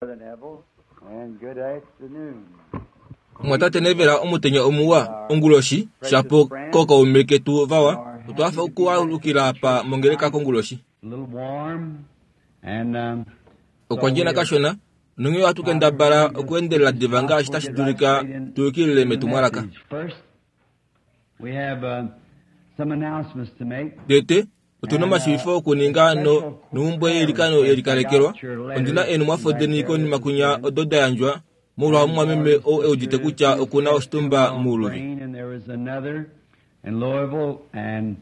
Brother Neville, and good afternoon. Mumwatate Neville, omutenya omuwa, onguloshi, shapo kookaume ketu vawa, otwa hafa okualukila apa mongeleka konguloshi. A little warm, and Okwa ndjena kashona, nonghee ohatu kendabala okuendelela diva ngaashi tashi dulika tu yukilile metumwalaka. First, we have some announcements to make. Tete, otu na omashiivifo okuninga nomhumbwe yeilikano ye likalekelwa. Ondi na eenhumwafo deni konima kwinya odo da yandjwa molwa omumwameme ou e udite kutya oku na oshitumba mouluvi. And there was another in Louisville, and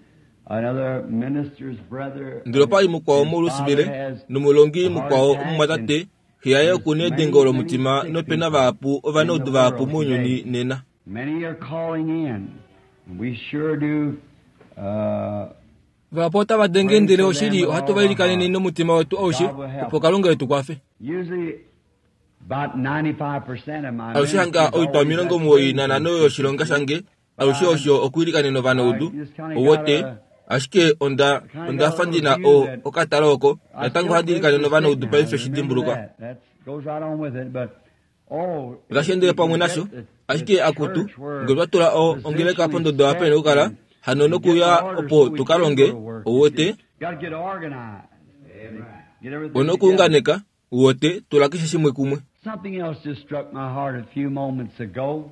another minister's brother. Ndele opa li mukwao moLouisville, nomulongi mukwao omumwatate, xe yaye oku na edengo lomutima nope na vahapu ovanaudu vahapu mounyuni nena. Many are calling in. And we sure do. Vahapu otava denge ndele oshili ohatu va ilikanene nomutima wetu aushe opo Kalunga e tu kwafe. Usually about 95% of my Alushe hanga ministry is oitwa always that 95 yoshilonga shange alushe osho okwiilikanena ovanaudu, owote, ashike onda onda fa ndi na o, okatalo oko, natango ohandi ilikanene ovanaudu paife shi dimbulukwa. That goes right on with it, but oh, Otashi endele pamwe nasho, ashike akutu, ngee otwa tula o, ongeleka pondodo apa ina okukala, hano nokuya opo tu ka longe, owote, Got to get organized. Get everything ono together. okuunganeka, uwote, tula keshe shimwe kumwe. Something else just struck my heart a few moments ago.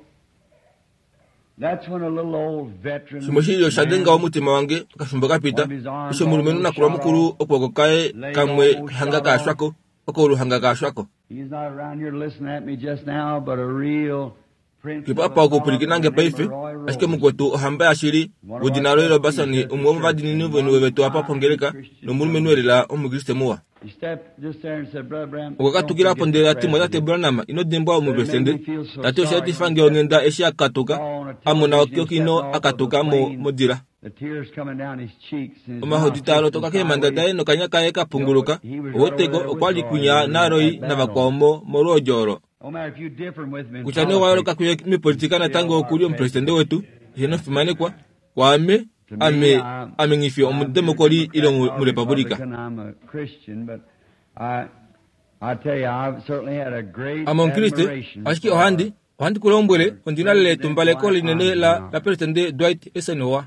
That's when a little old veteran Shimwe shili osha denga omutima wange okafimbo ka pita, eshi omulumenhu nakula mukulu okwooko kaye kamwe hanga kaashwako, okoulu hanga kaashwako. He's not around here listening at me just now, but a real prince Kepo of apa okupwilikina nge the name paife, of Roy ashike Roberts. mukwetu ohamba yashili, wedina Roy Robertson, umwe womovadiinini veni vetu apa pongeleka, nomulumenhu elela omukriste muwa. He stepped just there and said, Brother Branham, Okwa don't katukila po forget ndele the a ti, Mwatate president. Branham, ino dimbwa omupresidente. Tati osha etifa nge onghenda eshi a katuka, a mona okino a katuka mo modila. The tears coming down his cheeks and his Omahodi mouth taa lotoka twisting keemhanda sideways. daye nokanya kaye ka punguluka. Oweteko okwa li kwinya naRoy navakwao mo molwoodi olo. No matter if you differ with me in Kutya nee owa yooloka politics, kuye mipolitika natango oku li omupresidente wetu, eheno omufimanekwa, kwaame, ame, ame nghi fi I'm omudemokoli ile Democrat or omurepublika. Republican, I'm a Christian, but I, I tell you, I've certainly had a great Ame omukriste, admiration ashike for ohandi, ohandi ku lombwele, ondi na lela etumbaleko linene la, la presidente Dwight Eisenhower.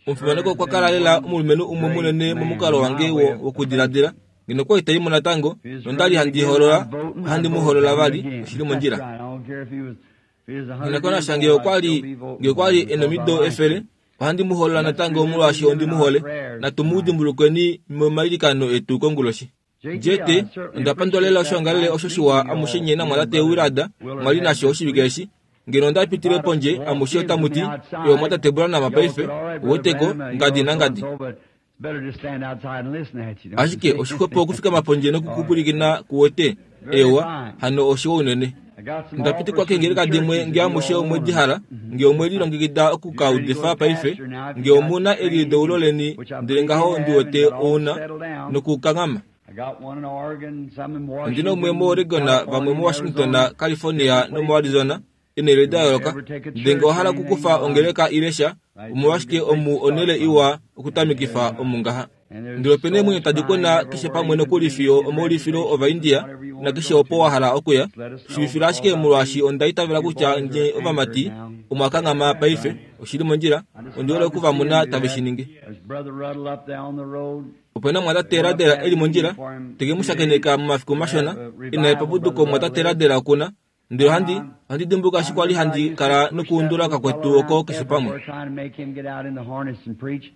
Omufimanekwa okwa kala lela omulumenhu umwe munene momukalo wange wo, wokudiladila. Ngeno okwa ita i mo natango, nonda li handi hoolola, ohandi mu hoolola vali, oshili mondjila. That's right. I don't care if he was, if he was 100 Nghinakona years nge old, okwa I'd still li, be voting nge okwa for li him e because I nomido like efele, him. ohandi mu hoolola Let's natango remember our molwaashi ondi mu prayers hole. tonight. Natu mu dimbulukweni momailikano etu konguloshi. JT, Jete, I certainly onda pandula lela appreciate that oshoongalele nice osho shiwa meeting you amushe all. nye You and namwatate Brother Willard Willard mwa li had nasho this oshivike week. eshi. Ngeno onda pitile About pondje walked amushe in from otamu the ti, outside. Ewa mwatate Branham Y'all paife, said, all right, Brother oweteko, Branham, you ngadi know, nangadi. so-and-so, but it's better to stand outside and listen at you, don't you Ashike see? oshixwepo okufikama pondje All right. nokukupwilikina kuwete, Very ewa, fine. hano oshiwa unene. I got some Onda offers pitikwa from keengeleka some dimwe churches nge if you amushe all omwe want di them. hala, nge omwe lilongekida oku If ka you're ready to go udifa to paife, pastor now, if nge you got omu na your training, elideulo leni, which I ndele believe you ngaho have, ndi and wete got all ouna settled down. nokukanghama. I got one in Oregon, some in Ondi na umwe Washington, moOregon, vamwe California, moWashington, Arizona, California different places. nomoArizona, eenhele If da you yooloka. ever take a Ndele church nge owa or hala anything, okukufa why, ongeleka ile sha, right here's a omolwashike good place omu to start onhele from. iwa And, okutamikifa omu ngaha. and there's Ndele opena eemwenyo souls tadi crying kwena keshe everywhere, pamwe even nokuli in the fiyo Indian omoulifilo reservations and ovaIndia, whatever you want to nakeshe go opo to. wa hala okuya. Just let us know Shiivifila because ashike I molwaashi believe onda itavela you kutya boys nye are anchored ovamati now. omwa kanghama paife, Right. oshili mondjila, I just ondi hole love to oku va see mona him do tave that. shi ningi. There's Brother Ruddle up there on the road. Opena They mwatate went up Radela to e have li a meeting mondjila, for him teke mu today shakeneka momafiku to have mashona, a ina revival, Brother epapuduko Ruddle mwatate is. Radela okuna. Ndele ohandi, I'm, ohandi dimbuluka eshi I kwali remember I handi used to kala push that nokuundula little fellow kakwetu oko around keshe pamwe. everywhere trying to make him get out in the harness and preach.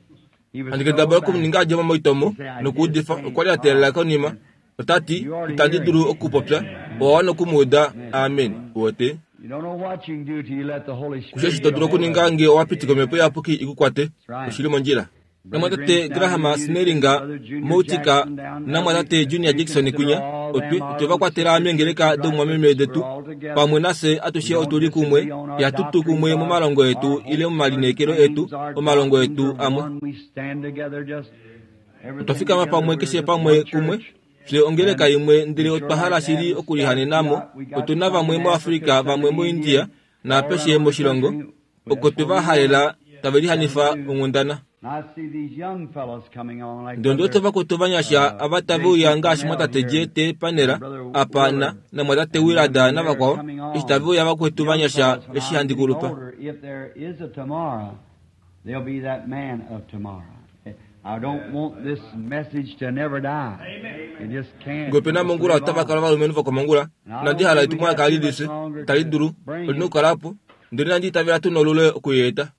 He was Handi so kendabala okumuninga backward. a dje mo moitomo He said, I just nokuudifa, can't okwa li a teelela talk. konima. And Ota ti, you ought to itandi hear dulu him. okupopya, owa wana okumuuda, amen, uwete. You don't know what you can do till you let the Holy Kushe eshi Spirit to get a dulu hold okuninga of you. nge owa pitika omhepo iyapuki i ku kwate, That's right. oshili mondjila. Brother Namwatate Grimstown Graham in Utica, Snellinga, Brother Junior Moutika, Jackson down there, we, namwatate Junior we Jackson consider kwinya, all otwe them our otwe va little kwatela sisters meengeleka and brothers. doumwameme We're detu, all together. pamwe nafye We atushe don't otu li kumwe, disagree on our ihatu tu doctrines, kumwe our, momalongo our etu ile hopes, our momalineekelo etu, dreams, our omalongo doctrines etu are amwe. one. We stand together just Otwa everything fikama together. pamwe We're keshe just pamwe one kumwe, church. fye ongeleka And imwe ndele we sure otwa hala like to have shili the okulihanena stuff. mo. We got Otu na some vamwe in moAfrika, Africa, some vamwe in moIndia, India, all naapeshe around the moshilongo, country. oko That's twe where va we want halela tave to lihanifa do. onghundana. Ndele ondi wete vakwetu ovanyasha ava tave uya ngaashi mwatate J.T. Panera apa na namwatate Willard navakwao, eshi tave uya vakwetu vanyasha eshi handi kulupa. Ngee ope na mongula otava kala ovalumenhu vokomongula, inandi hala etumwalaka li lifye, itali dulu, oli na okukala po, ndele inandi itavela tu nolule okuyeeta.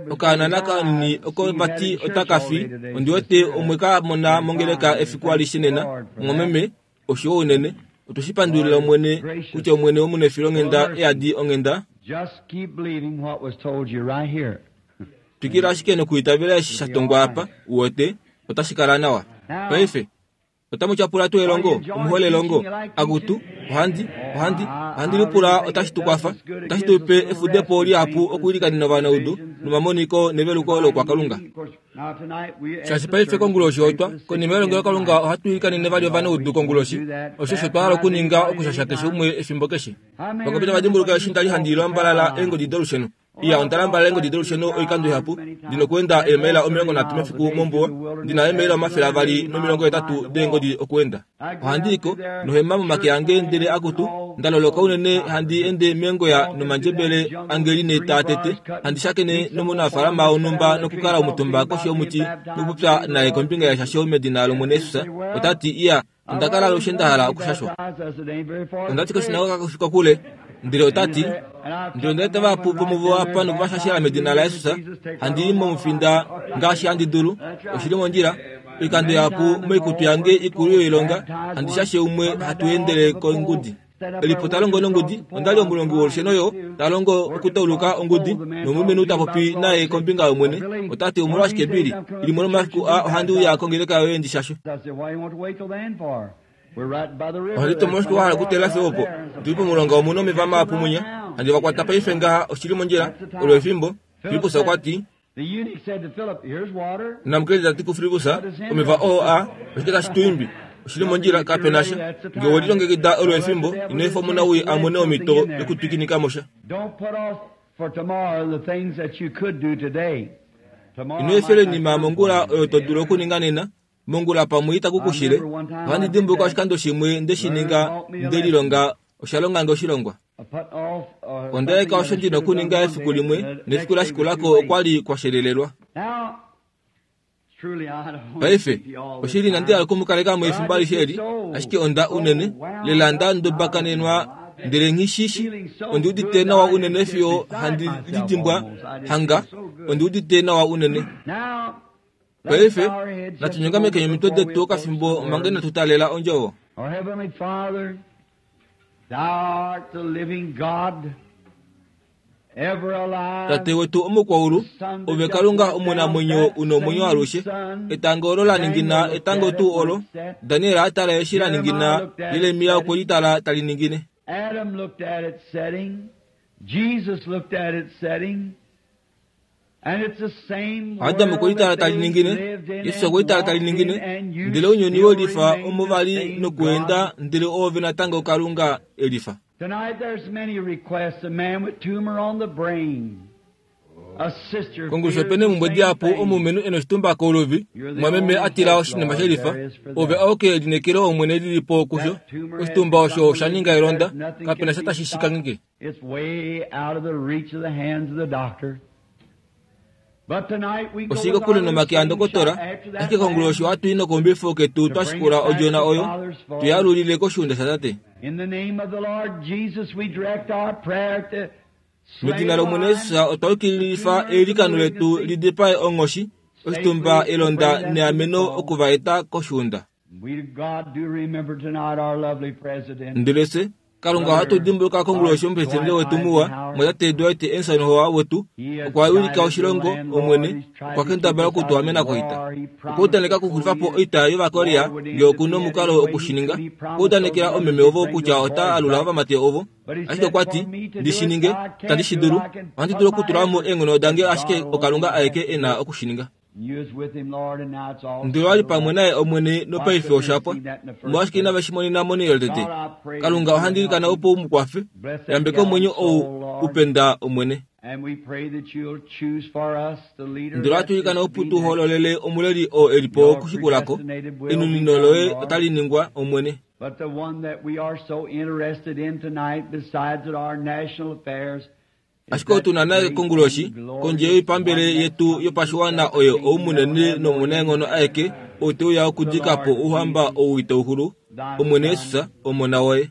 Okaana kanini oko vati otaka fi, ondi wete omwe ka mona mongeleka efiku alishe nena, mumwameme, oshiwa unene. Otwe shi pandulila Omwene, kutya Omwene omunefilonghenda e yadi onghenda. Twikila ashike nokuitavela eshi sha tongwa apa, uwete, otashi kala nawa. Paife, Otamu tyapula tuu elongo? Omu hole elongo? Akutu, ohandi, ohandi, ohandi lipula otashi tu kwafa, otashi tu pe efudepo lihapu okwiilikanena ovanaudu nomamoniko neveluko loukwakalunga. Shaashi paife konguloshi otwa, konima yelongelokalunga ohatu ilikanene vali ovanaudu konguloshi. Osho osho twa hala okuninga okushasha keshe umwe efimbo keshe. Vangapi tava dimbuluka eshi nda li handi lambalala eengodi dolusheno? Iya, onda lambalala eengodi dolusheno oikando ihapu. Ndi nokuenda eemaila 30 mefiku mombuwa. Ndi na eemaila 280 deengodi okuenda. Ohandi i ko, nohema momake ange ndele akutu, nda loloka unene handi ende meengoya nomandjebele ange line taa tete, handi shakene nomunafaalama wonhumba nokukala omutumba koshi yomuti nokupopya naye kombinga yeshasho medina lOmwene Jesus, ota ti, Iya, Onda kala alushe nda hala okushashwa. Onda ti koshinagoga kashi kokule, ndele ota ti, Ndele onda eta vahapu vomuvo apa nokuvashashela medina laJesus, handi i momufinda ngaashi handi dulu, oshi li mondjila, oikando ihapu moikutu yange ikulu yoilonga, handi shashe umwe hatu endele kongudi. Elipo ta longo nongudi, onda li omulongi wolusheno yo ta longo okutauluka ongudi, nomulumenhu ta popi naye kombinga yOmwene, ota ti, Omolwashike Billy, limwe lomafiku aa ohandi uya kongeleka yoye ndi shashwe. Ohandi ti, Omolwashike wa hala okuteelela fiyo opo? Otu li pomulonga omu na omeva mahapu mwinya. Handi va kwata paife ngaha, oshi li mondjila, olo efimbo. Filippus okwa ti, Namukeledi ta ti kuFilippus, Omeva oo a, oshike tashi tu imbi? Oshi li mondjila, kape na sha. Nge we lilongekida olo efimbo, ino efa omunawii a mone omhito yokutwikinika mo sha. Ino efela oinima yomongula oyo to dulu okuninga nena, mongula pamwe itaku ku shile. Ohandi dimbuluka oshikando shimwe nde shi ninga nde lilonga, osha longa nge oshilongwa. Onda eka osho ndi na okuninga efiku limwe, nefiku la shikula ko okwa li kwa shelelelwa. Paife, oshili inandi hala oku mu kaleka mo efimbo alishe eli, ashike onda unene, lela nda ndobakanenwa ndele nghi shi shi. Ondi udite nawa unene fiyo handi lidimbwa hanga, ondi udite nawa unene. Paife, natu nyongamekeni omitwe detu okafimbo manga inatu taalela Ondjovo. Tate wetu omukwaulu, ove Kalunga omunamwenyo u nomwenyo alushe. Etango olo la ningina etango tuu olo Daniel a tala eshi la ningina, Jeremia okwe li tala tali ningine. Adam looked at it setting. Jesus looked at it setting. Adam okwe litala tali ningine, Jesus okwe litala tali ningine, ndele ounyuni we lifa omo va li nokuenda, ndele oove natango Kalunga e lifa. Kongulusha ope neemhumbwe dihapu omulumenhu e noshitumba kouluvi, omumwameme a tila oshinima she lifa, ove auke elineekelo Omwene li li po kusho. Oshitumba osho osha ninga elonda, kape na sha tashi shi kangheke. It's way out of the reach of the hands of the doctor. But tonight we go Oshili kokule nomake andokotola, ashike konguloshi ohatu i nokombifo ketu twa shikula odjona oyo, tu yalulile koshiunda shaTate. In the name of the Lord Jesus, we direct our prayer to Medina lOmwene Jesus otwa yukililifa eilikano letu li dipae onghoshi, oshitumba, elonda neameno oku va eta koshiunda. We God do remember tonight our lovely president. Ndele fye, Kalunga ohatu dimbuluka konguloshi omupresidente wetu muwa, mwatate Dwight Eisenhower wetu, okwa wilika oshilongo, Omwene, okwa kendabala oku tu amena koita. Okwa udaneka okuxulifa po oita yOvakorea nge oku nomukalo oku shi ninga. Okwa udanekela omeme ovo kutya ota alula ovamati ovo, ashike okwa ti, Ndi shi ninge, itandi shi dulu. Ohandi dulu okutula mo eenghono dange ashike oKalunga aeke e na oku shi ninga. Ndele owa li pamwe naye Omwene nopaife osha pwa. Omolwashike inave shi monena monhele tete? Kalunga, ohandi ilikana opo u mu kwafe. Yambeka omwenyo ou u penda, Omwene. Ndele ohatu ilikana opo tu hoololele omuleli oo e li po okushikula ko. Enunino loye otali ningwa, Omwene. But the one that we are so interested in tonight, besides our national affairs, Ashike otu na naye konguloshi, kondje yoipambele yetu yopashiwana oyo ou munene nomunaenghono aeke ou te uya okudika po ouhamba ou itau xulu, Omwene Jesus, Omona woye.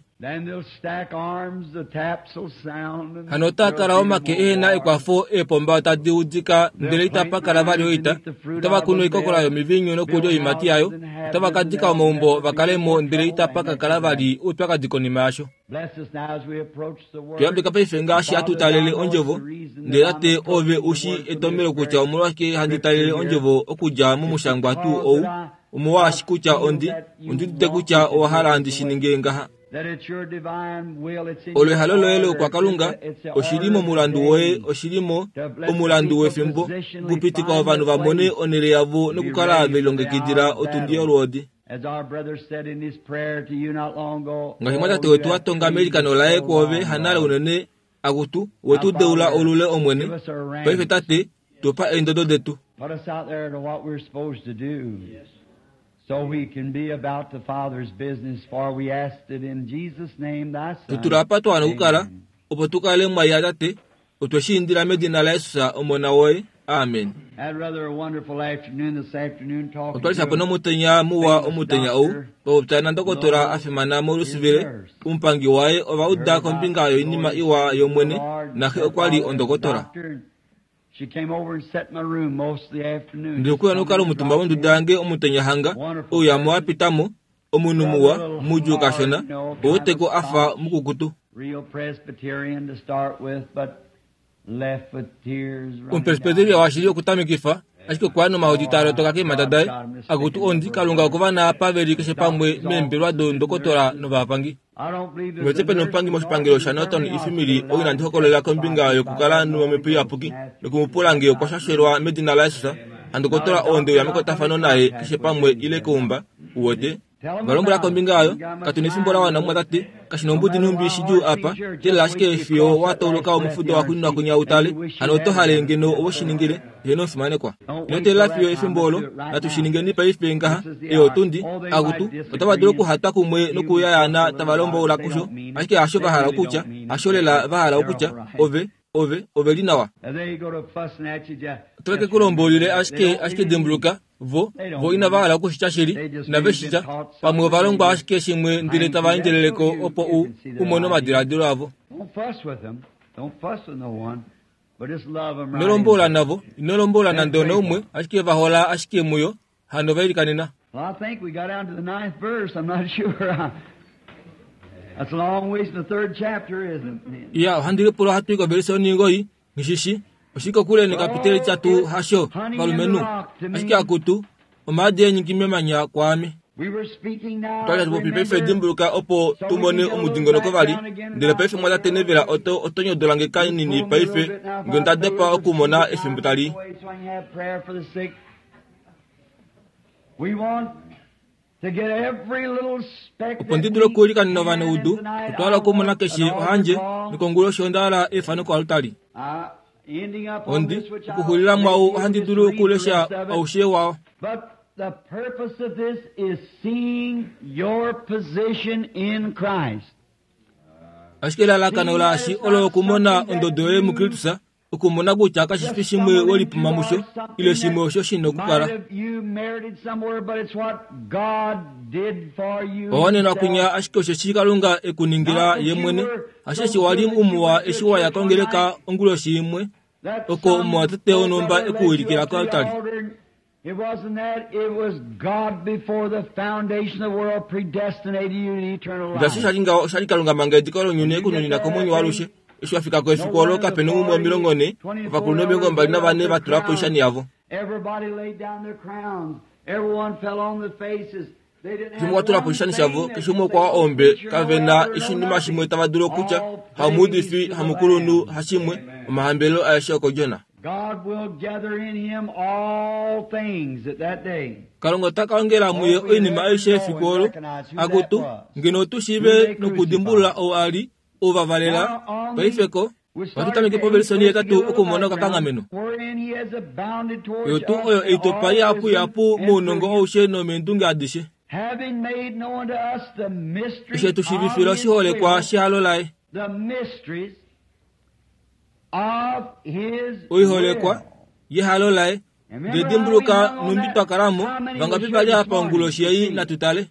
Hano otaa kala omake ehe na ekwafo, eepomba tadi udika ndele itapa kala vali oita. Otava kunu oikokola yomiviinyu nokulya oiimati yayo. Otava ka dika omaumbo va kale mo ndele itapa ka kala vali oupyakadi konima yasho. Tu yambeka paife ngaashi hatu talele ondjovo, ndele Tate ove u shii etomhelo kutya omolwashike handi talele ondjovo okudja momushangwa tuu ou, omolwaashi kutya ondi, ondi udite kutya owa hala ndi shi ninge ngaha. Olo ehalo loye loukwakalunga, oshi li momulandu woye, oshi li mo, omulandu wefimbo, okupitika ovanhu va mone onhele yavo nokukala ve lilongekidila otundi yolwoodi. Ngaashi mwatate wetu a tonga meilikano laye kwoove hanale unene, Akutu, we tu deula olule, Omwene. Paife, Tate, tu pa eendodo detu. Put us out there to what we're supposed to do. So we can be about the Father's business, for we asked it in Jesus' name, thy Tu Son. tula apa twa wana okukala, Amen. opo tu kale mwa ya, Tate. Otwe shi indila medina laJesus, Omona woye. Amen. Had rather a wonderful afternoon this afternoon talking Otwa li to shapo a nomutenya muwa omutenya ou, twa popya nandokotola a fimana moLouisville, omupangi waye ova uda kombinga yoinima iwa yOmwene, naxe okwa li ondokotola. Ndele okwe uya nokukala omutumba monduda yange omutenya hanga, ouyamo wa pita mo, omunhu muwa, mudjuu kashona, ouweteko a fa mukukutu. Omupresbyteria washili okutamekifa, ashike okwa ya nomahodi taa lotoka keemhata daye. Akutu ondi, Kalunga okova apa ve li keshe pamwe meembelwa doondokotola novapangi. Ngetse pe nomupangi moshipangelo shaNorton Ifimili ou inandi hokololela kombinga yokukala nomhepo iyapuki noku mu pula ngee okwa shashelwa medina laJesus, handokotola oo nde uya mekwatafano naye keshe pamwe ile keumba, uwete. Va lombwela kombinga yayo, Katu nefimbo la wana, mumwatate. Kashi nombudi nhumbi shidjuu apa, teelela ashike fiyo wa tauluka omufudo waxuuninwa kwinya u tale. Hano oto hale ngeno owe shi ningile? Heeno, omufimanekwa. Ino teelela fiyo efimbo olo. Natu shi ningeni paife ngaha. Ei otundi. Akutu, otava dulu okuhatwa kumwe nokuyayaana tava lomboula kusho, ashike hasho va hala okutya. Hasho lela va hala okutya. Ove, ove, ove li nawa. Otave ke ku lomboulile ashike, ashike dimbuluka, Vo, vo inava hala oku shi tya shili, inave shi tya. Pamwe ova longwa ashike shimwe ndele tava endjelele ko opo u, u mone omadiladilo avo. Ino lombola navo, ino lombola nande onaumwe, ashike va hola ashike muyo, hano va ilikanena. Well, I think we got down to the ninth verse. I'm not sure. That's a long ways from the third chapter, isn't it? Iya, ohandi lipula ohatu i kovelise onhingo Nghishishi, oshi kokule nekapiteli tya tuu hasho, valumenhu? Ashike akutu, omaadi eenyiki memanya kwaame. Otwa li hatu popi paife dimbuluka opo tu mone omudingonoko vali. Ndele paife mwa tate Neville oto, oto nyodola nge kanini paife, nge onda dopa okumona efimbo tali. Opo ndi dule okuilikanena ovanaudu, otwa hala okumona keshe ohandje, nokonguloshi onda hala efano koaltari. Ondi, okuxulila mwaau ohandi dulu okulesha aushe wao. But the purpose of this is seeing your position in Christ. Ashike elalakano laashi olo okumona ondodo yoye muKristus, Okumona kutya kashi fi shimwe we lipuma musho, ile shimwe osho shi na okukala. Owa wanenwa kwinya ashike osheshi Kalunga e ku ningila ye mwene, hasheshi wa li umuwa eshi wa ya kongeleka onguloshi imwe, oko omumwatate wonhumba e ku wilikila koaltari. It wasn't that, it was God before the foundation of the world predestinated you to eternal life. Ngaashi sha li ngaho, osha li Kalunga manga ediko lounyuni e ku nunina komwenyo waalushe. Eshi wa fika ko efiku olo, kape na umwe 40, ovakulunhu 24 va tula po oishani yavo. Everybody laid down their crowns. Everyone fell on their faces. Keshe umwe okwa tula po oishani shavo, keshe umwe okwa wa ombe, kave na oshinima shimwe tava dulu okutya, hamuudifi, hamukulunhu, hashimwe, omahambelelo aeshe okodjona. God will gather in him all things at that day. Kalunga ota ka ongela muye oinima aishe efiku olo. Akutu, ngeno otu shiive nokudimbulula ou a li, ou va valela, paife ko. Ohatu tameke povelisoni yetatu okumona okakanghameno. Oyo tuu oyo eitopa ihapuihapu mounongo aushe nomeendunge adishe. Eshi tu shiivifila oshiholekwa shehalo laye. Oiholekwa yehalo laye. Ndele dimbuluka nhumbi twa kala mo, vangapi va li apa onguloshi ei natu tale.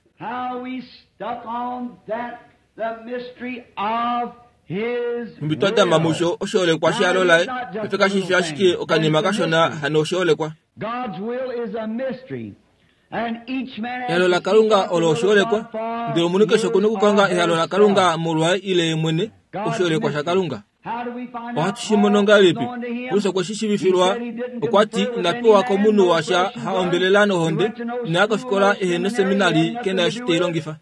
Nhumbi twa dama musho oshiholekwa shehalo laye, paife kashi fi ashike okanima kashona hano oshiholekwa. Ehalo laKalunga olo oshiholekwa, ndele omunhu keshe oku na okukonga ehalo laKalunga molwaye ile ye mwene, oshiholekwa shaKalunga. Ohatu shi mono ngahelipi? Paulus okwe shi shiivifilwa. Okwa ti, Ina pewa komunhu washa ha ombelela nohonde, ina ya kofikola ehe noseminali, ke na eshi te i longifa.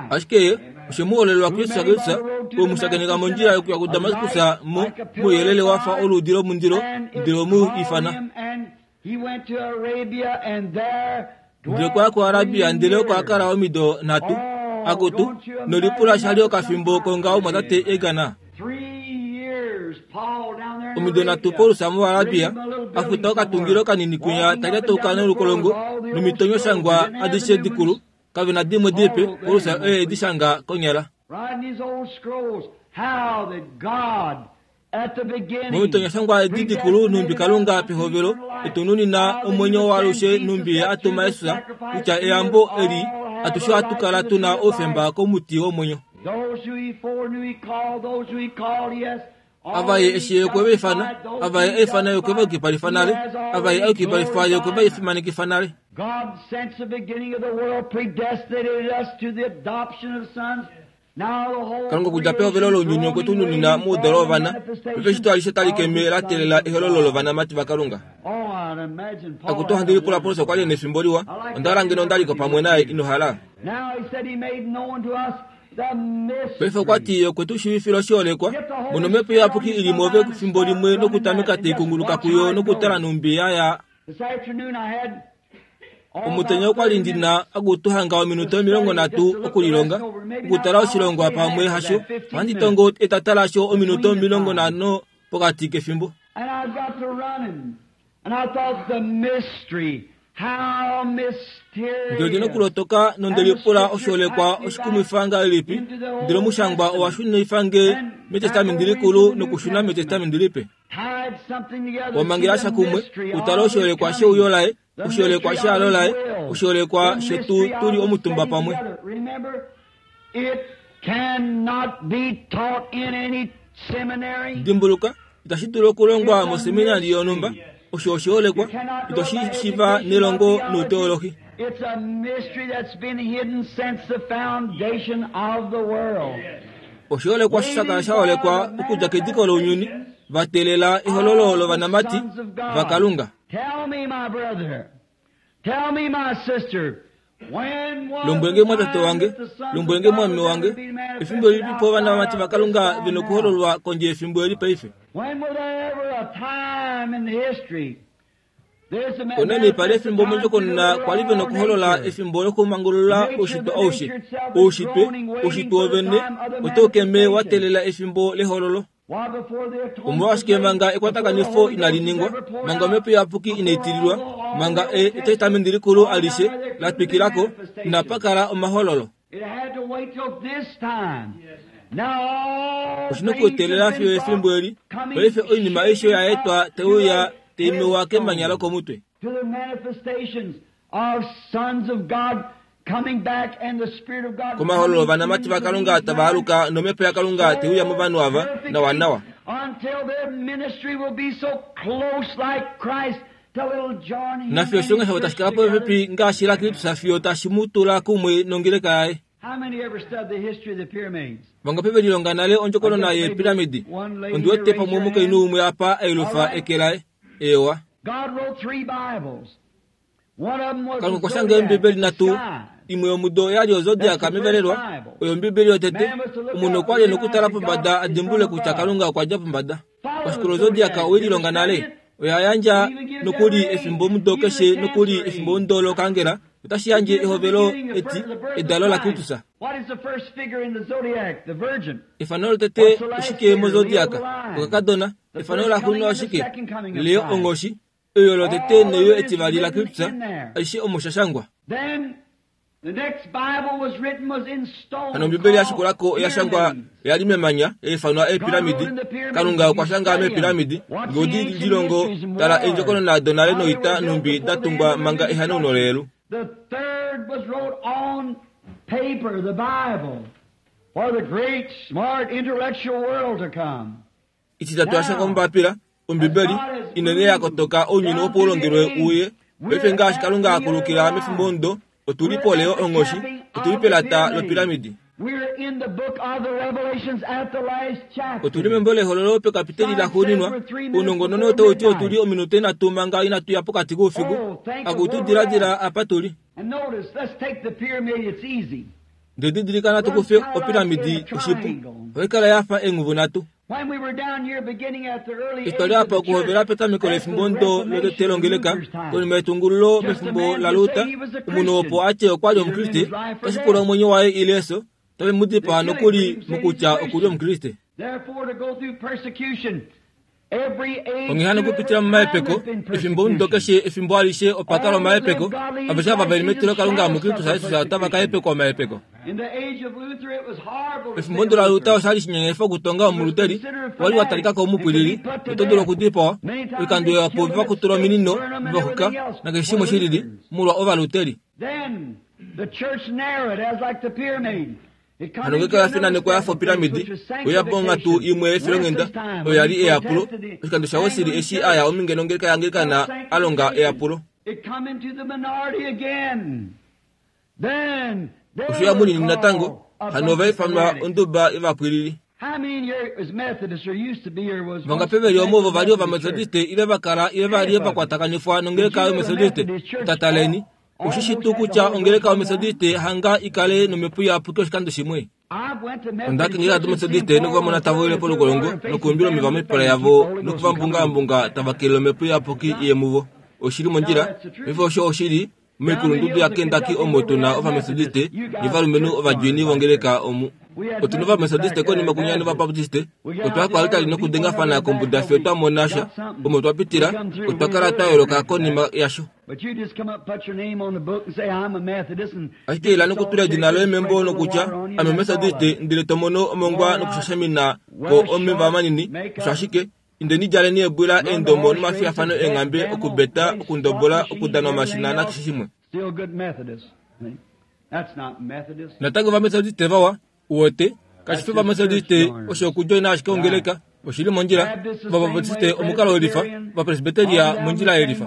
Ashike oshe mu hololelwa Kristus Kristus, ou mu shakeneka mondjila yokuya kuDamaskus mo mouyelele wa fa oluudi lomundilo, ndele omu ifana. Ndele okwa ya kuArabia ndele oko a kala omido nhatu. Akutu, nolipula sha li okafimbo kongaho mwatate Egana. Omido nhatu Paulus muArabia a futa okatungilo kanini kwinya ta lyatauka nolukolongo nomitonyoshangwa adishe dikulu, kave na dimwe dipe, Paulus oye e di shanga konyala. Momitonyashangwa edi dikulu nhumbi Kalunga pehovelo e tu nunina omwenyo waalushe nhumbi Ye a tuma Jesus kutya eyambo eli atushe ohatu kala tu na oufemba komuti womwenyo. Ava Ye eshi Ye okwe va ifana, ava Ye a ifana Ye okwe va yukipalifa nale, ava Ye a yukipalifa Ye okwe va fimanekifa nale. Kalunga okudja pehovelo lounyuni okwe tu nunina moudalo wovana, paife eshito alishe tali keme la teelela ehololo lovanamati vaKalunga. Akutu ohandi lipula Paulus okwa li e nefimbo liwa, onda hala ngeno onda li ko pamwe naye, ino hala? Paife okwa ti okwe tu shiivifila oshiholekwa, mono Omhepo Iyapuki i li mwoove fimbo limwe nokutameka tai kunguluka kuyo nokutala nhumbi ya ya. Omutenya okwa li ndi na okutuhanga ominute 30 okulilonga, okutala oshilongwa pamwe hasho, ohandi tongo etata lasho ominute 50 pokati kefimbo. Ndele ndi nokulotoka nonde lipula oshiholekwa oshikumwifa ngahelipi, ndele omushangwa owa shunifa nge mEtestamenti Likulu nokushuna mEtestamenti Lipe. Wamangela sha kumwe, utale oshiholekwa sheuyo laye, oshiholekwa shehalo laye, oshiholekwa shetu tu li omutumba pamwe. Dimbuluka, itashi dulu okulongwa moseminari yonhumba. Osho oshiholekwa, ito shi shiva nelongo nouteolohi. Oshiholekwa sha kala sha holekwa okudja kediko lounyuni, va teelela ehololo lovanamati vaKalunga. Lombwele nge mwatate wange, lombwele nge mwameme wange, efimbo lilipi po ovanamati vaKalunga ve nokuhololwa kondje yefimbo eli paife? Onani pa li efimbo mondjokonona kwa li ve nokuholola efimbo lokumangulula oushitwe aushe. Oushitwe, oushitwe wovene, otau keme wa teelela efimbo lehololo. Omolwashike manga ekwatakanifo inali ningwa, manga Omhepo Iyapuki inai tililwa, manga Etestamenti Likulu alishe la twikila ko, inapa kala omahololo? Oshi na okuteelela fiyo efimbo eli. Paife oinima aishe oya etwa tai uya tai mewa kemanya lokomutwe. Komahololo ovanamati vaKalunga tava aluka nomhepo yaKalunga te uya movanhu ava nawanawa. Nafiyo oshilonga shavo tashi kala popepi ngaashi laKristus fiyo tashi mu tula kumwe nongeleka yaye. Vangapi ve lilonga nale ondjokonona yeepiramidi? Ondi wete pamwe omukainhu umwe apa a yelufa eke laye. Eewa. Kalunga okwa shanga Eembibeli nhatu, imwe yomudo oya li oZodiac mevalelwa, oyo Ombibeli yotete. Omunhu okwa li e na okutala pombada a dimbulule kutya Kalunga okwa dja pombada. Oshikolo Zodiac owe lilonga nale? Oya yandja nokuli efimbomudo keshe nokuli efimbomudo lokangela. Otashi yandje ehovelo eti edalo laKristus. Efano lotete oshike mozodiaka? Okakadona. Efano laxuuninwa oshike? Leo onghoshi. Eyo lotete neyo etivali laKristus, aishe omo sha shangwa. Hano Ombibeli ya shikula ko oya shangwa oya li memanya, ya ifanwa eepiramidi. Kalunga okwa shanga meepiramidi, nge odi lilongo tala eendjokonona donale noita nhumbi da tungwa manga ehanauno leyelu. Etitatu ya shangwa mombapila, Ombibeli, inene ya kotoka ounyuni opo u longelwe uye. Paife ngaashi Kalunga a kulukila mefimbo omudo, otu li poleo onghoshi, otu li pelata lopiramidi. Otu li membo lEhololo pekapiteli laxuuninwa. Ounongononi otau ti otu li ominute nhatu manga inatu ya pokati koufiku. Akutu diladila apa tu li. Ndele didilika natu kufe opiramidi oshipu. Ohai kala ya fa eenghuvu nhatu. Eshi twa li apa okuhovela petameko lefimbo ndo lotete longeleka, konima yetungululo mefimbo laLuther, omunhu opo a tye okwa li Omukriste, otashi pula omwenyo waye ile efyo, otave mu dipaa nokuli mokutya oku li Omukriste. Onghee hano okupitila momahepeko, efimbomudo keshe efimbo alishe opa kala omahepeko, aveshe ava ve li metilokalunga muKristus Jesus otava ka hepekwa omahepeko. Pefimbo ndo laLuther osha li shinyenyefa okutonga omuluteri, owa li wa talika ko omupwilili noto dulu okudipawa. Oikando ihapu ove va kutula ominino, ve va xuka, nakeshe shimwe shi lili, molwa ovaluteri. Hano ngeenge oya finanekwa ya fa opiramidi, oye uya ponghatu imwe yefilonghenda, oyo ya li eyapulo. Oshikando shaWesley eshi a ya ominge nongeleka yaAnglikana a longa eyapulo. Osho ya munini natango, hano ova ifanwa onduba yovapwilili. Vangapi ve li omo ovo va li Ovametodiste ile va kala ile va li va kwatakanifwa nongeleka yOmetodiste? Tataleni. Oshi shi tuu kutya ongeleka yOmetodiste hanga i kale nomhepo iyapuki oshikando shimwe? Onda kengeleka dOmetodiste noku va mona tava wile polukolongo nokuumbila omeva moipala yavo noku va mbungaambunga tava kelele omhepo iyapuki i ye muvo. Oshi li mondjila. Paife osho oshili. Moikulundudu yaKentucky omo tu na Ovametodiste novalumenhu ovadjoini vongeleka omu. Otu na Ovametodiste konima kunya nOvabaptiste. Otwa ya koaltari nokudengafana kombuda fiyo twa mona sha. Omo twa pitila, otwa kala twa yooloka konima yasho. Ashike ila nokutula edina loye membo nokutya, Ame Omumetodiste, ndele to mono omongwa nokushashamina ko omeva manini, osho ashike. Indeni djaleni eebwila, eendomo nomafiyafano eenghambe, okubeta, okundobola, okudana omashina nakeshe shimwe. Natango Ovametodiste vawa, uwete, kashi fi Ovametodiste, osho okudjoina ashike ongeleka, oshi li mondjila, Ovabaptiste omukalo welifa, Ovapresbyteria mondjila yelifa.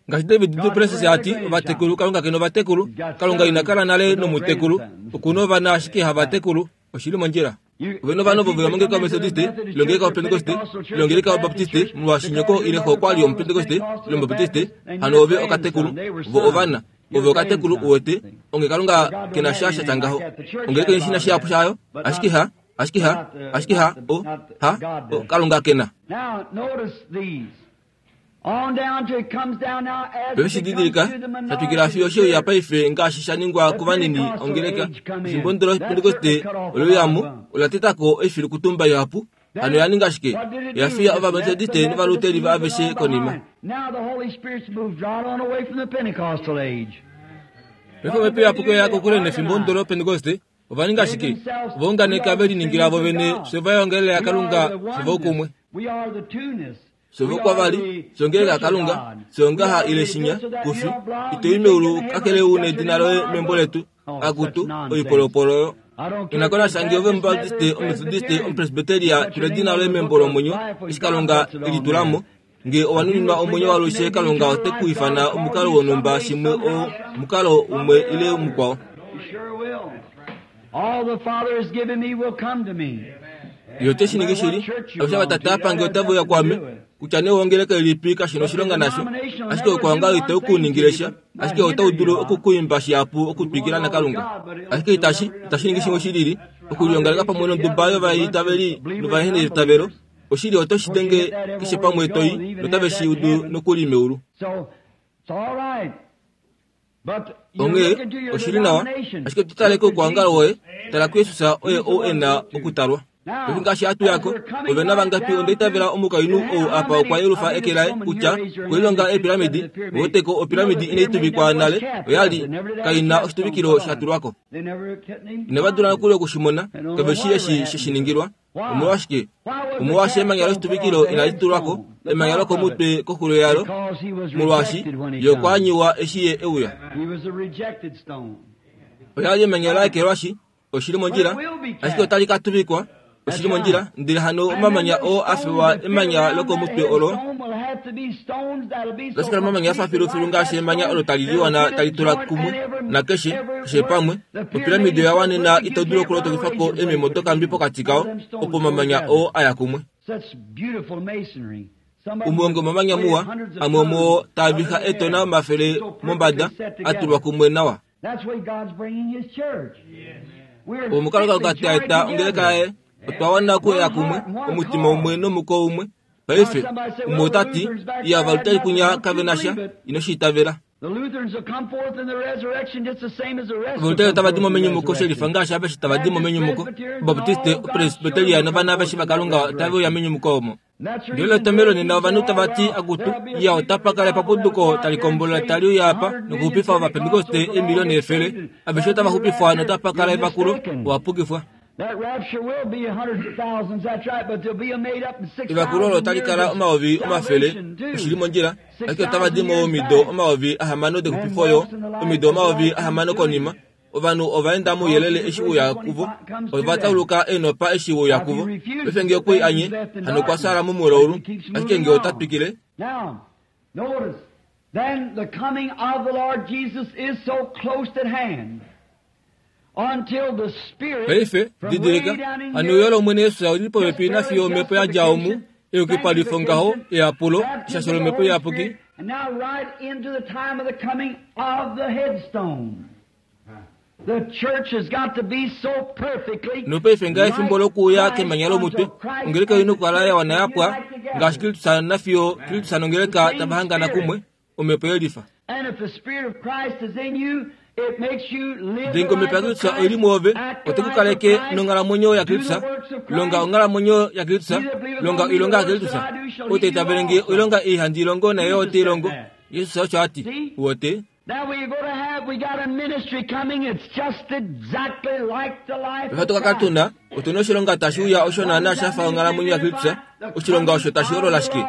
Ngaashi David du Plessis a ti, ovatekulu, Kalunga ke na ovatekulu. Kalunga ina kala nale nomutekulu. Oku na ovana ashike havatekulu. Oshi li mondjila. Ove na ovana ovo ve ya mongeleka yOmetodiste, ile ongeleka yOpentekoste, ile ongeleka yObaptiste, molwaashi nyoko ile xo okwa li Omupentekoste ile Omubaptiste, hano ove okatekulu. Vo ovana. Ove okatekulu, uwete. Onge Kalunga ke na sha sha tya ngaho. Ongeleka ina shi na shihapu shayo, ashike ha, ashike ha, ashike ha, o, ha, o, Kalunga ke na. Paife shi didilika, sha twikila fiyo she uya paife ngaashi sha ningwa kovanini ongeleka. Efimbo ndilo Pentekoste ole uya mo, ola teta ko oifilukutumba ihapu. Hano oya ninga shike? Oya fiya Ovametodiste nOvaluteri aveshe konima. Paife Omhepo Iyapuki oya ya kokule nefimbo ndilo Pentekoste. Ova ninga shike? Ova unganeka ve liningila vo vene fye va yongelele yaKalunga fye voukumwe. Fye vokwavali, fye ongeleka yaKalunga, fye ongaha ile shinya, kufi. Ito i meulu kakele u nedina loye membo letu. Akutu, oipolopolo oyo. Ina ko nasha nge ove Omubaptiste, Ometodiste, Omupresbyteria, tula edina loye membo lomwenyo, eshi Kalunga e li tula mo. Nge owa nuninwa omwenyo walushe, Kalunga ote ku ifana omukalo wonhumba shimwe o, omukalo umwe ile mukwao. Ye ote shi ningi shili. Aveshe ava Tate a pa nge otave uya kuame. Kutya nee owongeleka ilipi kashi na oshilonga nasho. Ashike oukwaongalo itau ku ningile sha, ashike otau dulu oku ku imba shihapu okutwikila naKalunga. Ashike itashi, itashi ningi shimwe shi lili, okuliongaleka pamwe nonduba yovaitaveli novaheneitavelo. Oshili oto shi denge keshe pamwe to i, notave shi udu nokuli meulu. Onghee, oshi li nawa, ashike to tale koukwaongalo woye, tala kuJesus oye ou e na okutalwa. Paife ngaashi hatu ya ko, ove na vangapi onda itavela omukainhu ou apa okwa yelufa eke laye kutya okulilonga eepiramidi, weteko opiramidi inai tuvikwa nale, oya li kai na oshituvikilo sha tulwa ko. Inava dula nokuli oku shi mona, kave shii eshi she shi ningilwa. Omolwashike? Omolwaashi emanya loshituvikilo inali tulwa ko, emanya lokomutwe koxulo yalo, molwaashi ye okwa anyiwa eshi ye e uya. Oya li emanya la ekelwashi, oshi li mondjila, ashike otali ka tuvikwa, oshi li mondjila, ndele hano omamanya oo a fewa emanya lokomutwe olo, otashi kala omamanya a fa filufilu ngaashi emanya olo tali liwana tali tula kumwe nakeshe keshe pamwe. Opiramidi oya wanena ito dulu okulotokifa ko eememo dokambi pokati kao, opo omamanya oo a ya kumwe. Umwe womomamanya muwa, amwe omuo taa viha eetona omafele mombada, a tulwa kumwe nawa. Omukalo Kalunga ta eta ongeleka yaye, otwa wana okuya kumwe, omutima umwe nomuko umwe. Paife, umwe ota ti, Iya, Ovaluteri kunya kave na sha. Ino shi itavela. Ovaluteri otava di mo menyumuko shelifa ngaashi aveshe tava di mo menyumuko. Obaptiste, Opresbyteria novana aveshe vaKalunga otave uya menyumuko omo. Ndele etomhelo nena ovanhu tava ti, Akutu, iya otapa kala epapuduko tali kombolola tali uya apa nokuxupifa Ovapentekoste eemiliona efele. Aveshe otava xupifwa notapa kala evakulo. Owa pukifwa. Evakulo olo otali kala omayovi omafele, oshi li mondjila, ashike otava di mo omido 6000 dexupifo oyo, omido 6000 konima. Ovanhu ova enda mouyelele eshi uya kuvo, ova tauluka eenopa eshi uya kuvo. Paife nge okwe i anye, hano okwa fyaala momulaulu, ashike nge ota twikile, Paife, didilika, hano euyo lOmwene Jesus oli li popepi nafiyo omhepo ya dja omu, eyukipalifo ngaho, eyapulo, eshasho lOmhepo Iyapuki, And now right into the time of the coming of the headstone. The church has got to be so perfectly Nopaife ngaa efimbo lokuuya kemanya lomutwe, ongeleka oi nokukala ya wana ya pwa, ngaashi Kristus nafiyo Kristus nongeleka tava hangana kumwe, Omhepo yelifa. And if the Spirit of Christ is in you, it makes you live Ndele the ngee Omhepo life of yaKristus oi li Christ, mwoove, act the ote ku life of kaleke Christ, nonghalamwenyo do yaKristus, the works of longa Christ. onghalamwenyo yaKristus, He that believeth longa on me, the oilonga works yaKristus. that I do shall Ou he ta do itavele nge also. oilonga ei handi i longo naye Jesus ote i said longo. that. Jesus osho a ti. See? Uwete? Now we're going to have, we got a ministry coming, it's just exactly like the life Paife of oto ka Christ. tuna, otu na oshilonga tashi uya osho naanaa sha fa onghalamwenyo yaKristus, oshilonga osho tashi holola shike?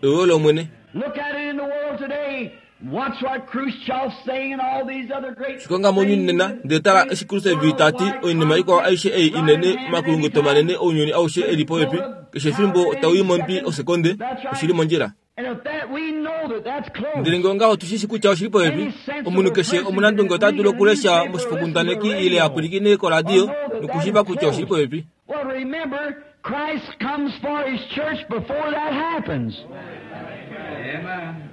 Euyo lOmwene. Look at it in the world today. Watch what Khrushchev's saying and all these other great Shikonga mounyuni nena, ndele tala eshi Khrushchev ta ti oinima ikwao aishe ei inene, omakulunguto manene ounyuni aushe e li popepi, keshe efimbo tau i mombi osekonde, oshi li mondjila. And if that we know that that's close. Ndele ngee ongaho otu shi shi kutya oshi li popepi, omunhu keshe omunandunge ota dulu okulesha moshifokundaneki ile a pwilikine koradio nokushiiva kutya oshi li popepi. Well, remember, Christ comes for His church before that happens. Amen.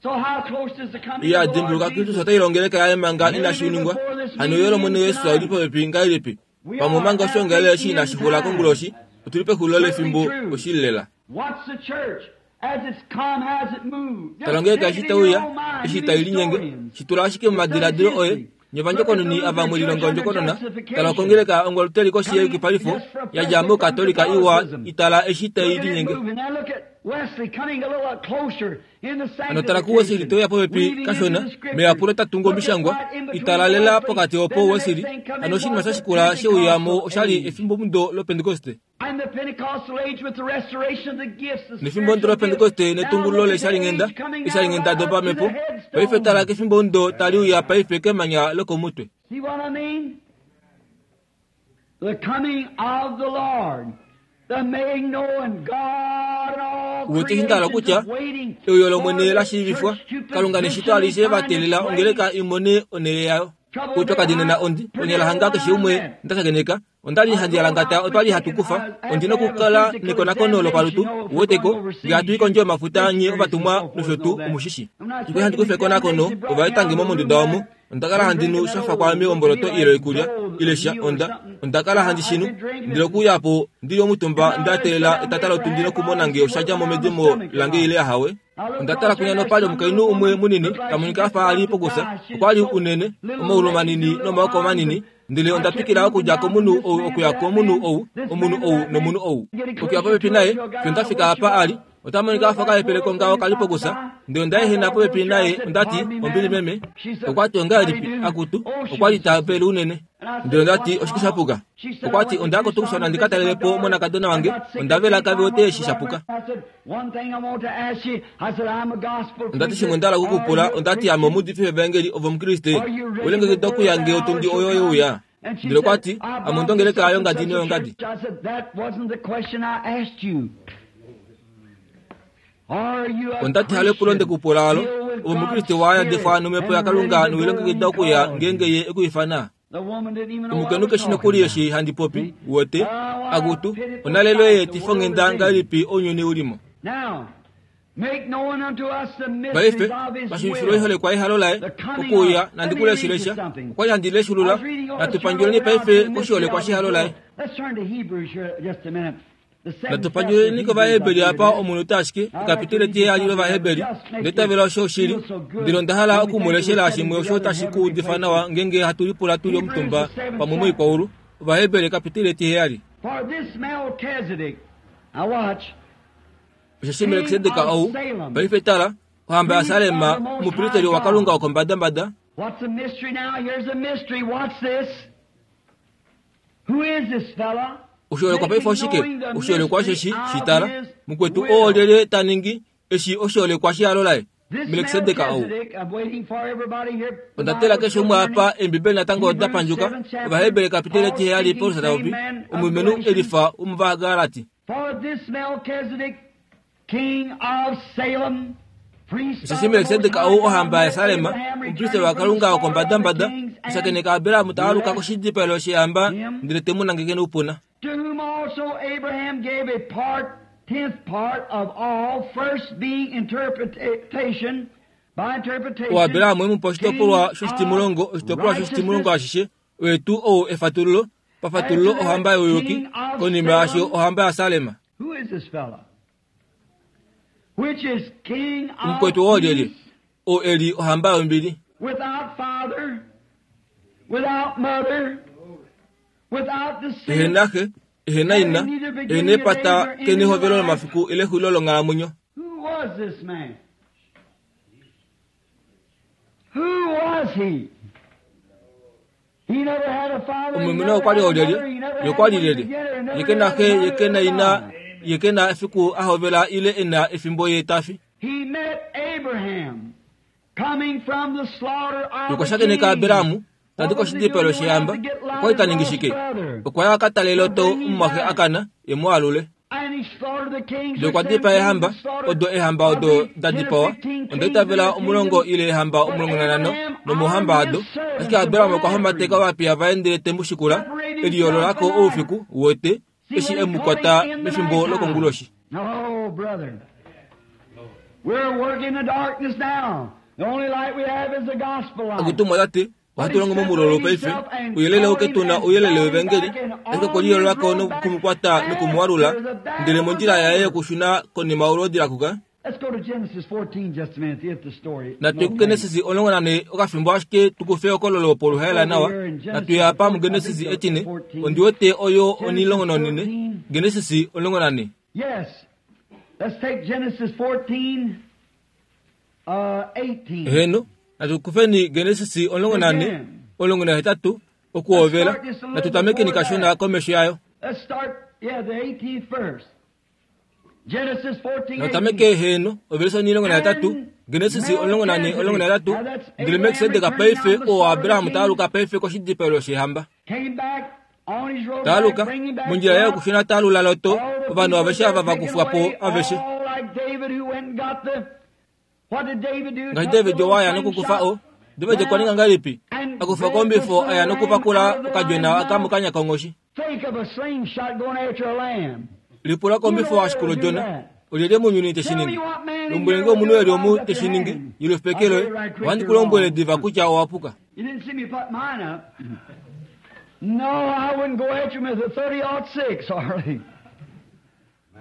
So how close is the coming Iya of the Lord dimbuluka Kristus Jesus? ota ilongeleka yaye manga inashi ningwa. Hano euyo lOmwene Jesus oli popepi ngahelipi? Pamwe omanga oshoongalele eshi inashi xula konguloshi, otu li pexulilo lefimbo oshili lela. Watch the church as it's come, as it moves. Just Tala ongeleka take eshi it tai in your uya, own mind, eshi you tai linyenge, historians. shi tula ashike momadiladilo oye, nye ovandjokononi ava mwe lilonga ondjokonona, tala kongeleka ongoluteri koshi yeyukipalifo, ya dja mOkatolika iwa i tala eshi tai Look at it linyenge. moving. Now look at Wesley coming a little closer in the Hano tala kuWesley te uya popepi sanctification, weaving into kashona, the scriptures. meyapulo ta tungu Look at omishangwa, right in between i tala lela Wesley, pokati opo then the Wesley, next thing coming hano oshinima was sha the shikula she uya mo Pentecostal oshali age. efimbomudo lOpentekoste. And the Pentecostal age with the restoration of the gifts, the Nefimbo ndo spiritual lOpentekoste gifts. Now netungululo look at the leshalinghenda, age coming now eshalinghenda right up to the dopamhepo. Paife tala headstone. kefimbo ndo tali uya paife kemanya lokomutwe. See what I mean? The coming of the Lord. The making known God and all Uwete eshi nda hala creation kutya is waiting euyo for lOmwene the la shiivifwa, church to Kalunga neshito position alishe and va find teelela its way. ongeleka i mone onhele yayo. Oupyakadi nena ondi, onyala hanga keshe umwe nda shakeneka, onda li handi alangata otwa li hatu kufa, ondi nokukala nekonakono lopalutu, uweteko, nge hatu i kondje yomafuta nye ovatumwa nosho tuu, omushishi. Okwali handi kufa ekonakono, ova etange mo monduda omu, Onda kala handi nu sha fa kwaame omboloto ile oikulya ile sha onda onda kala handi shi nu ndele okuuya po ndi li omutumba nda teelela etata lotundi nokumona nge osha dja mo medimo lange ile ahawe. Onda tala kwinya nopa li omukainhu umwe munini ta monika a fa a li pokufya. Okwa li unene, omaulu manini nomaoko manini. Ndele onda twikila okudja komunhu ou okuya komunhu ou, omunhu ou nomunhu ou. Okuya popepi naye, fiyo nda fika apa a li. Ota monika a fa okahepele kongaho ka li pokusa. Ndele onda ehena popepi naye, onda ti, Ombili meme. Okwa ti, Ongahelipi, akutu? Okwa li ta vele unene. Ndele onda ti, Oshike sha puka? Okwa ti, Onda ya koTucson ndi ka talele po omonakadona wange. Onda vela kave wete eshi sha puka. Onda ti, Shimwe nda hala oku ku pula, onda ti, Ame omuudifi wevaengeli, ove Omukriste. Owe longekida okuya nge otundi oyo ye uya? Ndele okwa ti, Ame ondi ongeleka yongadi noyongadi. Onda ti, Halepulo nde ku pula olo, ove Omukriste wa yadifwa nomhepo yaKalunga nowe longekida okuya ngeenge Ye e ku ifana? Omukainhu keshi nokuli eshi handi popi, uwete, akutu, onalelo yeetifonghenda ngahelipi ounyuni u li mo. Paife, pashiivifilo oiholekwa yehalo laye, okuuya nandi ku leshele sha. Okwa li handi leshulula. Natu pandjuleni paife koshiholekwa shehalo laye. Natu pandjuleni kOvaheberi apa omunute ashike, ekapitele etiheyali lOvaheberi. Onda itavela osho oshili. Ndele onda hala oku mu leshela shimwe osho tashi ku udifa nawa ngeenge hatu lipula tu li omutumba pamwe moikwaulu. Ovaheberi ekapitele etiheyali. Osheshi Melkisedek ou, paife tala, ohamba yaSalem, omupristeli waKalunga wokombadambada, Oshiholekwa paife oshike? Oshiholekwa osheshi, shi tala, mukwetu oo lyelye ta ningi eshi oshiholekwa shehalo laye? Melkisedek ou. Onda tela keshe umwe apa Eembibeli natango oda pandjuka. Ovaheberi kapitele etiheyali Paulus ta popi, omulumenhu e lifa wOmuvagalati. Osheshi Melkisedek ou ohamba yaSalem, omupristeli waKalunga wokombadambada, a shakeneka Abraham ta aluka koshidipaelo sheehamba ndele te mu nangeke noupuna. OAbraham e mu pa oshitopolwa shoshitimulongo, oshitopolwa shoshitimulongo ashishe, oye tuu ou efatululo, pafatululo ohamba youyuki, konima yaasho ohamba yaSalem. Omukwetu oo lyelye? Oo e li ohamba yombili. Ehe na xe, ehe na ina, ehe na epata, ke na ehovelo lomafiku ile exulilo longhalamwenyo. Omulumenhu okwa li olyelye? Ye okwa li lyelye? Ye ke na xe, ye ke na ina, ye ke na efiku a hovela ile e na efimbo ye ta fi. Ye okwa shakeneka Abraham ta di koshidipalo shehamba. Okwa li ta ningi shike? Okwa ya a ka tale Lot omumwaxe a kana, e mu alule. Ndele okwa dipaa eehamba, odo eehamba odo da dipawa, onda itavela omulongo ile eehamba 15 nomouhamba wado. Ashike Abraham okwa homateka ovapiya vaye ndele te mu shikula, e liyoolola ko oufiku, uwete, eshi e mu kwata mefimbo lokonguloshi. Okutumwa ta ti, Ohatu longo momulolo paife, ouyelele ou ke tu na ouyelele wevangeli, ashike okwe liyoolola ko noku mu kwata noku mu alula, ndele mondjila yaye yokushuna konima olwoodi la kuka. Natu ye kuGenesis 14 okafimbo ashike tu kufe ehokololo poluhaela nawa. Natu ye apa muGenesis etine, ondi wete oyo onhilongo-nonhine, Genesis 14. Yes. Let's take Genesis 14. Heeno, natu kufeni Genesis 14, 18, okuhovela. Natu tamekeni kashona komesho yayo. Natu tameke, heeno, ovelise 18, Genesis 14, 18, Ndele Melkisedek paife, oo Abraham ta aluka paife koshidipaelo shehamba. Ta aluka, mondjila yaye yokushuna ta alula Lot, ovanhu aveshe ava va kufwa po aveshe. Ngaashi David owa ya nokukufa o. David okwa ninga ngahelipi? A kufa ko ombifo a ya nokupakula okadjona aka mokanya konghoshi. Lipula kombifo ashike lodjona. Olyelye mounyuni te shi ningi? Lombwele nge omunhu e li omu te shi ningi, yelufipeke loye. Ohandi ku lombwele diva kutya owa puka. You didn't see me put mine up. No, I wouldn't go after him with a 30-06, hardly.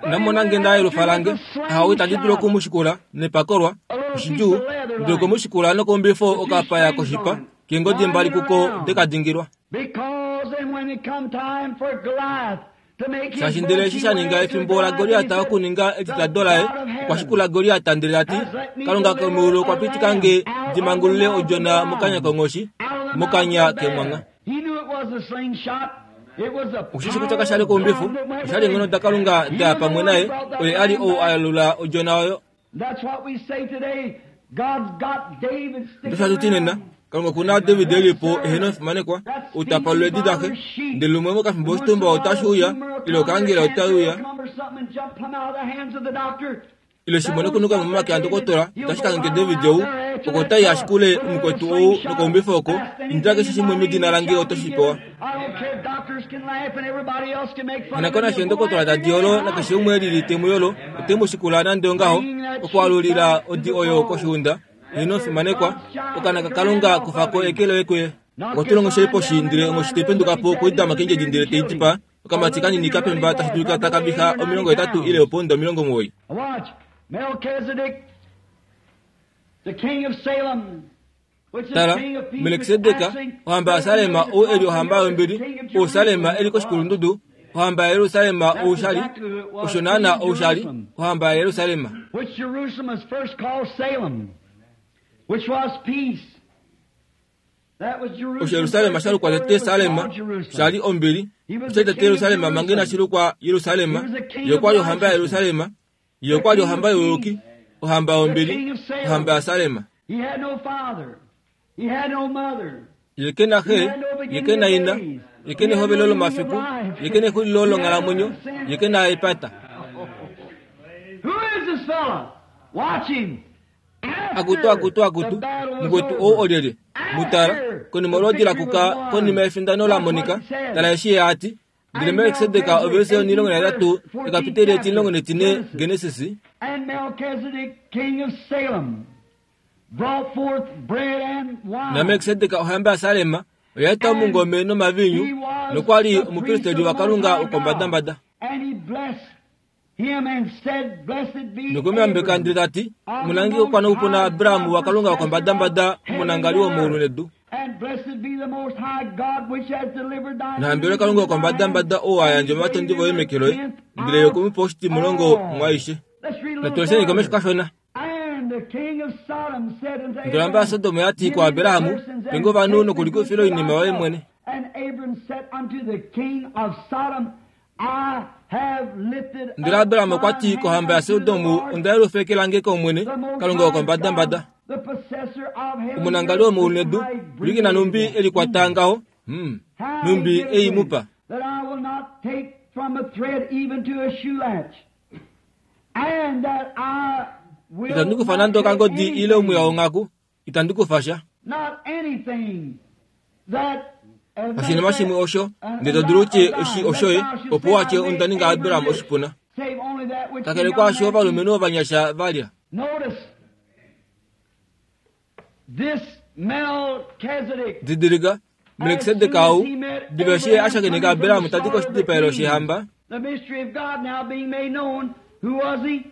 Namona nge nda yelufa lange, ahawe itandi dulu okumushikula nepakolwa oshidjuu, ndele okumushikula nokombifo okapaya koshipa keengodi mbali kuko dekadingilwa. Because then when it come time for Goliath to make his Shaashi ndele eshi sha ninga efimbo laGoliat okuninga etitado laye, okwa shikula Goliat ndele ta ti, Kalunga komeulu okwa pitika nge ndi mangulule odjona mokanya konghoshi, mokanya kemwangha. He knew it was a slingshot. It was the Oshishi kutya kasha li koumbifu, osha li eenghono daKalunga da ya pamwe naye, oye a li ou a yalula odjona oyo. That's what we say today. God's got David sticking Ndosha tu ti nena, around. Kalunga oku na David e li po eheno omufimanekwa, ou ta palula eedi daxe, ndele lumwe mokafimbo oshitumba otashi uya, ile okaangela otai uya, ile shimwe nokunuka momake andokotola, otashi kangheke David ou, oko tai ashikule omukwetu ou nokaumbifo oko, indila keshe shimwe medina lange oto shi pewa. Hanakona ndokotola tadi yolo nakeshe umwe e lili te mu yolo, ote mu shikula nande ongaho, okwaalulila odi oyo koshiunda, eheno omufimanekwa, okana kaKalunga kufako eke loye kuye. Okwa onghoshi poshi ndele onghoshi tai penduka po okweedama keendjedi ndele tei dipaa, okamati kanini kapemba tashi dulika taka viha 80 ile opounda 90. Watch. Melchizedek, the king of Salem, which is Tala, king of peace, Melkisedek, ohamba yaSalem ou e li ohamba yombili, ou Salem e li koshikulundudu, ohamba yaJerusalem ou sha li, osho naana ou sha li, ohamba yaJerusalem. Which Jerusalem was first called Salem, which was peace. That was Jerusalem. Osho Jerusalem sha lukwa tete Salem, sha li ombili, osha li tete Jerusalem manga inashi lukwa Jerusalem, ye okwa li ohamba yaJerusalem, ye okwa li ohamba youyuki, ohamba yombili, ohamba yaSalem. He had no father. He had no mother. Ye ke na xe, ye ke na ina, ye ke nehovelo lomafiku, ye ke nexulilo longhalamwenyo, ye ke na epata. Who is this fella? Watch him. Akutu, akutu, akutu, mukwetu ou olyelye? Mutala, konima olwoodi lakuka konima yefindano lamonika, tala eshi ye ati, ndele Melkisedek ovelise 13 ekapiteli 14 Genesis. And Melchizedek, king of Salem, brought forth bread and wine. Na Melkisedek ohamba yaSalem oya eta omungome nomaviinyu, nokwa li omupristeli waKalunga wokombadambada. And he blessed him and said, Blessed be Nokwe mu yambeka ndele ta ti, Omunangi okwa noupuna Abraham waKalunga wokombadambada, omunangali womeulu nedu. And blessed be the Most High God which has delivered thy Nahambelwe Kalunga wokombadambada ou a yandja ovatondi voye meke loye, ndele ye okwe mu pa oshitimulongo mwaaishe. Let's read a little Natulesheni komesho further. kashona. And the king of Sodom said unto Ndele ohamba yaSodom oya ti kuAbraham, Pe ovanhu nokulikufila oinima yoye mwene. And Abram said unto the king of Sodom, I have lifted Ndele Abraham okwa ti kohamba yaSodom, Onda yelufa eke lange kOmwene, Kalunga wokombadambada, the possessor of heaven omunangali womeulu nedu, ulikina numbi e likwata ngaho, numbi ei mu pa. That I will not take from a thread even to a shoe latch, and that I will Itandi kufa not nande take okangodi ile omwiya anything, wonghaku, itandi kufa sha. not anything that Oshinima shimwe osho, ndele to dulu utye eshi oshoye, opo watye onda ninga Abraham oshipuna. Save only that which Kakele the young kwaasho man ovalumenhu ovanyasha va lya. Notice this Melchizedek. Didilika, Melkisedek ou, diva eshi ye a shakeneka Abraham tadi koshidipayelo shehamba, The mystery of God now being made known. Who was he?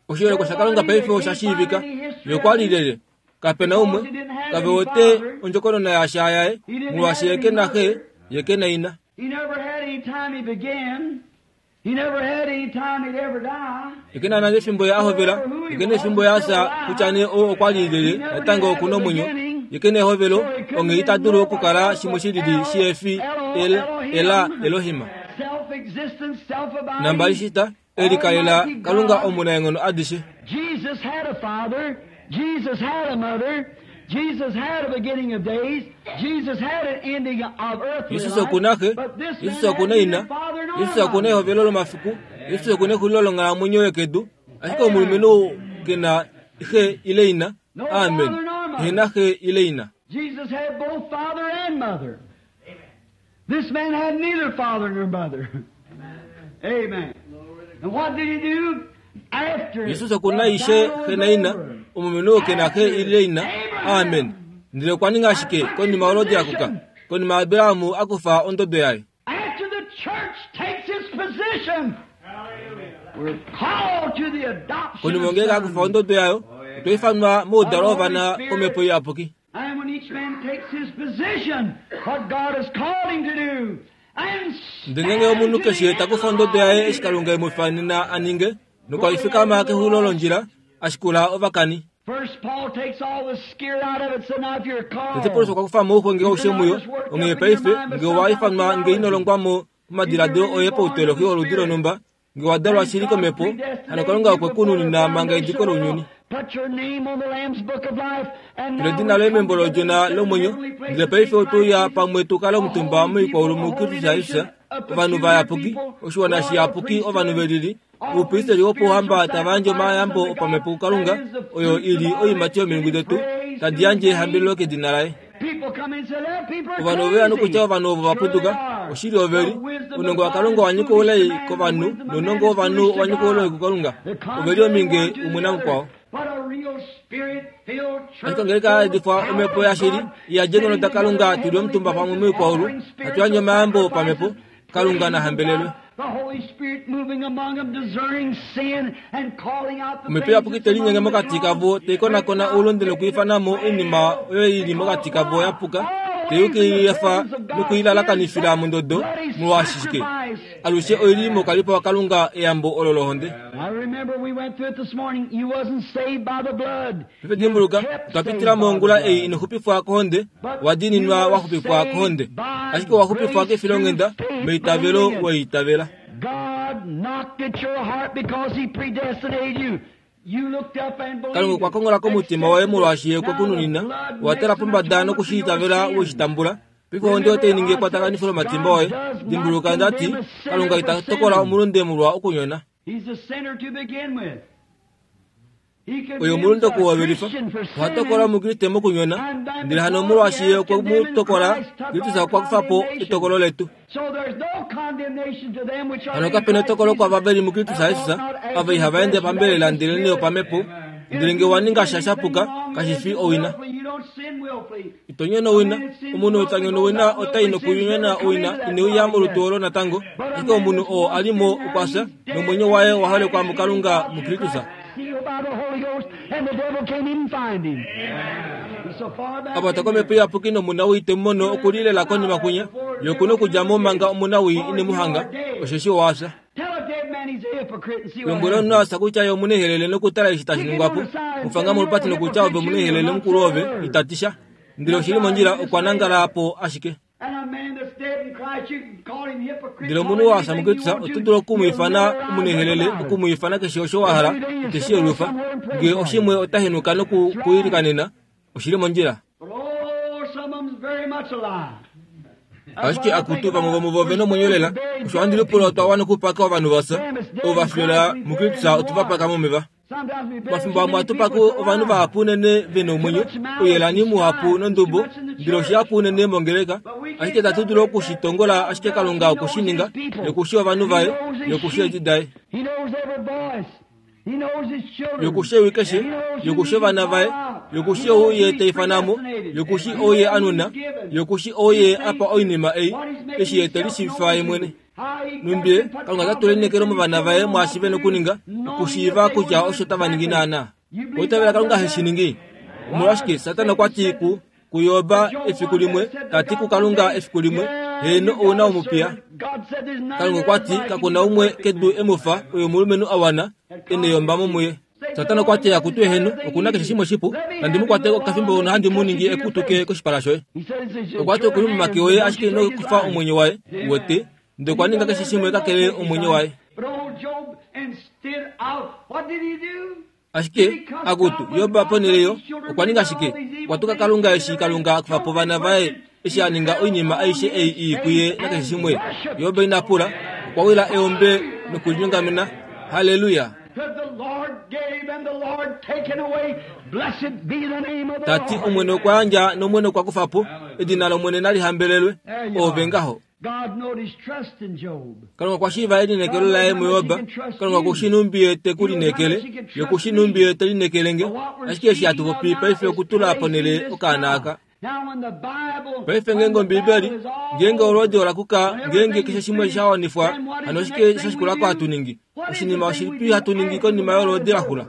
oshiholekwa shaKalunga paife osha shiivika, ye okwa li lyelye? Kapena umwe, kave wete ondjokonona yasha yaye, molwaashi ye ke na xe, ye ke na ina. He never had any time he began. He never had any time he'd ever die. Ye ke na nande efimbo ye a hovela, ye ke na efimbo ye a fya, kutya nee ou okwa li lyelye, natango oku na omwenyo. Ye ke na ehovelo, onghee ita dulu okukala shimwe shilili shihefi El, Ela, Elohim. Self-existent, self-abiding. Nambali shita, e likalela Kalunga omunaenghono adishe. Jesus had a father. Jesus had a mother. Jesus had a beginning of days. Jesus had an ending of earthly Jesus life. oku na xe, But this Jesus man oku had na ina, neither father nor Jesus oku na mother. ehovelo lomafiku, Jesus oku na exulilo longhalamwenyo yokedu, ashike omulumenhu ou ke na xe ile ina. Amen. Ehe na xe ile ina. Jesus had both father and mother. This man had neither father nor mother. Amen. And what did he do? After Jesus oku na the ishe battle xe was na ina, over, omulumenhu ou ke na xe ile ina. Amen. Ndele okwa ninga ashike konima olodi ya kuka, konima Abraham a kufa ondodo yaye. After the church takes its position, we're called to the adoption Konima of ngeenge a kufa sons. ondodo yayo, otwa ifanwa moudalo wovana komhepo iyapuki. And when each man takes his position, what God has called him to do, and Ndele ngeenge omunhu keshe ta kufa ondodo yaye eshi Kalunga e mu ifanena a ninge, nokwa ifikama kexulo londjila, a shikula ovakani. First, Paul takes all the scare out of it. So now, if you're Tete Paulus called, okwa kufa mo ouxwenge aushe muyo, onghee paife nge owa ifanwa nge ino longwa mo momadiladilo oye pauteolohi woludi lonhumba, nge wa dalwa shili komhepo, hano Kalunga okwe ku nunina manga ediko lounyuni. Put your name on the Lamb's Book of Life, and Tula now edina we loye come membo lodjona together lomwenyo, in heavenly ndele places paife in otwe uya Christ pamwe tu kale omutumba moikwaulu muKristus Jesus, ovanhu vayapuki, oshiwana shiyapuki, ovanhu velili, oupristeli wopouhamba tava yandje omayambo opamhepo kuKalunga, oyo i li oiimati yomilungu detu, tadi yandje ehambelelo kedina laye. People come in and say, "That people are Ovanhu ove ya nokutya crazy." ovanhu ovo va putuka, Sure they are. oshili oveli, The wisdom ounongo of waKalunga God wa is nyika foolish oulai to man, kovanhu, the wisdom of nounongo man is wovanhu foolish wa to nyika oulai God. kuKalunga. The Ove li ominge contrary one to umwe the namukwao. other. But a real spirit-filled church Ashike ngenge ka yadifwa omhepo yashili, iyadye eenghono daKalunga tu li omutumba pamwe moikwaulu, hatu yandje omayambo opamhepo, Kalunga na hambelelwe. The Holy Spirit moving among them, discerning sin and calling out the Omhepo things iyapuki that's te linyenge among the mokati kavo, te konakona oulunde nokuifana mo oinima oyo i li mokati kavo ya puka, te yukilefa nokuilalakanifila mondodo, molwashike alushe oi li mokalipo waKalunga eyambo olo lohonde. I remember we went through it this morning. You wasn't saved by the blood. Paife dimbuluka, otwa pitila mongula ei ino xupifwa kohonde, wa diininwa wa xupifwa kohonde, ashike owa xupifwa kefilonghenda meitavelo weitavela. God knocked at your heart because He predestinated you. You looked up and believed. Kalunga okwa kongola komutima woye molwaashi ye okwe ku nunina, owa tala pombada nokushiitavela weshitambula. Paife ohonde otai ningi ekwatakanifo lomatimba oye. Dimbuluka ndati, Kalunga ita tokola omulunde molwa okunyona. He's a sinner to begin with. He Oyo condemns omulunde a okuhovelifa, Christian for oha tokola sinning. omukriste mokunyona, ndele hano molwaashi ye okwe mu tokola, Kristus okwa kufa po etokolo letu. So there's no condemnation to them which are Hano in kape na Christ etokolo Jesus. kwaava ve li muKristus Jesus, ava ihava ende pambelela ndelenee opamhepo, ndele nge wa ninga sha shapuka, kashi fi owina. You don't sin willfully. Ito nyono owina, omunhu ou ta nyono owina otai nokunyona owina ineuya molutu olo natango, ashike omunhu oo a li mo okwa fya, nomwenyo waye owa holekwa muKalunga muKristus. Sealed by the Holy Ghost, and the devil can't even find him. He's so far back Apa in ta komhepo iyapuki nomunawii te mu mono okulilela konima kwinya, ye oku na okudja mo manga omunawii ine mu hanga, osheshi owa fya. Tell a dead man he's a hypocrite and see what Lombwela omunhu happens. a fya kutya ye omunehelele nokutala eshi tashi ningwa po, mu fanga molupati nokutya ove omunehelele mukulu ove, ita ti sha. Ndele oshili mondjila okwa nangala po ashike. And a man that's dead in Christ, you can call him hypocrite. Ndele call omunhu him wa fya anything you muKristus want oto to. dulu oku mu He'll ifana never rise omunehelele, up about oku it. mu ifana keshe osho wa hala, ite shi yelufa. Nge oshimwe ota henuka noku ku ilikanena, oshili mondjila. But oh, some of them's very much alive. Ashike akutu vamwe vomuvo ve nomwenyo lela, osho handi lipula otwa wana okupaka ovanhu vafya, ovo va fyola muKristus otu va paka momeva. Sometimes we bury Mafimbo too amwe many ohatu people paka with ovanhu alive. vahapu unene ve nomwenyo, ouyelani muhapu nondubo, ndele oshihapu unene mongeleka, ashike itatu dulu okushitongola ashike Kalunga okwe shi ninga, yokushi ovanhu vaye, yokushi eedi daye, He knows every voice. He knows his children. yokushi ewi keshe, He knows who yokushi he ovana vaye, called out. yokushi He knows ou who ye he's ta ifanamo, predestinated. yokushi He ou ye knows who anuna, he's given. yokushi ou ye apa oinima ei, eshi ye te lishiivifa ye mwene. Numbi Kalunga ota tula elineekelo movana vaye mwaashi ve nokuninga, okushiiva kutya osho tava ningi naana. Oitavela Kalunga heshi ningi. Omolwashike Satana okwa ti ku kuYoba efiku limwe, ta ti kuKalunga efiku limwe, heeno ou na omupiya. Kalunga okwa ti kakuna umwe kedu e mu fa oyo omulumenhu a wana e neyombamo muye. Satana okwa ti akutu eheno, okuna keshe shimwe shipu, nandi mu kwate okafimbo nohandi mu ningi ekutuke koshipala shoye. Okwa ti okuli momake oye ashike ino kufa omwenyo waye, wete, ndele okwa ninga keshe shimwe kakele omwenyo waye. But old Job, instead of, what did he do? Ashike akutu Yoba ponhele yo okwa ninga shike? Okwa tuka Kalunga eshi Kalunga a kufa po ovana vaye eshi a ninga oinima aishe ei ii kuye nakeshe shimwe. Yoba ina pula, okwa wila eombe nokulinyongamena. Haleluya! That the Lord gave and the Lord taken away. Blessed be the name of the Tati Lord. Omwene okwa yandja nOmwene okwa kufa po, edina lOmwene nali hambelelwe. Ove ngaho. Kalunga okwa shiiva elineekelo laye muJob. Kalunga oku shii nhumbi ye te ku lineekele, ye oku shii nhumbi ye te lineekele nge. Ashike eshi hatu popi paife okutula ponhele okaana aka. Paife ngeenge Ombiibeli, ngeenge olwoodi ola kuka, ngeenge keshe shimwe sha wanifwa, hano oshike sha shikula ko hatu ningi? Oshinima oshilipi hatu ningi konima yolwoodi la xula?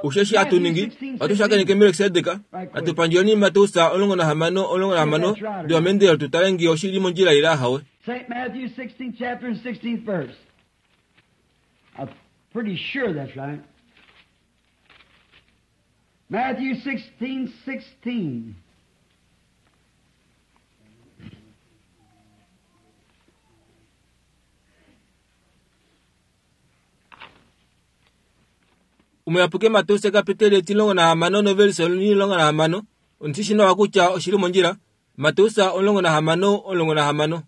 Osheshi hatu ningi, ohatu shakeneke Melkisedek, hatu pandjeni Mateus 16:16 diva meendelelo tu tale ngee oshi li mondjila ile ahawe. St. Matthew 16th chapter and 16th verse. I'm pretty sure that's right. Matthew 16:16. Omuyapuki Mateus kapiteli 16 novelise 16 ondi shi nawa kutya oshi li mondjila. Mateus 16:16.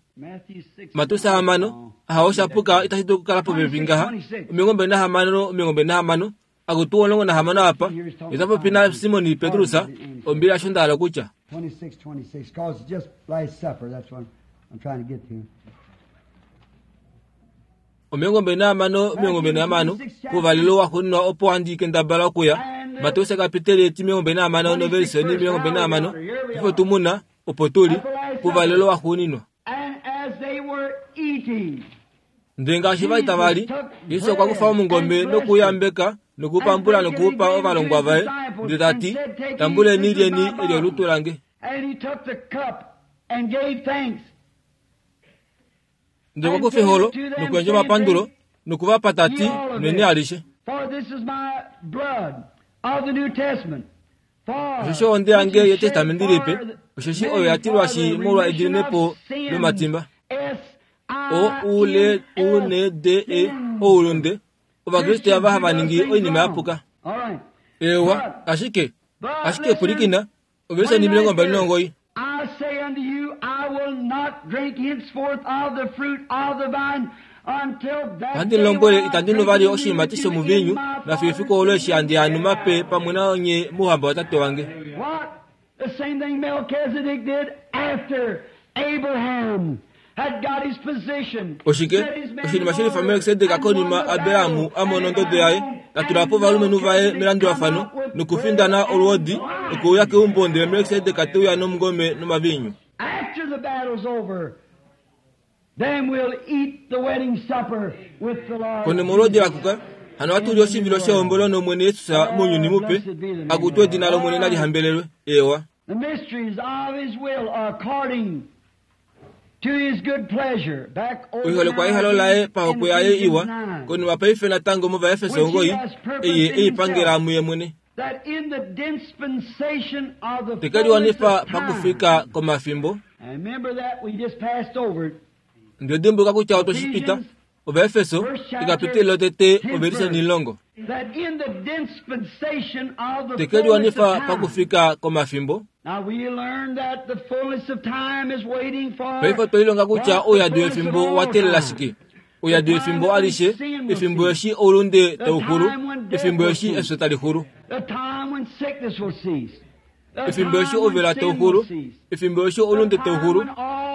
Mateus 6 aha osha puka itashi dulu okukala popepi ngaha 26 26 akutu 16 apa ota popi naSimon Petrus ombili asho nda hala okutya. 26 26 cause it's just last supper that's what I'm trying to get to. 26 26 pouvalelo waxuuninwa opo handi kendabala okuya Mateus kapiteli 26 novelise 26 ifo tu muna opo tu li pouvalelo waxuuninwa. And as they were eating, Ndele ngaashi va li tava li, Jesus okwa kufa omungome noku u yambeka noku u pambula noku u pa ovalongwa vaye, ndele ta ti, Tambuleni lyeni eli olutu lange. and he took the cup and gave thanks. Ndele okwa kufa eholo nokuyandja omapandulo noku va pa ta ti, Nweni alishe. For this is my blood of the New Testament. For Osheshi ohonde yange which is yEtestamenti shed Lipe, for the osheshi many oyo ya tilwashi for the molwa remission ediminepo of sins. lomatimba. S O U L U N D E oulunde. Ovakriste ava hava ningi oinima ya puka. All right. Ewa, ashike But ashike listen, pwilikina, ovelise 29. I say unto you, I will not drink henceforth of the fruit of the vine until that Ohandi day lombwele when I itandi nu drink vali it new oshiimati with you shomuviinyu in my nafiyo efiku Father's olo eshi handi kingdom. anu mape pamwe nanye mouhamba watate wange. What? The same thing Melchizedek did after Abraham had got his position. Oshike set his men oshinima in shelifa order, Melkisedek and konima won the Abrahamu battle. a mona And ondodo yaye, ta tula po ovalumenhu vaye melandulafano come out with nokufindana bread and olwoodi wine. nokuuya keumbo ndele Melkisedek te uya nomungome nomaviinyu. After the battle's over, then we'll eat the wedding supper with the Lord. Konima olwoodi lakuka, hano ohatu li oshivilo shehombolo nOmwene Jesus mounyuni mupe, akutu edina lOmwene nali hambelelwe. Ewa. The mysteries of His will are according to His good pleasure. Back over Oiholekwa now yehalo laye in pahokwe yaye Ephesians iwa, 9, konima paife natango mOvaefeso 9, eye e i pangela muye mwene. that in the dispensation of the Te fullness keliwanifa of time. pakufika komafimbo. And remember that we just passed over it. Ndele dimbuluka kutya otwe shi pita, Ovaefeso, ekapiteli lotete ovelise 10. That in the dispensation of the Te fullness keliwanifa of time. pakufika komafimbo. Now we learn that the fullness of time is waiting for Paife otwe lilonga kutya what the ouyadi fullness of wefimbo all wa teelela time. shike. Ouyadi wefimbo alishe, efimbo eshi oulunde tauxulu, efimbo eshi efyo tali xulu. The time when sickness will cease. The Efimbo eshi time when ovela sin tauxulu, will cease. efimbo eshi oulunde tauxulu,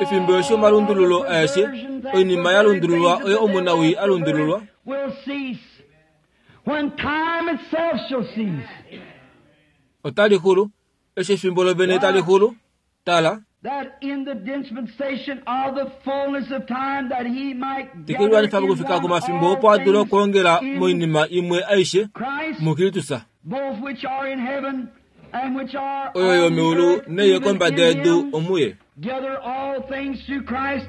efimbo eshi omalundululo aeshe, oinima ya lundululwa oyo omunawii a lundululwa, Will cease. When time itself shall cease. otali xulu. Eshi efimbo lovene tali xulu, tala, That in the dispensation of the fullness of time that he might gather tekeliwanifa in pakufika one komafimbo all opo a dule things okwoongela in moinima imwe aishe Christ, muKristus, both which are in heaven and which are oyo on yomeulu earth, neiyo even kombada in yedu him. omuye. Gather all things through Christ.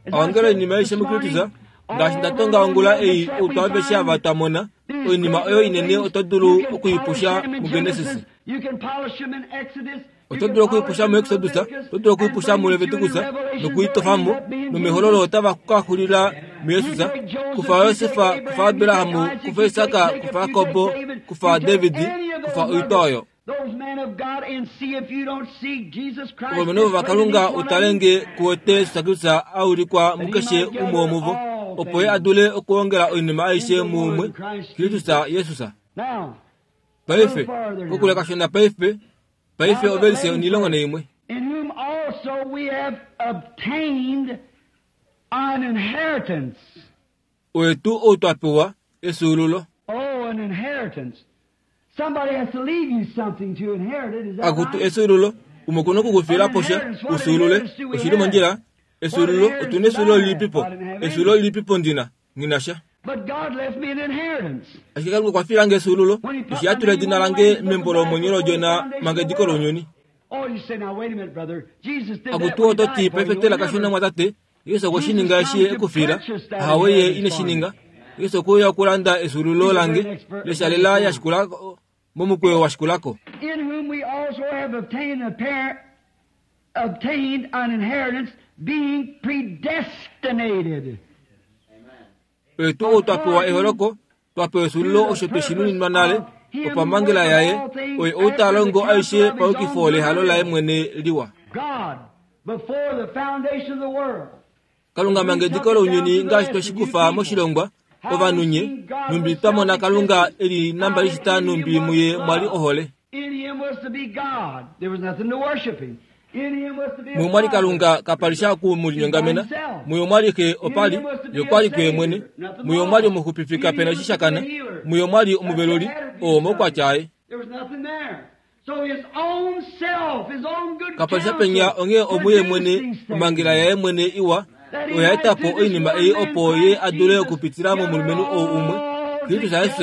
As I Aongela said oinima aishe this muKristus, morning, ngaashi nda all tonga the ongula ei wonders that outwa we aveshe ava find, twa mona, these oinima great oyo little inene things, oto you dulu can okuipusha polish them in muGenesis. Genesis, you can polish them in Exodus, you Oto can dulu polish okuipusha them in muExodus, Leviticus, oto dulu and okuipusha bring it to muLeviticus, the Revelation, nokuitofamo, they'll end up being nomehololo Jesus. otava ka xulila muJesus, You take Joseph, kufa you Josef, take Abraham, kufa you Abrahamu, take Isaac, kufa you Isaka, take Jacob, kufa you Jakobo, take David, kufa you take David, any of kufa those oitwa others, oyo. those men of God, and see if you don't see Jesus Christ Ovalumenhu displayed in vaKalunga each one of them. utalenge kuwete Jesus Kristus a ulikwa mukeshe umwe womuvo, opo ye a dule okwoongela oinima aishe muumwe, Kristus Jesus. Now, Paife, kokule kashona paife, paife ovelise 11. In whom also we have obtained an inheritance. Oye tuu ou twa pewa efyuululo. Oh, an inheritance. Somebody has to leave you something to inherit it. Is that Akutu right? efyuululo, umwe oku na oku ku fiila po sha, u fyuulule. Oshi li mondjila? Efyuululo, otu na efyuululo lilipipo? Efyuululo lilipipo ndi na? Nghi na sha. But God left me an inheritance. Ashike Kalunga okwa fiila nge efyuululo, eshi a tula edina lange membo lomwenyo lOdjona manga ediko lounyuni. Oh, you say, now wait a minute, brother. Jesus did that Akutu when he oto ti, died for you. paife tela kashona Remember, mwatate, Jesus okwe shi ninga eshi e ku fiila. Ahawe ye ine shi ninga. Jesus okwe uya okulanda efyuululo lange, lesha lela ya shikula momukweyo wa shikulako. in whom we also have obtained a parent, obtained an inheritance, being predestinated. Oye tuu ou twa pewa eholoko, twa pewa efyuululo osho twe shi nuninwa nale, opamhangela yaye, oye ou ta longo aishe paukifo lehalo laye mwene liwa. God, before the foundation of the world. Kalunga manga ediko lounyuni ngaashi twe shi kufa moshilongwa, ovanhu nye, nhumbi twa mona Kalunga e li nambali shita nhumbi muye mwa li ohole. In him was to be God. There was nothing to worship him. In him was to be a Muye omwa li father. Kalunga kapa li sha oku mu linyongamena. Muye omwa li Xe opa li, ye okwa li kuye mwene. Muye omwa li omuxupifi kape na eshi sha kana. Muye omwa li omuveluli, oo omaukwatya aye. There was nothing there. So his own self, his own good Kapa li sha penya counsel onghee omuye produced mwene these things. omhangela yaye mwene iwa oya eta po oinima ei opo ye a dule okupitila momulumenhu ou umwe, Kristus Jesus,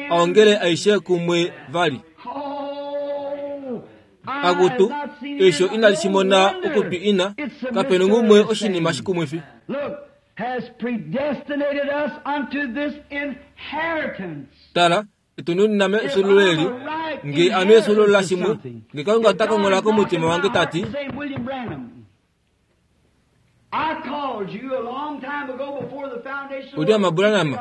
a ongele aishe kumwe vali. Oh, I Akutu, have not seen eisho it. inali shi mona No wonder okutwi ina, it's a kape na ngumwe oshinima misunderstanding. shikumwifi. Look, has predestinated us unto this inheritance. Tala, etu nunina efyuululo eli, nge ame efyuululo lashimwe, nge Kalunga ota konghola komutima wange ta ti, Say, William Branham, I called you a long time ago before the foundation of the William world. Branham,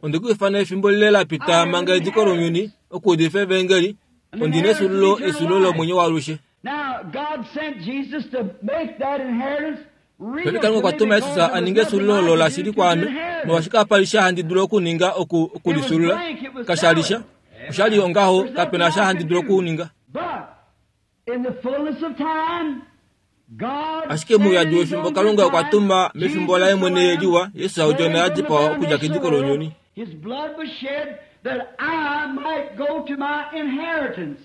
onde ku ifana efimbo lile la pita manga ediko lounyuni okuudifa evangeli, ondi na efyuululo efyuululo lomwenyo waalushe. Now, God sent Jesus to make that inheritance real Paife to Kalunga me okwa tuma because Jesus there a was ninge nothing efyuululo I olo could la do shili to kwaame, inherit it. molwaashi kapa li sha handi dulu okuninga oku okulifyuulula. Kasha li sha. Osha li ongaho, kape na sha handi dulu okuninga. But in the fullness of time, God Ashike mouyadi sent in his wefimbo own Kalunga good okwa time tuma mefimbo Jesus laye the mwene Lamb, liwa, Jesus Odjona ya laid from the dipawa okudja foundation kediko of the lounyuni. world. His blood was shed that I might go to my inheritance.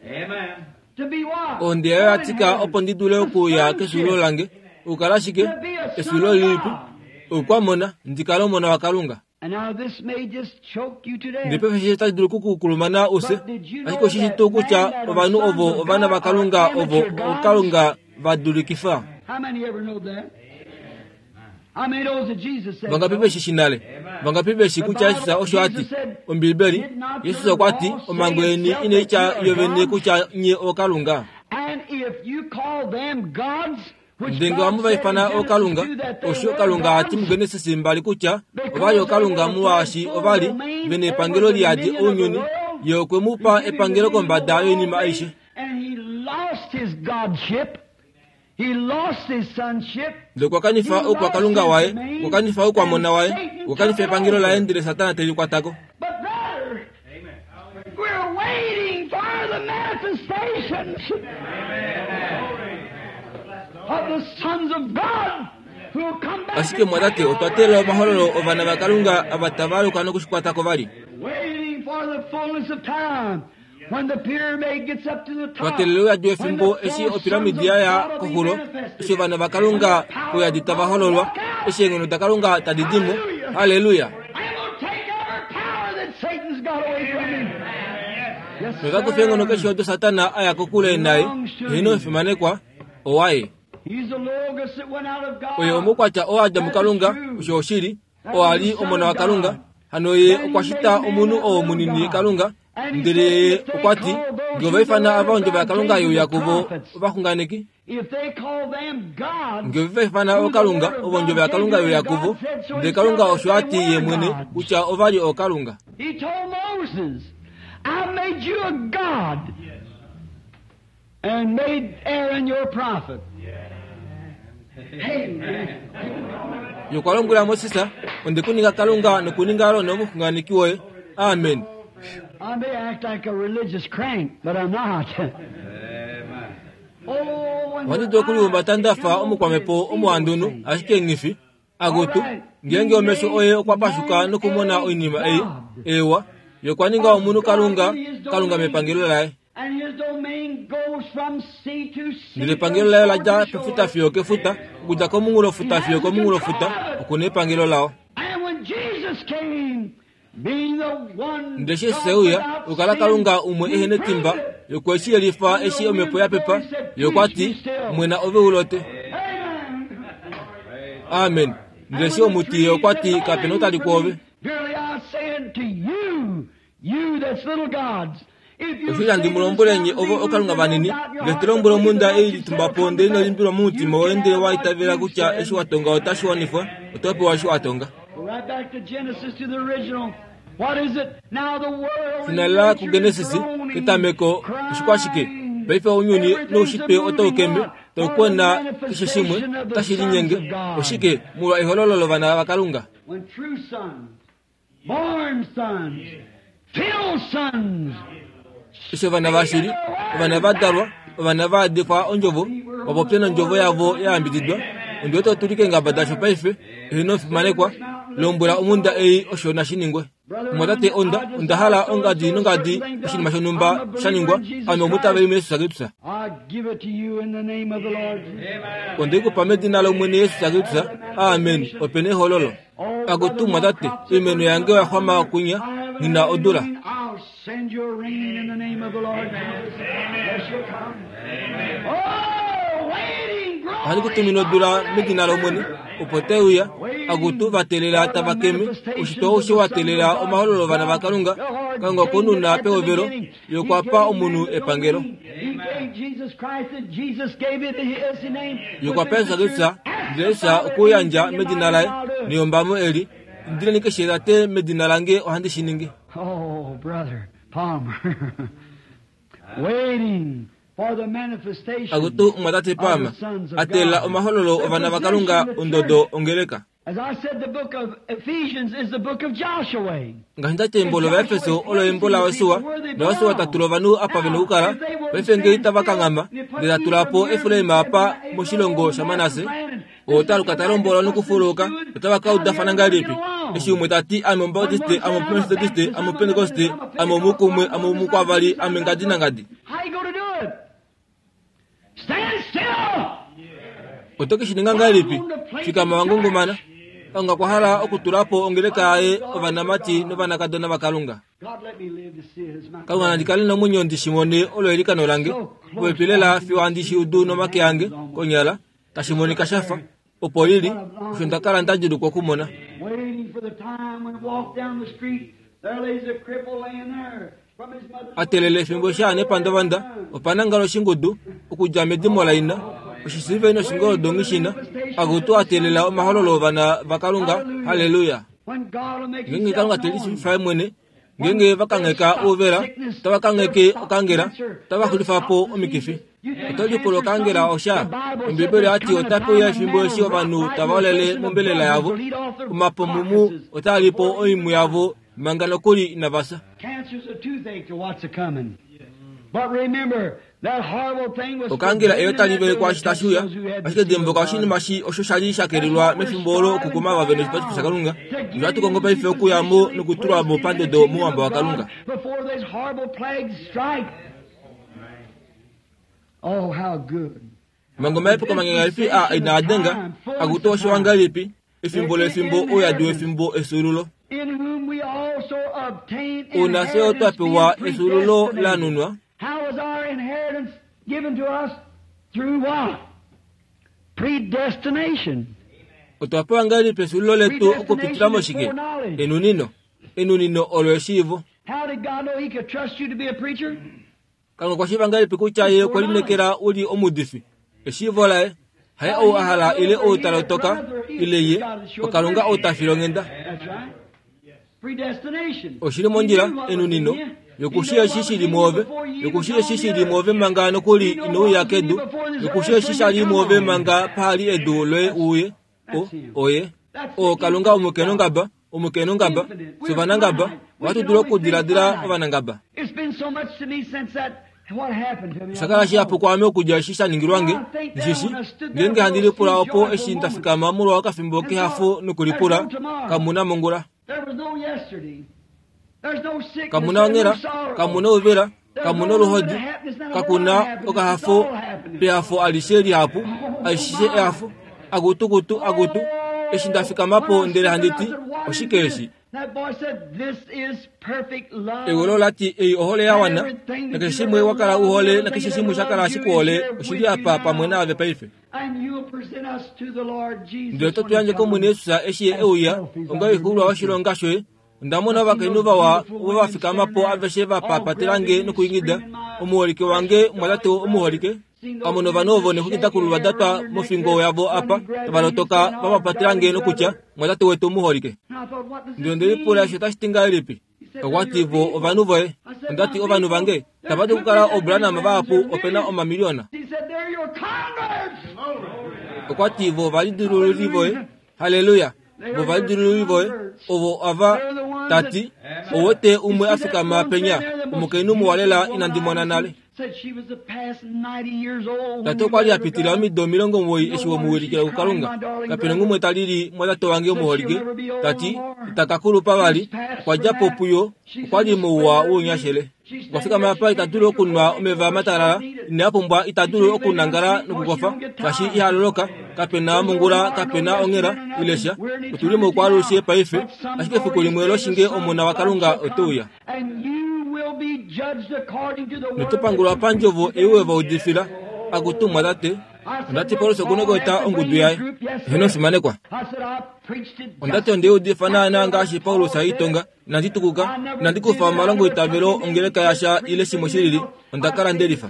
Amen. To be what? Ohonde yaye oya tika What opo ndi dule okuya kefyuululo lange. Okukala shike? To be a son Efyuululo of lilipi? God. Okwamona, ndi kale omona waKalunga. And now this may just choke you to Ndele death. paife eshi otashi dulu okukukulumana ufye. Ashike oshishi tuu kutya ovanhu ovo ovana vaKalunga ovo ooKalunga va dulikifa. How many ever know that? How many knows that Jesus said Vangapi so? veshi shi nale? Vangapi veshi kutya Jesus osho a ti? Ombibeli, Jesus okwa ti, omhango yeni inai tya yovene kutya nye ooKalunga. And if you call them gods, which Ndele ngee God ohamu va said in ifana Genesis ooKalunga, 2 that they osho were Kalunga a ti gods, muGenesis 2 kutya ova li ooKalunga molwaashi ova li ve na epangelo li yadi ounyuni, ye okwe mu pa epangelo kombada yoinima aishe. And he lost his godship. He lost his sonship. Ndele okwa kanifa oukwakalunga waye, okwa kanifa oukwamona waye, okwa kanifa epangelo laye ndele Satana te li kwatako. But brother, we're waiting for the manifestations of the sons of God who will come back. Ashike and mwatate, take otwa teelela omahololo ovana vaKalunga ava tava aluka nokushikwatako vali. Waiting for the fullness of time when the pyramid gets up to the Twa top. teelela ouyadi When wefimbo the eshi full opiramidi sons of ya ya God will be koxulo, manifested. eshi ovana vaKalunga pouyadi tava hololwa, eshi eenghono daKalunga tadi di mo. Halleluya! I'm gonna take every power that Satan's got away from him. Yes, Nota kufa eenghono keshe sir. odo Satana a ya kokule naye, eheno omufimanekwa, owaye. He's the Logos that went out of God. Oye omukwatya oo a dja muKalunga, osho oshili, oo a li omona waKalunga. Hano ye okwa shita omunhu oo munini Kalunga, ndele ye okwa ti, ngee ova ifana ava ondjovo yaKalunga ye uya kuvo ovaxunganeki, If they call them gods, ngee ova ifana ooKalunga ovo ondjovo yaKalunga ye uya kuvo, ndele Kalunga osho a ti ye mwene kutya ova li ooKalunga. He told Moses, I made you a god and made Aaron your prophet. Amen. Ye okwa lombwela Moses, onde ku ninga Kalunga nokuninga Aron omuxunganeki woye. Amen. I may act like a religious crank, but I'm not. Oh, when Ohandi dulu okulihumbata nda fa omukwamhepo omuhandunhu ashike nghifi akutu ngeenge omesho oye okwa pashuka nokumona oinima ei ewa ye okwa ninga omunhu kalunga kalunga mepangelo laye And his domain goes from sea to sea. Ndele epangelo laye ola dja pefuta fiyo kefuta okudja komunghulofuta fiyo komunghulofuta okuna epangelo lao And when Jesus came, being the one Ndele eshi Jesus e uya okukala kalunga umwe ehe netimba ye okwe shi yelifa eshi omhepo ya pepa ye okwa ti mwena ove u lote Amen. Amen. Ndele eshi omuti ye okwa ti kapena otali kwoove Verily I say unto you, you that's little gods, if you Oshili handi mu lombwele nye ovo okalunga vanini ngele to lombwele omhunda ei litumba po ndele ino limbilwa momutima woye ndele wa itavela kutya eshi wa tonga otashi wanifwa oto pewa eshi wa tonga Go right back to Genesis to the original. What is it? Now the world and Finala nature is kuGenesis groaning, ketameko oshikwashike crying. paife ounyuni Everything's noushitwe otau moving kembe on tau for the kwena keshe shimwe manifestation of the otashi sons linyenge of God. oshike molwa ehololo lovana vakalunga When true sons, born sons, filled sons, eshi ovana vashili ovana va dalwa ovana va adifwa ondjovo vapopye nondjovo yavo ya yambididwa ondi wete otuli keengaba dasho paife eheno omufimanekwa lombwela omhunda ei osho nashi ningwe mumwatate onda onda hala ongadi nongadi oshinima shonhumba sha ningwa ame omutaveli muyesus Kristus I give it to you in the name of the Lord. Onde ku pa medina lomwene Yesus Kristus amen opena ehololo akutu mwatate oimeno yange oya xwama kunya ngina odula I'll send you a rain in the name of the Lord. Yes, you'll come. Oh, waiting, Ohandi ku tumine odula medina lomwene opo te uya akutu va teelela tava keme oshitwa osho wa teelela omahololo ovana vakalunga kalunga okonuna pehovelo ye okwa pa omunhu epangelo He gave Jesus Christ and Jesus gave it his name. Ye okwa pa Jesus Kristus ndele Jesus okuyandja medina laye neyombamo eli indileni keshe tate medina lange ohandi shi ningi Oh, brother Palmer. Waiting for the manifestation akutu mwatate Palmer a teelela omahololo ovana vakalunga ondodo ongeleka As I said, the book of Ephesians is the book of Joshua. Ngaashi ndati embo lOvaefeso olo embo laYosua, naYosua ta tula ovanhu apa ve na okukala, paife ngee itava kanghama, ndele ta tula po Efraim apa moshilongo shaManasse, oo ta luka ta lombolwa nokufuluka, otava ka udafana ngahelipi? Eshi umwe ta ti, Ame Omubaptiste, ame Omumetodiste, ame Omupentekoste, ame omukumwe, ame omukwavali, ame ngadi nangadi. How you going to do it? Stand still! Oto ke shi ninga ngahelipi? Fikama wa ngungumana. Kalunga okwa hala okutula po ongeleka yaye ovanamati novanakadona vaKalunga. God let me live to see it as my Kalunga nandi kale nomwenyo ndi shi mone olo eilikano lange, popepi lela fiyo handi shi udu nomake ange, konyala, tashi monika sha fa, opo li li, osho nda kala nda djulukwa okumona. Waiting for the time when walk down the street, there lays a cripple laying there from his mother's A teelela efimbo eshi aa nepandavanda, opa nangala oshingudu, okudja medimo laina, oshisiliveli noshingoldo nghishina, akutu a teelela omahololo ovana vaKalunga, halleluya. When God will make Ngeenge himself Kalunga te known. lishiivifa ye mwene, ngeenge va kangheka ouvela, otava kangheke okangela, otava xulifa po omikifi. Oto lipula okangela osha? Ombiibeli oya ti otape uya efimbo eshi ovanhu tava olele mombelela yavo, omapomumu otaa li po oimhu yavo manga nokuli inava fya. Cancer's a toothache to what's a coming. But remember, that horrible thing was Okangela eyo tali forbidden vele kwaashi tashi uya, those who had ashike dimbuluka oshinima shi osho sha li sha kelelwa mefimbo olo okukuma ava ve noshipatifo shaKalunga. Nohatu kongo paife okuya mo nokutulwa mo pandodo mouhamba waKalunga. Before those horrible plagues strike. Oh, how good. Manga omahepeko manyanyalifi aa inaa denga, akutu oshiwa ngahelipi, efimbo lefimbo ouyadi wefimbo efyuululo. In whom we also obtain Una fye otwa inheritance pewa being efyuululo predestinated. la nunwa. How was our inheritance given to us? Through what? Predestination. Otwa pewa ngahelipi efyuululo letu okupitila moshike? Enunino. Enunino olo eshiivo. How did God know he could trust you to be a preacher? Kalunga okwa shiiva ngahelipi kutya ye okwe lineekela u li omuudifi? Eshiivo laye, haye ou a hala ile ou ta lotoka, ile ye, oKalunga ou ta file onghenda. That's right. Predestination. Oshili mondjila, enunino, yokushi eshi shili mwoove, yokushi eshi shili mwoove manga nokuli ino uya kedu, yokushi eshi shali mwoove manga pahali edu loye uye, o, oye. O, Kalunga omukenongaba, Omukainhu-ngaba, fye ovanangaba, ohatu dulu okudiladila ovanangaba. Osha kala shihapu kwaame okudja eshi sha ningilwa nge, ndishi ngeenge handi lipula opo eshi nda fikama molwa okafimbo kehafo nokulipula, kamu na mongula. Kamu na onghela, kamu na ouvela, kamu na oluhodi, kaku na okahafo pehafo alishe lihapu, aishe ehafo, akutukutu, akutu. Eshi nda fikama po ndele handi ti, oshike eshi? Eulu ola ti, Ei ohole ya wana, nakeshe shimwe wa kala u hole nakeshe shimwe sha kala shi ku hole oshi li apa pamwe naave paife. Ndele oto tu yandje kOmwene Jesus eshi Ye e uya onga oixuulwa yoshilonga shoye. Onda mona ovakainhu vawa ovo va fikama po aveshe va papatela nge nokuingida, Omuholike wange, omwatate omuholike. Pamwe novanhu ovo nexwiki da kululwa da twa mofingo yavo apa, tava lotoka va papatela nge nokutya, Omwatate wetu omuholike. Ndele onde lipula eshi otashi ti ngahelipi. Okwa ti, Vo ovanhu voye. Onda ti, Ovanhu vange? Tava dulu okukala oobranham vahapu, ope na omamiliyona. Okwa ti, Vo ovalidilululi voye. Halleluya! Vo ovalidilululi voye. Ovo ava, ta ti, Ou wete umwe a fikama penya, omukainhu muwa lela inandi mona nale. Tate okwa li a pitila omido 90 eshi we mu wilikila kuKalunga. Kape na ngumwe ta lili mwatate wange omuholike, ta ti, Ita ka kulupa vali. Okwa dja po puyo, okwa li mouwa wounyashele. Okwa fikama apa ita dulu okunwa omeva matalala, ine a pumbwa ita dulu okunangala nokukofa, shaashi iha loloka. Kape na mongula, kape na onghela, ile sha. Otu li moukwaalushe paife, ashike efiku limwe loshinge Omona waKalunga ote uya. Noto pangulwa pandjovo ei we va udifila. Akutu mwatate, onda ti Paulus oku na okweeta ongudu yaye. Eheno fimanekwa. Onda ti onde udifa naanaa ngaashi Paulus a itonga. Inandi tukuka, inandi kufa omalongoitavelo ongeleka yasha ile shimwe shilili. Onda kala nde lifa.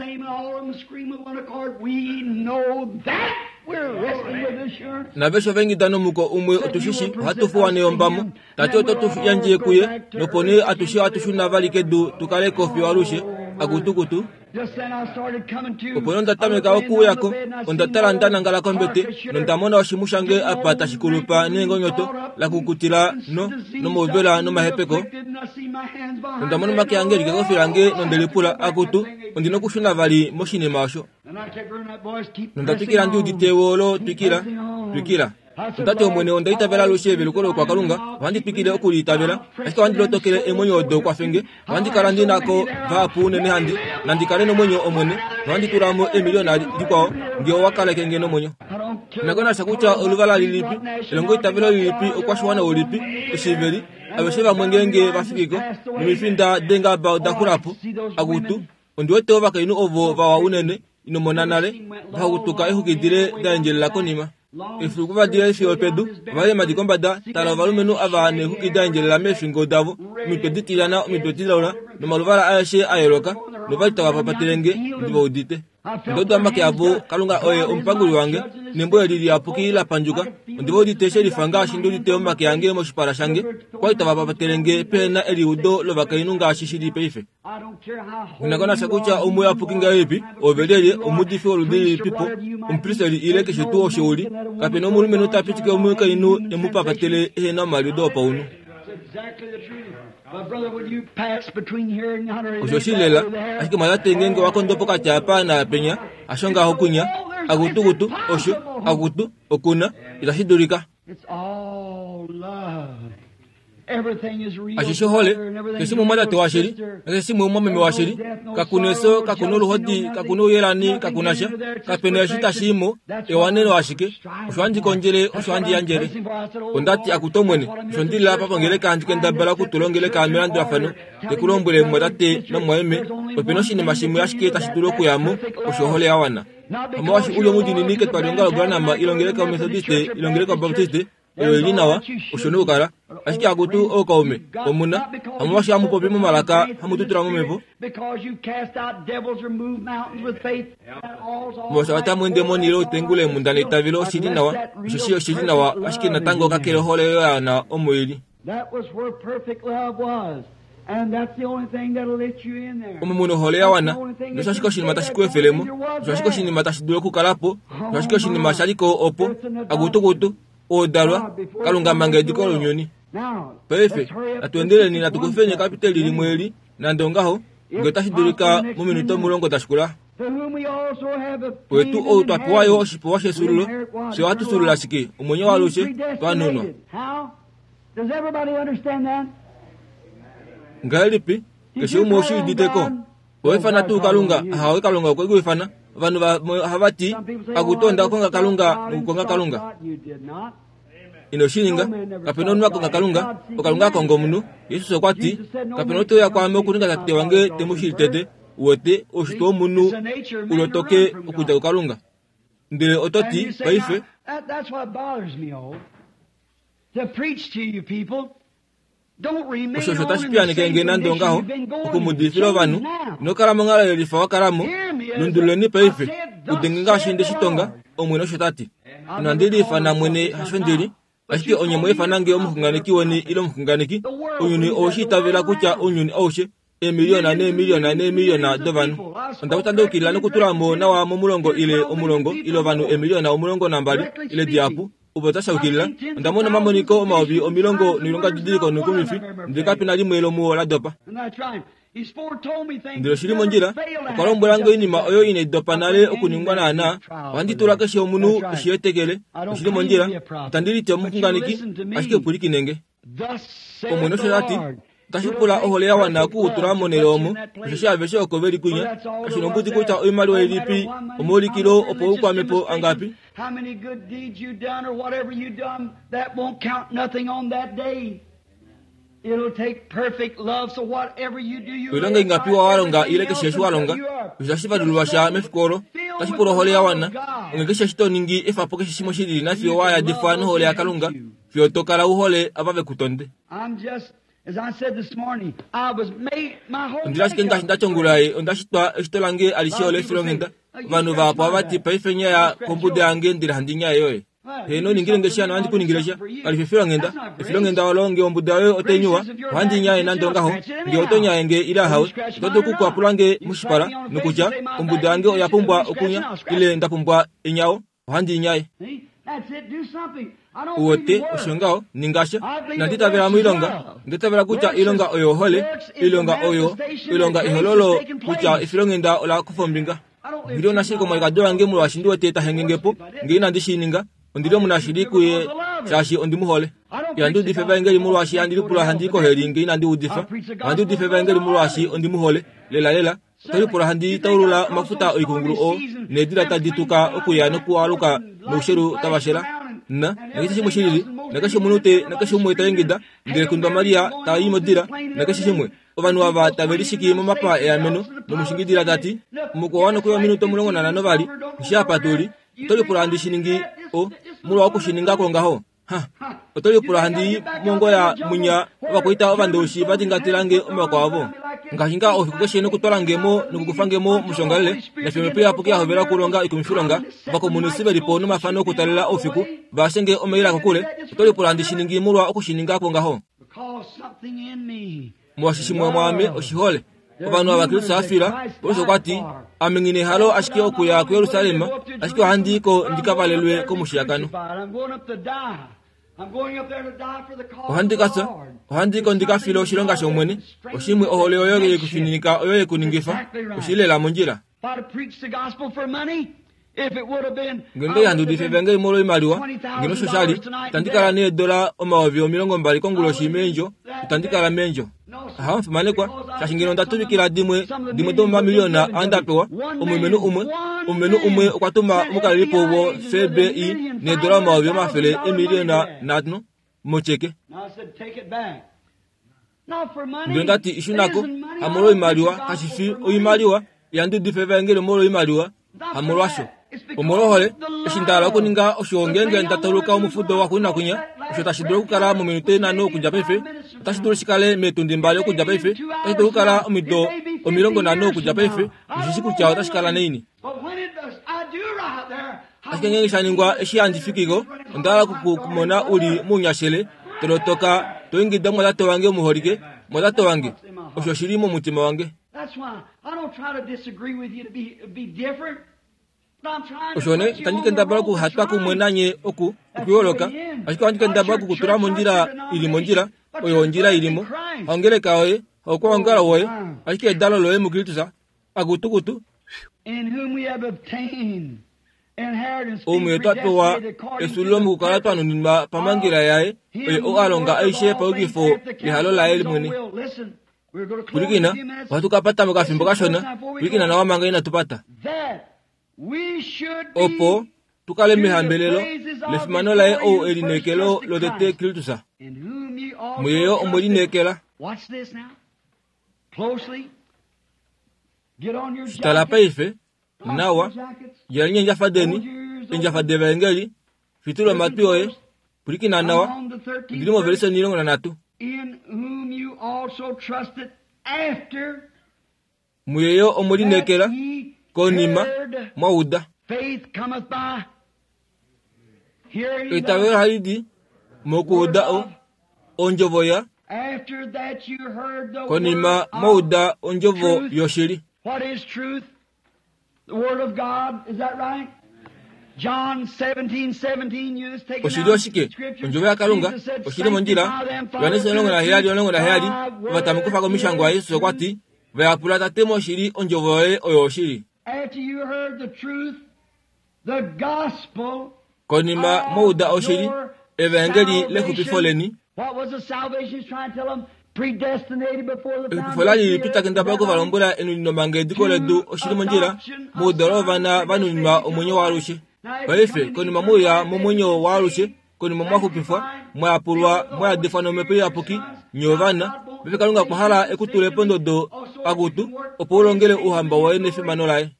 Naveshe ova ingida nomuko umwe otu shi shi, ohatu fuwa neyombamo. Tate oto tu yandje kuye, nopo nee atushe ohatu shuna vali kedu tu kale ko fiyo alushe. Akutukutu. Opo nee onda tameka okuuya ko. Onda tala nda nangala kombete, nonda mona oshimhu shange apa tashi kulupa neengonyoto, la kukutila no, nomauvela nomahepeko. Nonda mona omake ange e li kekofi lange nonde lipula, Akutu, ondi na okushuna vali moshinima osho. Nonda twikila ndi udite ewoolo, twikila, twikila. Onda ti, Omwene, onda itavela alushe eveluko loukwakalunga, ohandi twikile oku li itavela, ashike ohandi lotokele eemwenyo odo kwafe nge. Ohandi kala ndi na ko vahapu unene handi, nandi kale nomwenyo, Omwene, nohandi tula mo eemiliyona dikwao, nge owa kaleke nge nomwenyo. Inako nasha kutya oluvala lilipi, elongoitavelo lilipi, oukwashiwana ulipi, eshiveli, aveshe vamwe ngeenge va fiki ko, nomifinda deengaba oda xula po, akutu, ondi wete ovakainhu ovo vawa unene, ino mona nale, va xutuka eexwiki dile da endjelela konima. Efiku va dile fiyo pedu, ova li kombada, tala ovalumenhu ava neexwiki da endjelela meefingo davo, omitwe ditilyana, omitwe dilaula, nomaluvala aeshe a yooloka, nova li tava papatele nge, ndi va udite. Onda uda omake avo, Kalunga oye omupanguli wange, nembo eli liyapuki la pandjuka, ondi va udite she lifa ngaashi ndi udite omake ange moshipala shange, okwa li tava papatele nge pehe na eliudo lovakainhu ngaashi shi li paife. Inakonasha kutya omuyapuki ngahelipi, ove lyelye, omuudifi woludi lilipipo, omupristeli ile keshe tuu osho u li, kape na omulumenhu ta pitike omukainhu e mu papatele ehe na omaliudo opaunhu. Osho oshili lela, ashike mwatate ngeenge wa kondo pokati apa naapenya, hasho ngaho kunya, akutukutu, osho, akutu, okuna, itashi dulika. Ashishe ohole, keshe umwe omwatate washili, nakeshe shimwe omumwameme washili. Kaku na efyo, kaku na oluhodi, kaku na ouyelani, kaku na sha. Kape na eshi tashi i mo, ewaneno ashike. Osho handi kondjele, osho handi yandjele. Onda ti, Akutu Omwene, osho ndi li apa pongeleka handi kendabala okutula ongeleka melandulafano, te ku lombwele mumwatate nomumwameme, ope na oshinima shimwe ashike tashi dulu okuya mo, osho ohole ya wana. Omolwaashi u li omudiinini ketwalihongalo Branham, ile ongeleka yoMethodiste, ile ongeleka yoBaptiste, oyo i li nawa, osho nokukala. Ashike akutu ookaume, omu na, hamolwaashi hamu popi momalaka, hamu tutula momhepo, molwaashi otamu ende moni ile utengule eemhunda neitavelo, oshi li nawa, osheshi oshi li nawa, ashike natango kakele ohole oyo ya wana omo i li. Omo mu na ohole ya wana, nosho ashike oshinima tashi ku efele mo, osho ashike oshinima tashi dulu okukala po, osho ashike oshinima sha li ko opo, akutukutu, oo dalwa, Kalunga manga ediko lounyuni. Paife natu endeleni natu kufeni ekapiteli limwe eli, nande ongaho, nge otashi dulika mominute 10 da shikula. Wetu ou twa pewa yo oshipewa shefyuululo, fye ohatu fyuulula ashike omwenyo waalushe twa nunwa. Ngahelipi? Keshe umwe oshi udite ko. Owa ifana tuu Kalunga? Ahawe, Kalunga okwe ku ifana. Ovanhu vamwe ohava ti, Akutu, onda konga Kalunga nokukonga Kalunga. Ino shi ninga. Kape na omunhu a konga Kalunga, oKalunga a konga omunhu. Jesus okwa ti, Kape na ou te uya kwaame okuninga Tate wange te mu shili tete. Uwete, oushitwe womunhu u lotoke okudja kuKalunga. Ndele oto ti, Paife. Osho osho tashi piyaneke nge nande ongaho, oku mu udifila ovanhu. Ino kala monghalo yelifa wa kala mo. Lundululeni paife. Udenge ngaashi nde shi tonga, Omwene osho ta ti. Inandi liifana mwene hasho ndi li, ashike onye mwa ifana nge omuxunganeki weni ile omuxunganeki. Ounyuni owe shi itavela kutya ounyuni aushe eemiliyona neemiliyona neemiliyona dovanhu. Onda kuta nda nokutula mo nawa momulongo ile omulongo ile ovanhu eemiliyona 12 ile dihapu ovo tashi yukilila. Onda mona omamoniko 10,000 noilongadidiliko noikumifi, ndele kape na limwe lomuo la dopa. Ndele oshi li mondjila, okwa lombwela nge oinima oyo inai dopa nale okuningwa naanaa. Ohandi tula keshe omunhu eshi etekele. Oshi li mondjila. Itandi liti omuxunganeki, ashike pwilikine nge. Omwene osho ta ti, Otashi pula ohole ya wana oku u tula monhele omo, osheshi aveshe oko ve li kwinya. Kashi nombudi kutya oimaliwa ilipi, omaulikilo opo u kwame po angapi. Oilonga ingapi wa longa ile keshe eshi wa longa, osho tashi valulwa sha mefiku olo. Otashi pula ohole ya wana. Onghee keshe eshi to ningi, efa po keshe shimwe shi lili nafiyo wa yadifwa nohole yaKalunga, fiyo to kala u hole ava ve ku tonde. Ondi li ashike ngaashi nda ti ongula ei, onda shitwa eshito lange alishe ole efilonghenda. Ovanhu vahapu ohava ti, Paife nyaya kombuda yange ndele handi nyaye yoye. Heeno, ningile nge sha nohandi ku ningile sha. Kali fi efilonghenda. Efilonghenda olo nge ombuda yoye otai nyuwa, ohandi nyaye nande ongaho. Nge oto nyaye nge ile ahawe, oto dulu okukwapula nge moshipala nokutya, Ombuda yange oya pumbwa okunya, ile nda pumbwa enyawo. Ohandi nyaye. Uwete, osho ngaho, ninga sha. Inandi itavela moilonga. Onda itavela kutya oilonga oyo ohole, oilonga oyo, oilonga ehololo kutya efilonghenda ola kufa ombinga. Ondi li omunashili komwalikadi wange molwaashi ndi wete ta henge po. Nge inandi shi ninga, ondi li omunashili kuye shaashi ondi mu hole. Ihandi udifa evaengeli molwaashi handi lipula handi i koheli nge inandi udifa. Ohandi udifa evaengeli molwaashi ondi mu hole, lelalela. Oto lipula handi taulula omafuta oikungulu oo needila tadi tuka okuya nokualuka noushelu tava shela na nakeshe shimwe shilili nakeshe omunhu te nakeshe umwe ta ingida ndele kundwa Maria ta i modila nakeshe shimwe ovanhu ava tave lishiki momapa eameno nomushingidila ta ti mukwao nokuya ominute 15 vali eshi apa tu li oto lipula handi shi ningi o molwa oku shi ninga kwongaho Ha! Oto lipula handi i mongoya mwinya ovakwaita ovandowishi va dingatela nge omaoko avo? Ngaashi ngaa oufiku keshe nokutwala nge mo nokukufa nge mo moshongalele, nafye omhepo iyapuki ya hovela okulonga oikumifilonga, ovakomunisi ve li po nomafano okutalela oufiku, va ashe nge omaila kokule, oto lipula handi shi ningi molwa oku shi ninga kwongaho? Molwaashi shimwe mwaame oshihole. Ovanhu ava Kristus a fila, Paulus okwa ti, Ame nghi nehalo ashike okuya kuJerusalem, ashike ohandi i ko ndi ka valelwe komushiyakano. Ohandi ka fya, ohandi i ko ndi ka file oshilonga shOmwene. Oshimwe ohole oyo ye ku fininika oyo ye ku ningifa. Oshi li lela mondjila. Ngeno ihandi udifa evangeli molwoimaliwa, ngeno osho sha li, itandi kala needola 20,000 konguloshi meendjo, itandi kala meendjo. Aha, omufimanekwa, shaashi ngeno onda tuvikila dimwe, dimwe domomamiliyona aa nda pewa, omulumenhu umwe, omulumenhu umwe okwa tuma omukalelipo wo-FBI needola 500,000,000 motyeke. Ndele onda ti, Shuna ko, hamolwoimaliwa, kashi fi oimaliwa, ihandi udifa evaengeli omolwoimaliwa, hamolwasho. Omolwohole, eshi nda hala okuninga osho ngeenge nda tauluka omufudo waxuuninwa kwinya, osho tashi dulu okukala mominute nhano okudja paife, otashi dulu shi kale meetundi mbali okudja paife, otashi dulu okukala omido 50 okudja paife, nghi shi kutya otashi kala naini. Ashike ngeenge sha ningwa eshi handi fiki ko, onda hala oku ku mona u li mounyashele, to lotoka, to ingida mumwatate wange omuholike, mumwatate wange. Osho oshi li momutima wange. Osho nee itandi kendabala okuhatwa kumwe nanye oku okuyooloka, ashike ohandi kendabala oku ku tula mondjila i li mondjila, oyo ondjila i li mo. Haongeleka yoye, haukwaongalo woye, ashike edalo loye muKristus, akutukutu, Omuye twa pewa efyuululo mokukala twa nuninwa pamhangela yaye, oye ou a longa aishe paukifo lehalo laye mwene. Pwilikina, ohatu ka pata mokafimbo kashona. Pwilikina nawa manga inatu pata. Opo tu kale mehambelelo lefimano laye ou e lineekelo lotete Kristus. Muye yo omwe lineekela. Tala paife, nawa, djaleni eendjafa deni, eendjafa devaengeli, fitula omatwi oye, pwilikina nawa, ondili movelise 13. Muye yo omwe lineekela, konima, mwa uda. Eitavelo ohali di mokuuda o, ondjovo ya konima mwa uda ondjovo yoshili. Oshili oshike? Ondjovo yaKalunga. Oshili mondjila. Johannes 17:17, ova tamukufa komishangwa Jesus okwa ti, Va yapula Tate moshili, ondjovo yoye oyo oshili. Konima mwa uda oshili, evaengeli lexupifo leni, Exupifo la li lipi ta kendabala oku va lombwela enunino manga ediko ledu oshili mondjila, moudalo wovana va nuninwa omwenyo waalushe. Paife, konima mwe uya momwenyo waalushe, konima mwa xupifwa, mwa yapulwa, mwa yadifwa nOmhepo Iyapuki, nye ovana, paife Kalunga okwa hala e ku tule pondodo pakutu, opo u longele Ouhamba waye nefimano laye.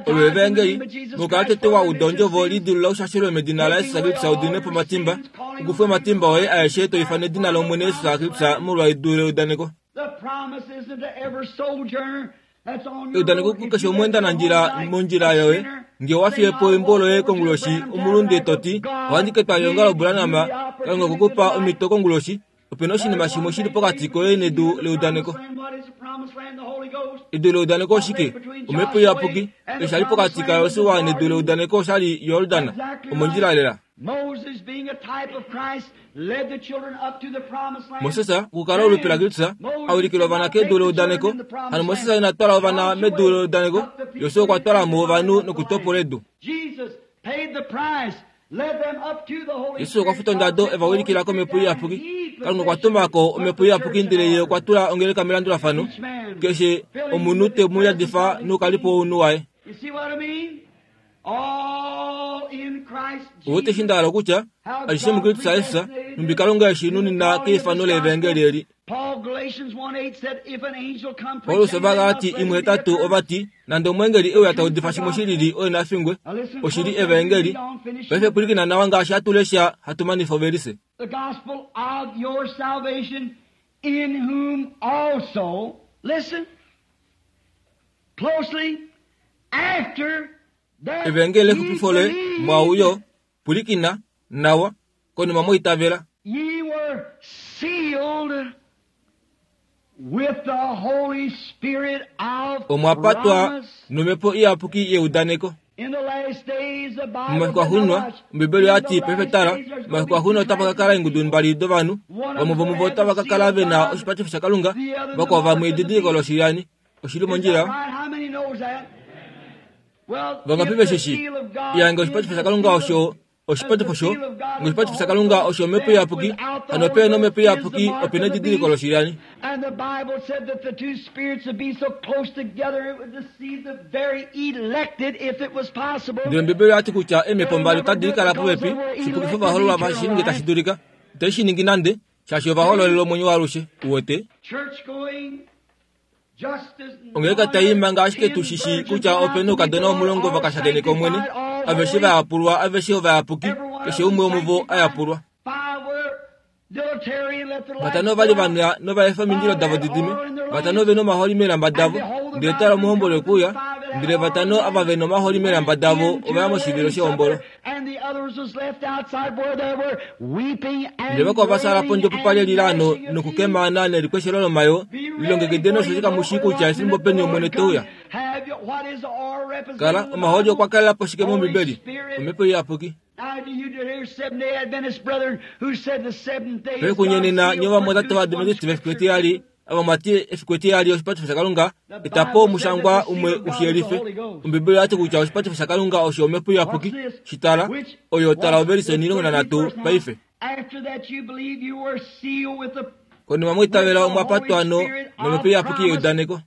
Olo evaengeli, mokukala tete wa uda ondjovo lidilula ushashelwe medina laJesus Kristus u diminwe po omatimba, u kufwe omatimba oye aeshe to ifana edina lOmwene Jesus Kristus molwa edu leudaneko. Eudaneko kukeshe omweendanandjila mondjila yoye, nge owa fiye po eumbo loye konguloshi omulunde to ti, Ohandi ke twala eongalo Branham, Kalunga okwe ku pa omhito konguloshi, Ope na oshinima shimwe shi li pokati koye nedu leudaneko. Edu leudaneko oshike? Omhepo Iyapuki. Osha li pokati kaJosua nedu leudaneko osha li Jordan, omondjila lela. Moses, okukala olupe laKristus, a ulikila ovana kedu leudaneko. Hano Moses ina twala ovana medu leudaneko, Josua okwa twala mo ovanhu nokutopola edu. Jesus okwa futa ondado e va wilikila komhepo iyapuki. Kalunga okwa tuma ko omhepo iyapuki ndele ye okwa tula ongeleka melandulafano. Keshe omunhu te mu yadifa noukalipo wounhu waye. Ouwete eshi nda hala okutya? Alishe muKristus Jesus, nhumbi Kalunga e shi nunina keifano leevangeli eli. Paulus Ovagalati 1:8 ova ti, Nande omweengeli e uya ta udifa shimwe shi lili oye na fingwe, oshi li evaengeli. Paife pwilikina nawa ngaashi hatu lesha hatu manifa ovelise. Evaengeli lexupifo loye, mwaau yo, pwilikina nawa, konima mwa itavela. Ye were sealed with the Holy Spirit of Omwa patwa promise. nomhepo iyapuki yeudaneko. In the last days, the Bible Momafiku said, axuuninwa, now watch, Ombibeli in oya the ti, Paife last tala, days there's going momafiku to be axuuninwa two otapa ka kinds kala of eengudu people. mbali dovanhu, One of vamwe them vomuvo will have otava the ka kala seal ve of na God, oshipatifo shaKalunga, the other the vakwao mark vamwe of the edidiliko beast. loshiyani. Oshi li Is that mondjila? right? How many knows that? Well, Vangapi if ve the shi shii? seal of God Iya, nge is oshipatifo the shaKalunga seal of osho oshipatifo sho nge oshipatifo shaKalunga osho omhepo iyapuki, hano ope na omhepo iyapuki ope na edidiliko loshiyani. And the Bible said that the two spirits would be so close together it would deceive the very elected if it was possible. Ndele Ombibeli oya ti kutya eemhepo mbali otadi kala popepi shipukifa ovahoololwa va shi ninge tashi dulika. Itai shi ningi nande, shaashi ova hoololela omwenyo waalushe. Uwete? Church going just as Ongeleka tai manga ashike tu shi shii kutya ope na oukadona omulongo va ka shakeneka Omwene, aveshe va yapulwa, aveshe ovayapuki, keshe umwe womuvo a yapulwa. Five were dilatory and let their lights Vatano ova li go va out. nwa nova efa omindilo davo di dime. Vatano ove na omahooli meelamba davo. Ndele tala omuhomboli okwe uya. Ndele vatano ava ve nomaholi meelamba davo ova ya moshivilo shehombolo. Ndele vakwao va fyaala pondje opo pa li elilaano nokukemaana nelikweshelo lomayo, lilongekideni osheshi kamu shii kutya efimbo peni Omwene te uya. Kala, omahooli okwa kalela po shike mOmbibeli? Omhepo Iyapuki. Pekunyenena nye ovamwatate Ovaadventiste vefiku etiyali, ava mwa ti efiku etiyali oshipatifo shaKalunga, eta po omushangwa umwe u shi yelife. Ombibeli oya ti kutya oshipatifo shaKalunga osho Omhepo Iyapuki. Shi tala. Oyo, tala ovelise 13 paife. Konima mwa itavela omwa patwa no, nOmhepo Iyapuki yeudaneko.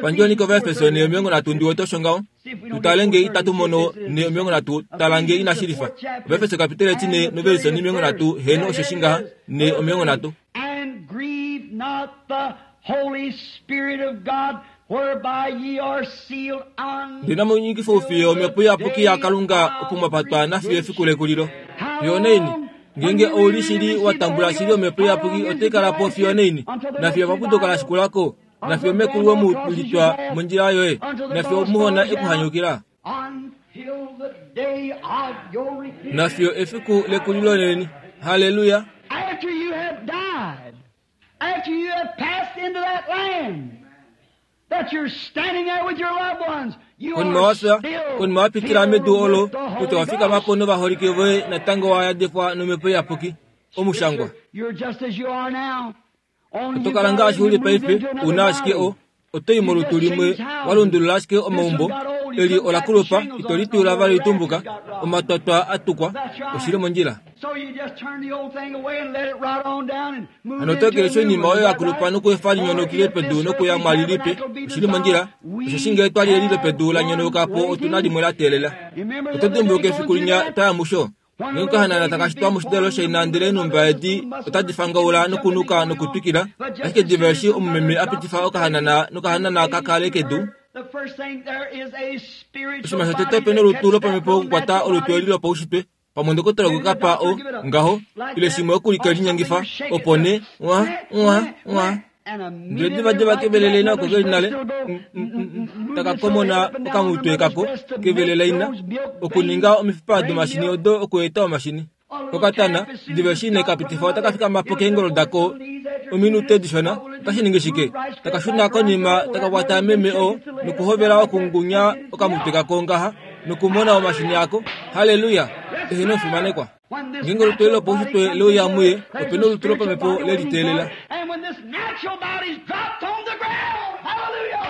Pandjoni kOvaefeso ne 30 ndi wete osho ngaho. Tu tale nge itatu mono ne 30 tala nge inashi lifa. Ovaefeso kapitele etine novelise 30 heeno osheshi ngaha ne 30. And grieve not the Holy Spirit of God, whereby ye are sealed Ndele inamu nyikifa oufiye Omhepo Iyapuki yaKalunga opo mwa patwa nafiyo efiku lekulilo. Fiyo onaini? Ngeenge ou li shili wa tambula shili Omhepo Iyapuki otai kala po fiyo onaini? Nafiyo epapuduko la shikula ko? Nafiyo mekulu wemu litwa mondjila yoye? Nafiyo omuhona e ku hanyukila? Nafiyo efiku lekulilo leni. Halleluya! After you have died, after you have passed into that land, that you're standing there with your loved ones, you Konima are wa fya, still konima wa pitila filled medu olo, with the kutya Holy wa fikama Ghost. po novaholike voye natango wa yadifwa nomhepo iyapuki. Omushangwa. You're just as you are now. Only Oto you kala got ngaashi u li you moved paife, into another u na ashike body. o, oto i molutu limwe, wa lundulula ashike omaumbo, eli ola kulupa, ito lituula vali litumbuka, omatwatwa a tukwa, oshi li mondjila. So you just turn the old thing away and let it rot on down and move Hano oto into a ekeleshi new oinima one. oyo Is ya that kulupa right? nokuefa Or linyonokile if pedu this nokuya earthly mwali lipe, tabernacle be oshi li mondjila, dissolved, osheshi we ngee twa li eli have lopedu la one nyonauka po, otu na waiting. limwe la teelela. You remember the Oto other day dimbuluka going efiku through linya that? twa ya musho? One Ngee of okahanana those taka babies shitwa being moshidalelo born shaina in ndele the eenhumba mother edi muscle otadi fangaula jumping nokunuka and going on. nokutwikila, But just ashike as soon diva as eshi the omumeme mother a drops pitifa the okahanana baby and nokahanana the ka baby kale to kedu, her, the first thing there is a spiritual oshinima shotete body ope that nolutu catches that lopamhepo little okukwata natural olutu body. eli lopaushitwe pamwe ndokotola Maybe okwe the ka pa doctor o give it up ngaho like ile that, shimwe okulike or something linyengifa to shake it opo up. nee mwa Wah, mwa wah, mwa wah. And ndele immediately divadiva right to that kevelele ina oko mother's ke li breast nale it'll go move taka its little komona head up and down on the okamutwe mother's kako breast to make kevelele ina those milk veins okuninga omifipa bring domashini milk. odo okueta omashini A little okatana calf, as soon diva as eshi it's ine got ka from the pitifa otaka mother, fikama po it'll keengolo jump over dako its little knees after a few ominute minutes. dishona What will it otashi do? ningi shike Move right taka straight shuna back around konima to, oh, taka that kwata mother's been meme o shaking its little head up and nokuhovela down like that okungunya and get its okamutwe milk. kako ngaha nokumona omashini ako haleluya eheno fimanekwa When this ngeenge olutu eli natural body lopaushitwe comes leuya into muye earth, there's ope a nolutu spiritual lopamhepo body waiting for leliteelela it. And when this natural body's dropped on the ground, hallelujah,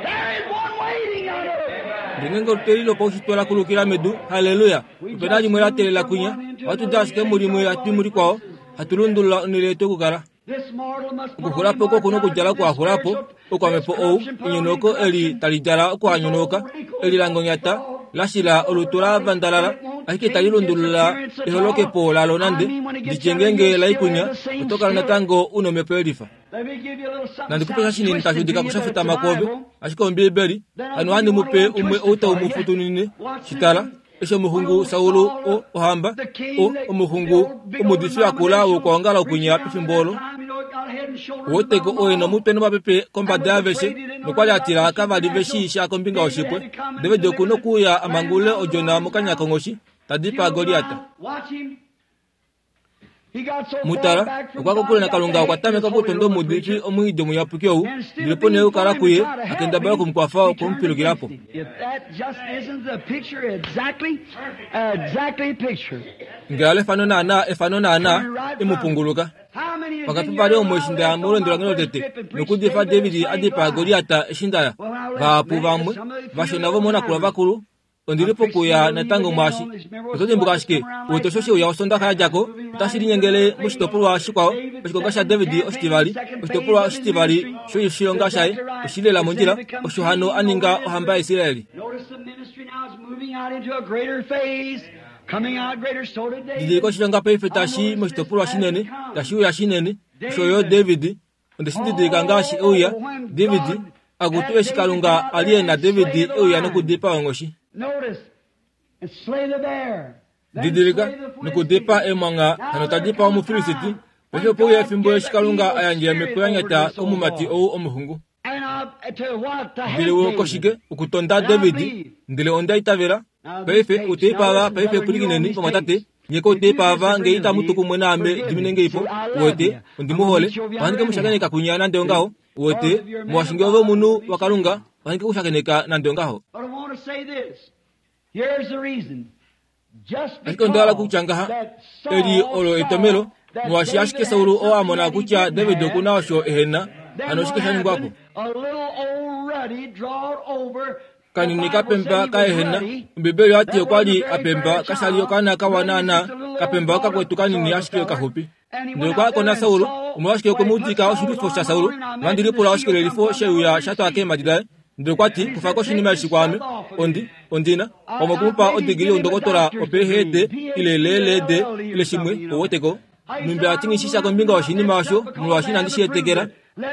there is one waiting on earth. Ndele ngeenge olutu eli lopaushitwe la kulukila medu haleluya We ope na just limwe la move teelela from kwinya one into ohatu another. di We ashike change mulimwe our hatu i dwelling mulikwao places. hatu lundulula onhele yetu yokukala This mortal must put on Okuxulapo oko ku nokudjala immortality, this okuhaxulapo spiritual, this okwamhepo ou corruption put on enyonauko eli incorruption, tali djala this okuhanyonauka old wrinkle eli langonyata la shila olutu la body, vandalala and it won't ashike tali change its lundulula appearance at all. eholokepo lalo I nande mean, when it gets nditye out of you, ngeenge you'll la still have ikunya the same oto kala spirit. natango u nomhepo yelifa Let me give you a little something nandi kupe sha sounds shinini tashi twisted udika to you, but it's the kushafutama kwoove Bible. ashike Ombiibeli Then I'll hano give ohandi you mu one pe little umwe twisted ou tau for mu you. futunine Watch this shitala one. eshi When omuxungu old Saul Saul, o ohamba the o king, the, the omuxungu old big old omudifi akula denominational wokwoongala preacher okunya down at pefimbo that olo time, you know, it got head and shoulders woteko above them oye all. nomutwe nomapepe And kombada was yaaveshe afraid he didn't know nokwali nothing a tila about the kava li ve shii supernatural. sha kombinga David yoshipwe had to come and David oku deliver the nokuuya lamb amangulule out of the odjona lion's mokanya mouth. konghoshi ta You dipaa know Goliat. why? Watch him. He got so far Mutala back from okwa God, kokule got to naKalunga okwa hate this tameka holy okutonda roller omuudifi preacher. omwiidi omuyapuki ou And instead ndele of po nee being okukala for him kuye to try to help akendabala him, okumukwafa he okwe mu turned pilukila po against him. If that just isn't the picture exactly, exactly picture. Ngee alo efano naana efano naana Turn right e from mu it. punguluka How many is Pakati in pavali your omo eshi while nda ya left on molweendo my lange first lotete trip and preached nokudifa David David had a slain dipaa Goliath? Goliat eshi nda ya Well, when I left vahapu Memphis, vamwe some of the few vashona old vomonakula timers, vakulu ondili I'm fixing pokuya to leave natango again mwaashi on this. Remember Oto what's dimbuka what ashike come around wete last osho sheuya Sunday? osondaxa ya dja ko Moving otashi right into linyengele another phase. moshitopolwa shikwao David's oshikonga second shaDavid campaign, oshitivali second phase oshitopolwa of his oshitivali ministry. shoshilonga shaye Exactly right. oshi lela It's mondjila then become osho hano king a ninga over ohamba Israel. yaIsraeli Notice the ministry now is moving out into a greater phase, coming out greater. So did Didilika David. oshilonga paife I tashi noticed this moshitopolwa as it shinene comes. tashi uya shinene osho yo David. David onde shi didilika ngaashi euya Oh, when David God akutu had eshi David Kalunga come out a li there e na and slay David the euya lion. nokudipaa onghoshi Notice, and slay the bear, then Didilika slay the nokudipaa Philistine. emwangha Now hano ta there dipaa come a Omufilisiti time paife when ope uya God efimbo gave eshi the Kalunga evil a yandja spirit omhepo over ya nyata this old komumati boy. ou omuxungu And Ndele wokoshike okutonda David, ndele onda itavela. Paife uteipa ava, paife pwilikineni vamwatate, nye kouteipa ava nge itamu tu kumwe naame dimine nge ipo, uwete, ondi mu hole. Ohandi ke mu shakeneka kwinya nande ongaho, uwete, molwaashi nge ove omunhu waKalunga, ohandi ke ku shakeneka nande ongaho. Ashike onda hala kutya ngaha, eli olo etomelo, molwaashi ashike Saul oo a mona kutya David oku na osho ehe na, hano oshike sha ningwa po? Kanini ka pemba ka ehena, Ombibeli oya ti okwa li a pemba, kasha li okaana kawa naanaa, ka pemba okakwetu kanini ashike kaxupi. Ndele okwa ya ko naSaul, omolwashike okwe mu dika oshilwifo shaSaul, nohandi lipula oshikelelifo sheuya sha twa keemhadi daye. Ndele okwa ti, Kufa ko oshinima eshi kwaame. Ondi, ondi na, pamwe oku mu pa odigili youndokotola oPhD, ile LLD, ile shimwe, ou wete ko. Nhumbi a ti nghi shi sha kombinga yoshinima osho, molwaashi inandi shi etekela.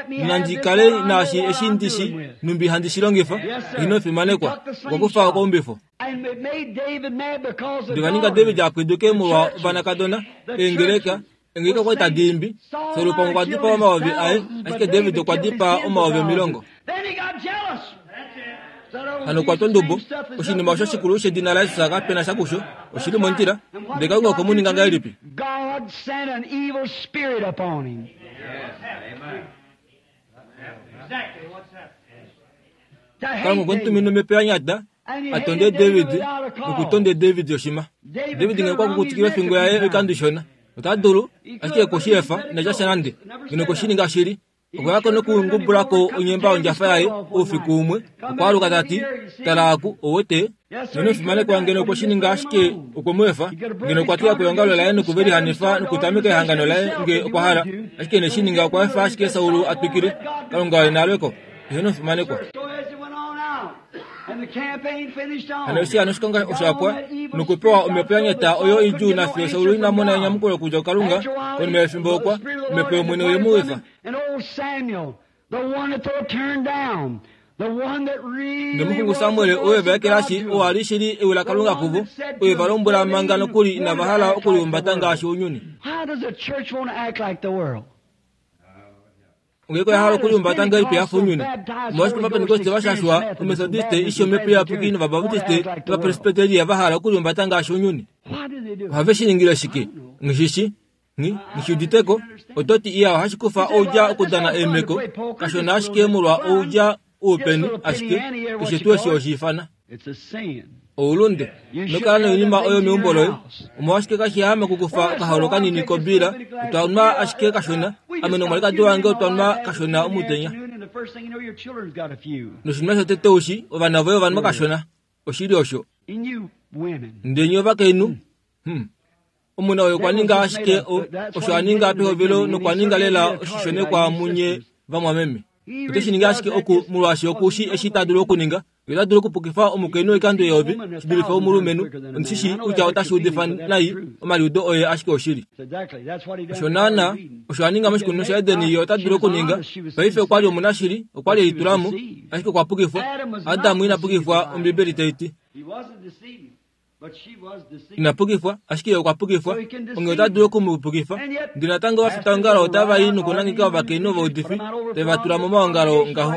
Nandi kale naashi eshi ndi shi, nhumbi handi shi longifa. Ino fimanekwa. Okwa kufa okaumbifo. Ndeva ninga David a pwiduke molwa ovanakadona, eengeleka, eengeleka okwa li tadi imbi. Saul pamwe okwa dipaa omayovi aye, ashike David okwa dipaa 10,000. Hano okwa twa ondubo. Oshinima osho shikulu shedina laJesus kape na sha kusho. Oshi li mondjila. Ndele Kalunga okwe mu ninga ngahelipi? Kalunga okwe mu tumina omhepo ya nyata a tonde David noku tonde David oshima. David ngeno okwa kukutikile ofingo yaye oikando ishona, ota dulu ashike oku shi efa inatya sha nande. Ngeno okwe shi ninga shili. Okwa ya ko nokungubula ko onyemba yondjafa yaye oufiku umwe, okwa aluka ta ti, Tala aku, ou wete? Ngeno omufimanekwa ngeno okwe shi ninga ashike okwe mu efa, ngeno okwa teya po eongalo laye noku ve lihanifa nokutameka ehangano laye nge okwa hala, ashike ine shi ninga okwa efa ashike Saul a twikile. Kalunga oye na lwe ko. Eheno omufimanekwa. Hano eshi hano oshikonga osha pwa nokupewa omhepo ya nyata oyo idjuu nafiyo Saul ina mona enyamukulo okudja kuKalunga, konima yefimbo okwa, omhepo yOmwene oye mu efa. Nomuxungu Samuel oo e va ekelashi oo a li shili ewi laKalunga kuvo, oo e va lombwela manga nokuli inava hala okulihumbata ngaashi ounyuni. Ongeeko oya hala okulihumbata ngahelipi ya fa ounyuni? Omolwashike Ovapentekoste va shashwa, Ometodiste, ishi Omhepo Iyapuki nOvabaptiste nOvapresbiteria va hala okulihumbata ngaashi ounyuni? Ohave shi ningile shike? Nghi shi shii. Nghi, nghi shi udite ko. Oto ti, Iya, ohashi kufa oudja okudana eemeko, kashona ashike molwa oudja oupeni, ashike keshe tuu eshi oshi ifana. Oulunde. Ino kala noinima oyo meumbo loye. Omolwashike kashi yaame okukufa okaholo kanini kobiila? Otwa nwa ashike kashona. Ame nomwalikadi wange otwa nwa kashona omutenya. Noshinima shotete ushi, ovana voye ova nwa kashona. Oshili osho. Ndele nye ovakainhu, hmm. Omuna oyo okwa ninga ashike o, osho a ninga pehovelo nokwa ninga lela oshishonekwa munye vamwameme. Ote shi ningi ashike oku, molwaashi oku shi eshi ta dulu okuninga. Ye ota dulu okupukifa omukainhu oikando eyovi shi dulife omulumenhu. Ondi shi shii kutya otashi udifa nai omaliudo oye ashike oshili. Osho naanaa osho a ninga moshikunino shaEden ye ota dulu okuninga. Paife okwa li omunashili, okwa li e litula mo, ashike okwa pukifwa. Adam ina pukifwa, Ombibeli tai ti. Ina pukifwa, ashike ye okwa pukifwa. Onghee ota dulu oku mu pukifa. Ndele natango ovafitaongalo otava i nokunangeka ovakainhu ovaudifi, tave va tula momaongalo ngaho.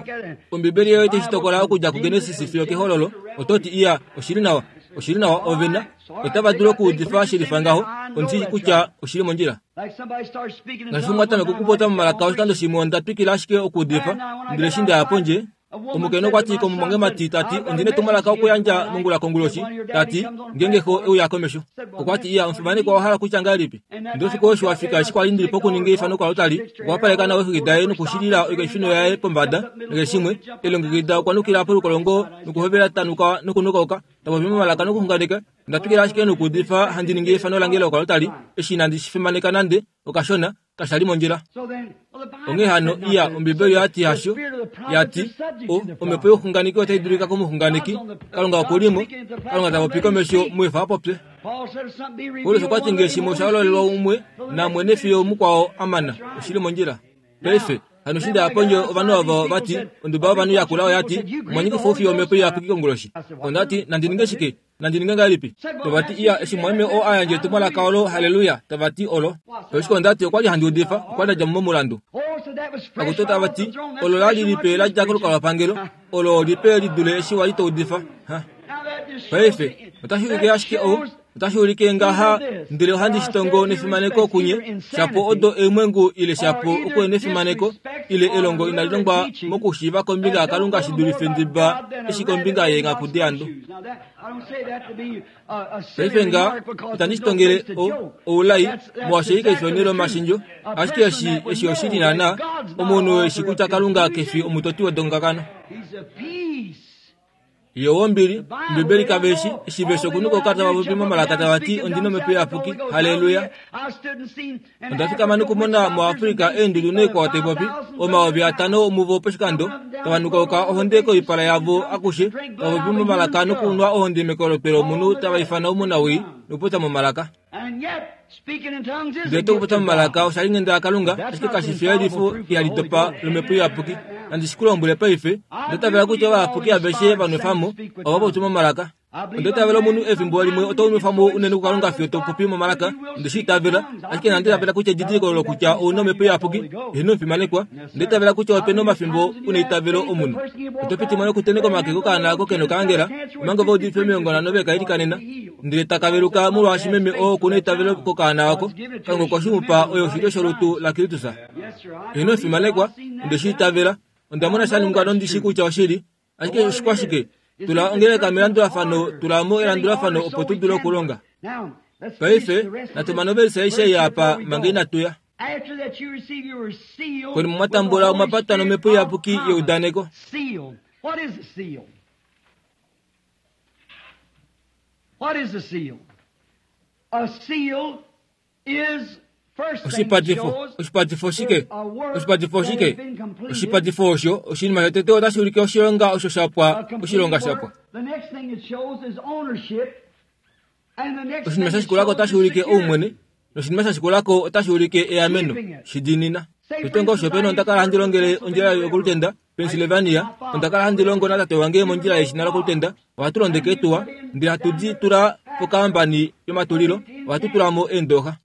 Ombibeli yoye otai shi tokola okudja kuGenesis fiyo kEhololo. Oto ti, Iya, oshi li nawa. Oshi li nawa, ove na. Otava dulu okuudifa shelifa ngaho. Ondi shii kutya oshi li mondjila. Ngaashi umwe a tameka okupopya momalaka oshikando shimwe onda twikila ashike okuudifa, ndele eshi nda ya pondje, Omukainhu okwa ti komumwangemati ta ti, Ondi na etumwalaka okuyandja mongula konguloshi, ta ti, ngeenge xo e uya komesho. Okwa ti, Iya, omufimanekwa owa hala kutya ngahelipi? Ndele oufiku oo eshi wa fika eshi kwa li ndi li pokuninga eifano koaltari, okwa wapaleka nawa eexwiki daye nokushilila oikeifino yaye pombada, nakeshe shimwe, e lilongekida okwa nukila polukolongo nokuhovela ta nuka nokunukauka, ta popi momalaka nokuxunganeka. Onda twikila ashike nokuudifa handi ningi eifano lange lokoaltari, eshi inandi shi fimaneka nande okashona, kasha li mondjila. Onghee hano, iya, Ombibeli oya ti hasho, ya ti, O, omhepo youxunganeki otai dulika komuxunganeki. Kalunga oku li mo. Kalunga ta popi komesho, mu efa a popye. Paulus okwa ti nge shimwe osha hololelwa umwe, namwene fiyo mukwao a mana. Oshi li mondjila. Paife, hano eshi nda ya pondje, ovanhu ovo va ti, onduba yovanhu yakula oya ti, Omwa nyikifa oufiyo omhepo iyapuki konguloshi. Onda ti, Nandi ninge shike? Nandi ninge ngahelipi? Tava ti, Iya, eshi mumwameme oo a yandja etumwalaka olo, halleluya, tava ti olo. Oshike onda ti, Okwa li handi udifa, okwa li nda dja mo momulandu. Akutu tava ti, Olo la li lipe la dja kolukalwapangelo, olo lipe li dule eshi wa li to udifa. Ha. Paife, otashi ulike ashike ou, otashi ulike ngaha, ndele ohandi shi tongo nefimaneko kunye, shapo odo eemwengu ile shapo okuhenefimaneko ile elongo inali longwa mokushiiva kombinga yaKalunga shi dulife ndiba eshi kombinga yeenghaku deandu. Paife nga itandi shi tongele o, oulai, molwaashi ei kai fi onhele yomashendjo, ashike eshi, eshi oshili naana, omunhu eshi kutya Kalunga ke fi omutoti wedongakano. Ye owombili, Ombibeli kave shi, eshi ve shi okunuka okukala tava popi momalaka tava ti, Ondi nOmhepo Iyapuki. Halleluya! Onda fikama nokumona moAfrica eendudu noikwao tai popi, 5000 omuvo poshikando, tava nukauka ohonde koipala yavo akushe, tava popi momalaka nokunwa ohonde mekolotwe lomunhu tava ifana omunawii nokupopya momalaka. Ndele tokupopya momalaka osha li nghenda yaKalunga, ashike kashi fi eyelifo ihali dopa lOmhepo Iyapuki. Nandi shi ku lombwele paife, onda itavela kutya ovayapuki aveshe va nwefa mo ova popya momalaka. Onda itavela omunhu efimbo limwe oto nwefa mo unene kuKalunga fiyo to popi momalaka. Onde shi itavela, ashike inandi itavela kutya edidiliko olo kutya ou na Omhepo Iyapuki. Eheno omufimanekwa, onda itavela kutya ope na omafimbo u na eitavelo omunhu. Oto piti mo nokutenheka omake kokaana ako ke nokaangela, omanga ovaudifi 50 ve ka ilikanena, ndele taka veluka molwaashi meme oo oku na eitavelo kokaana ako. Kalunga okwa shi mu pa oyo oshilyo sholutu laKristus. Eheno omufimanekwa, onde shi itavela. Onda mona sha ningwa nondi shi kutya oshili. Ashike oshikwashike? Tula ongeleka melandulafano, tula mo elandulafano opo tu dule okulonga. Paife, natu mane ovelise aishe ei apa manga inatu ya. Konima mwa tambula omwa patwa nomhepo iyapuki yeudaneko. Oshipatifo, oshipatifo oshike? Oshipatifo oshike? Oshipatifo osho oshinima shotete otashi ulike oshilonga osho sha pwa, oshilonga sha pwa. Oshinima sha shikula ko otashi ulike oumwene, noshinima sha shikula ko otashi ulike eameno. Shi diinina. Tete ngoo osho pena onda kala handi longele ondjila yokolutenda Pennsylvania, onda kala handi longo natate wange mondjila yeshina lokolutenda. Ohatu londeke eetuwa, ndele hatu di tula pokaambani yomatulilo, ohatu tula mo eendooxa.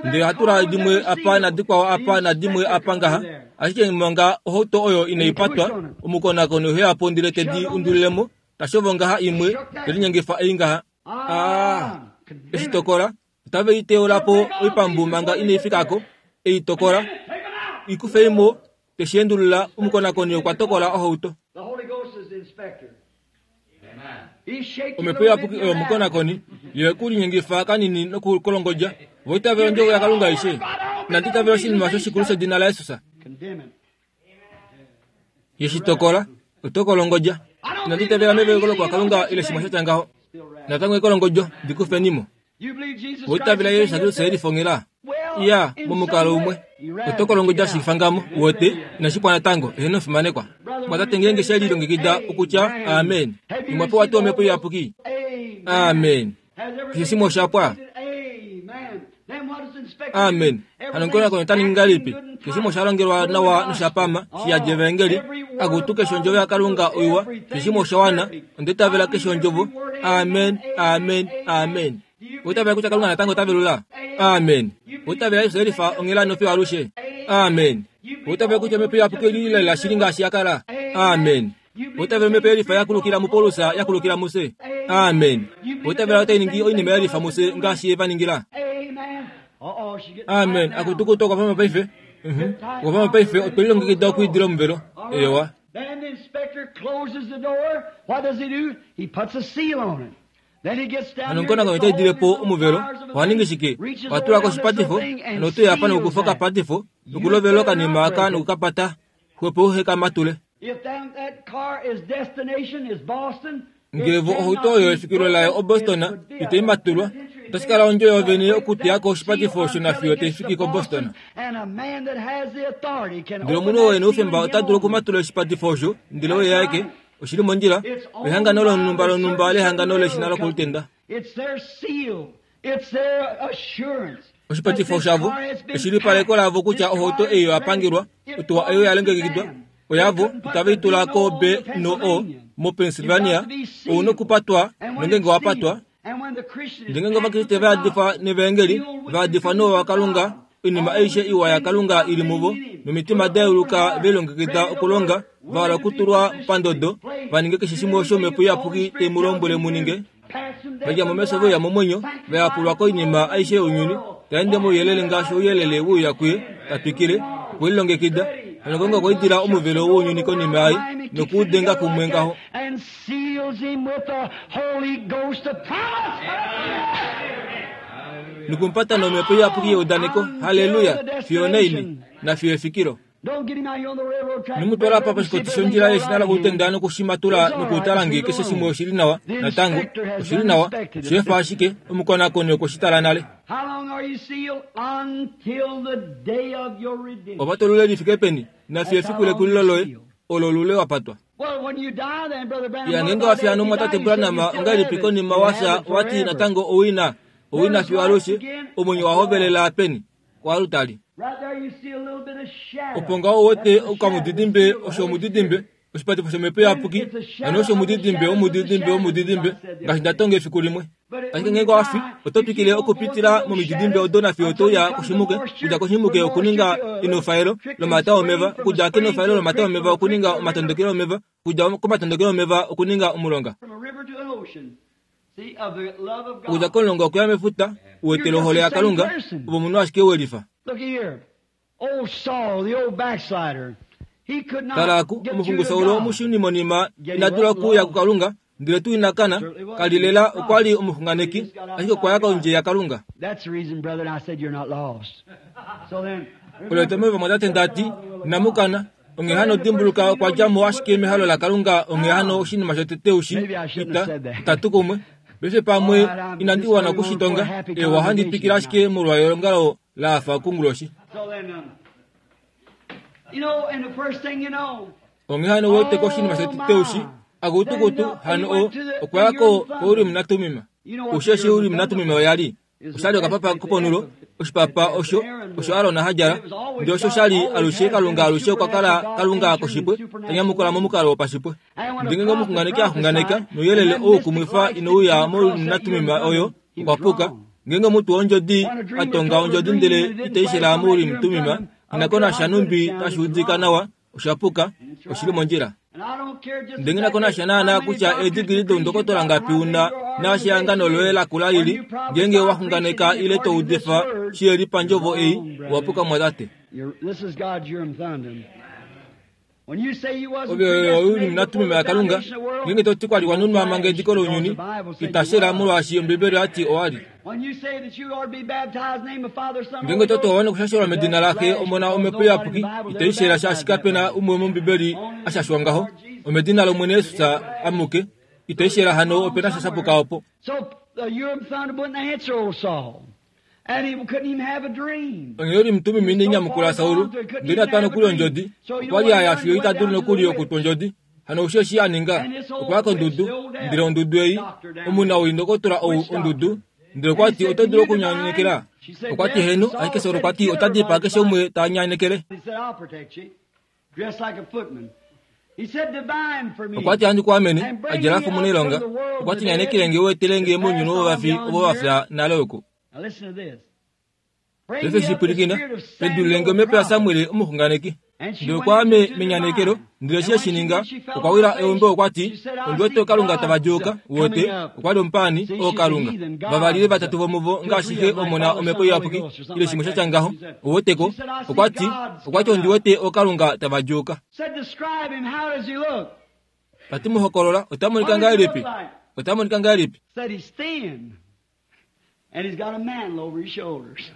Ndele ohatu tula dimwe apa nadikwao apa nadimwe apa ngaha. Ashike manga ohauto oyo inai patwa, omukonakoni ohe ya po ndele te di undulile mo, ta shovo ngaha imwe, te linyengifa ei ngaha. Ah! Eshi tokola, otave i teula po oipambu manga inai fika ko, e i tokola, i kufei mo, te shi endulula, omukonakoni okwa tokola ohauto. Omhepo Iyapuki oyo omukonakoni, Ye ku linyengifa kanini nokukolongodja. Vo itavela ondjovo yaKalunga aishe. Inandi itavela oshinima osho shikulu shedina laJesus. Ye shi tokola, oto kolongodja. Inandi itavela meveleko lokuhakalunga ile shimwe sha tya ngaho. Natango ekolongodjo, di kufeni mo. Oitavela ye Kristus e lifongela? Iya, momukalo umwe. Oto kolongodja shi fangamo, uwete, inashi pwa natango, eheno fimanekwa. Mwatate ngeenge she lilongekida okutya amen. Omwa pewa tuu Omhepo Iyapuki? Amen. Keshe shimwe osha pwa. Amen. Hano omukonakoni ota ningi ngahelipi? Keshe shimwe osha longelwa nawa nosha pama, shi yadi evaengeli. Akutu keshe ondjovo yaKalunga oiwa, keshe shimwe osha wana. Onda itavela keshe ondjovo. Amen, amen, amen. Owa itavela kutya Kalunga natango ota velula? Amen. Owa itavela Jesus e lifa onghela nofiyo alushe? Amen. Owa itavela kutya Omhepo Iyapuki oi li lela shili ngaashi ya kala? Amen. Owa itavela Omhepo ye lifa ya kulukila muPaulus ya kulukila mufye? Amen. Owa itavela otai ningi oinima ye lifa mufye ngaashi ye va ningila? Amen. Akutu okwa pama paife. Mhm. Okwa pama paife, otwe lilongekida okwiidila omuvelo. Eewa. Then the inspector closes the door. What does he do? He puts a seal on it. Then he gets down Hano here, omukonakoni gets ota a hold idile of po his little omuvelo. pliers of a Oha ningi thing, shike? reaches Oha tula over ko down this oshipatifo, little thing and hano ote uya apa seals nokukufa that. okapatifo, You nokulovela better okanima not aka break it. nokukapata, xwepo uhe ka matule. If that, that car is destination is Boston, it Ngevo ohauto cannot oyo be efikilo layo broken. It oBoston would be a itai matulwa, penitentiary otashi kala thing ondjo to yoovene break okuteya that ko seal oshipatifo osho until nafiyo it tai gets to fiki koBoston. Boston. And a man that has the authority can Ndele open omunhu oo that e na seal oufemba and ota him dulu only. okumatula oshipatifo osho, ndele That's oye aeke. right. Oshi li mondjila. It's Ehangano owned by lonhumba the lonhumba certain lehangano certain leshina railroad company. lokolutenda. It's their seal. It's their assurance that Oshipatifo this shavo car has been eshilipaleko packed. lavo This kutya ohauto car ei is oya ready. pangelwa, It otuwa oyo ya belongs to longekidwa, them. Oyavo itave i tula ko B no O moPennsylvania, ou nokupatwa nongenge wa patwa. Ndele Ovakriste va yadifwa nevaengeli, va yadifwa nouwa waKalunga, oinima aishe iwa yaKalunga i li muvo, nomitima da yeuluka ve lilongekida okulonga, va hala okutulwa pandodo, va ninge keshe shimwe osho Omhepo Iyapuki tai mu lombwele mu ninge. Va dja momesho ve uya momwenyo, va yapulwa koinima aishe younyuni, ta ende mouyelele ngaashi ouyelele we uya kuye, ta twikile, okwe lilongekida. Hano Kalunga okwa idila omuvelo wounyuni konima yaye, noku u denga kumwe ngaho. Nokumupata nOmhepo Iyapuki yeudaneko, halleluya, fiyo onaini, nafiyo efikilo. Ino mu twala apa poshikoti shondjila yeshina lokutenda nokushimatula nokutala nge keshe shimwe oshi li nawa natango. Oshi li nawa. Osheefa ashike, omukonakoni okwe shi tala nale. Ova tolule li fike peni, nafiyo efiku lekulilo loye, olo lule wa patwa. Ya ngeenge wa fya nomumwatate Branham ongahelipi konima wa fya wa ti natango owina, owina fiyo alushe, omwenyo wa hovelela peni? Koalutali. Opo ngaho u wete okamudidimbe osho omudidimbe, oshipatifo shOmhepo Iyapuki, hano osho omudidimbe womudidimbe womudidimbe, ngaashi nda tonga efiku limwe. Ashike ngeenge owa fi, oto twikile okupitila momididimbe odo nafiyo oto uya koshimuke, okudja koshimuke okuninga enofaelo lomata omeva, okudja kenofaelo lomata omeva okuninga omatondokelo omeva, okudja komatondokelo omeva okuninga omulonga. Okudja komulonga okuya mefuta, u wetele ohole yaKalunga, ove omunhu ashike we lifa. Tala aku, omuxungu Saul omushunimonima ina dula okuuya kuKalunga, ndele tuu ina kana, ka li lela okwa li omuxunganeki, ashike okwa ya kondje yaKalunga. Olo etomheno vamwatate nda ti, Inamu kana. Onghee hano dimbuluka okwa dja mo ashike mehalo laKalunga onghee hano oshinima shotete ushi ita itatu kumwe. Paife pamwe inandi wana oku shi tonga, ewa ohandi twikile ashike molwa eongalo la hafa konguloshi. Onghee hano wete koshinima shotete ushi, akutukutu, hano o, okwa ya ko, koUrim naTummim. Ushi eshi Urim naTummim oya li? Osha li okapapa koponulo, oshipapa osho osho Aron ha djala, ndele osho sha li alushe Kalunga alushe okwa kala Kalunga koshipwe, ta nyamukula momukalo wopashipwe. Ndele ngeenge omuxunganeki a xunganeka nouyelele ou kumwifa inau uya moUrim oyo, okwa puka. Ngeenge omutwe wondjodi a tonga ondjodi ndele itai shela moUrim Tumim, ina ko nasha nhumbi tashi udika nawa, osha puka, oshi li mondjila. Ndele nghi na ko nasha naanaa kutya eedigili doundokotola ngapi u na, naashi ehangano loye lakula li li, ngeenge wa xunganeka ile to udifa shi li pandjovo ei, owa puka mwatate. Ove oyo u li natumima yaKalunga, ngeenge to ti kwa li wa nunwa manga ediko lounyuni, ita shela molwaashi Ombibeli oya ti owa li. Ngeenge to towa nokushashelwa medina laXe, Omona, Omhepo Iyapuki, ito i shela shaashi kape na umwe mOmbibeli a shashwa ngaho. Omedina lOmwene Jesus amuke. Ito i shela hano ope na sha shapuka opo. Onghee Urim-Tumim inai nyamukula Saul, ndele ina twa nokuli ondjodi. Okwa li a ya fiyo ita dulu nokuli okutwa ondjodi. Hano osho eshi a ninga, okwa ya kondudu, ndele ondudu ei, omunawii ndokotola ou ondudu, ndele okwa ti, Oto dulu okunyanekela? Okwa ti, Heeno, ashike Saul okwa ti, Ota dipaa keshe umwe ta nyanekele. Okwa ti, Ohandi ku amene, a djala fa omunailonga. Okwa ti, Nyanekele nge u etele nge mounyuni wovafi ovo va fya nale oku. Paife shi pwilikina, pendulile nge omhepo yaSamuel omuxunganeki. Ndele okwa ya me, menyanekelo, ndele eshi e shi ninga, okwa wila eumbo okwa ti, Ondi wete ookalunga tava djuuka, uwete, okwa li omupaani, ookalunga. Vavali ile vatatu vomuvo, ngaashi Xe, Omona, Omhepo Iyapuki, ile shimwe sha tya ngaho, uweteko. Okwa ti, okwa ti, Ondi wete ookalunga tava djuuka. Ta ti, Mu hokolola, ota monika ngahelipi? Ota monika ngahelipi? And he's got a mantle over his shoulders.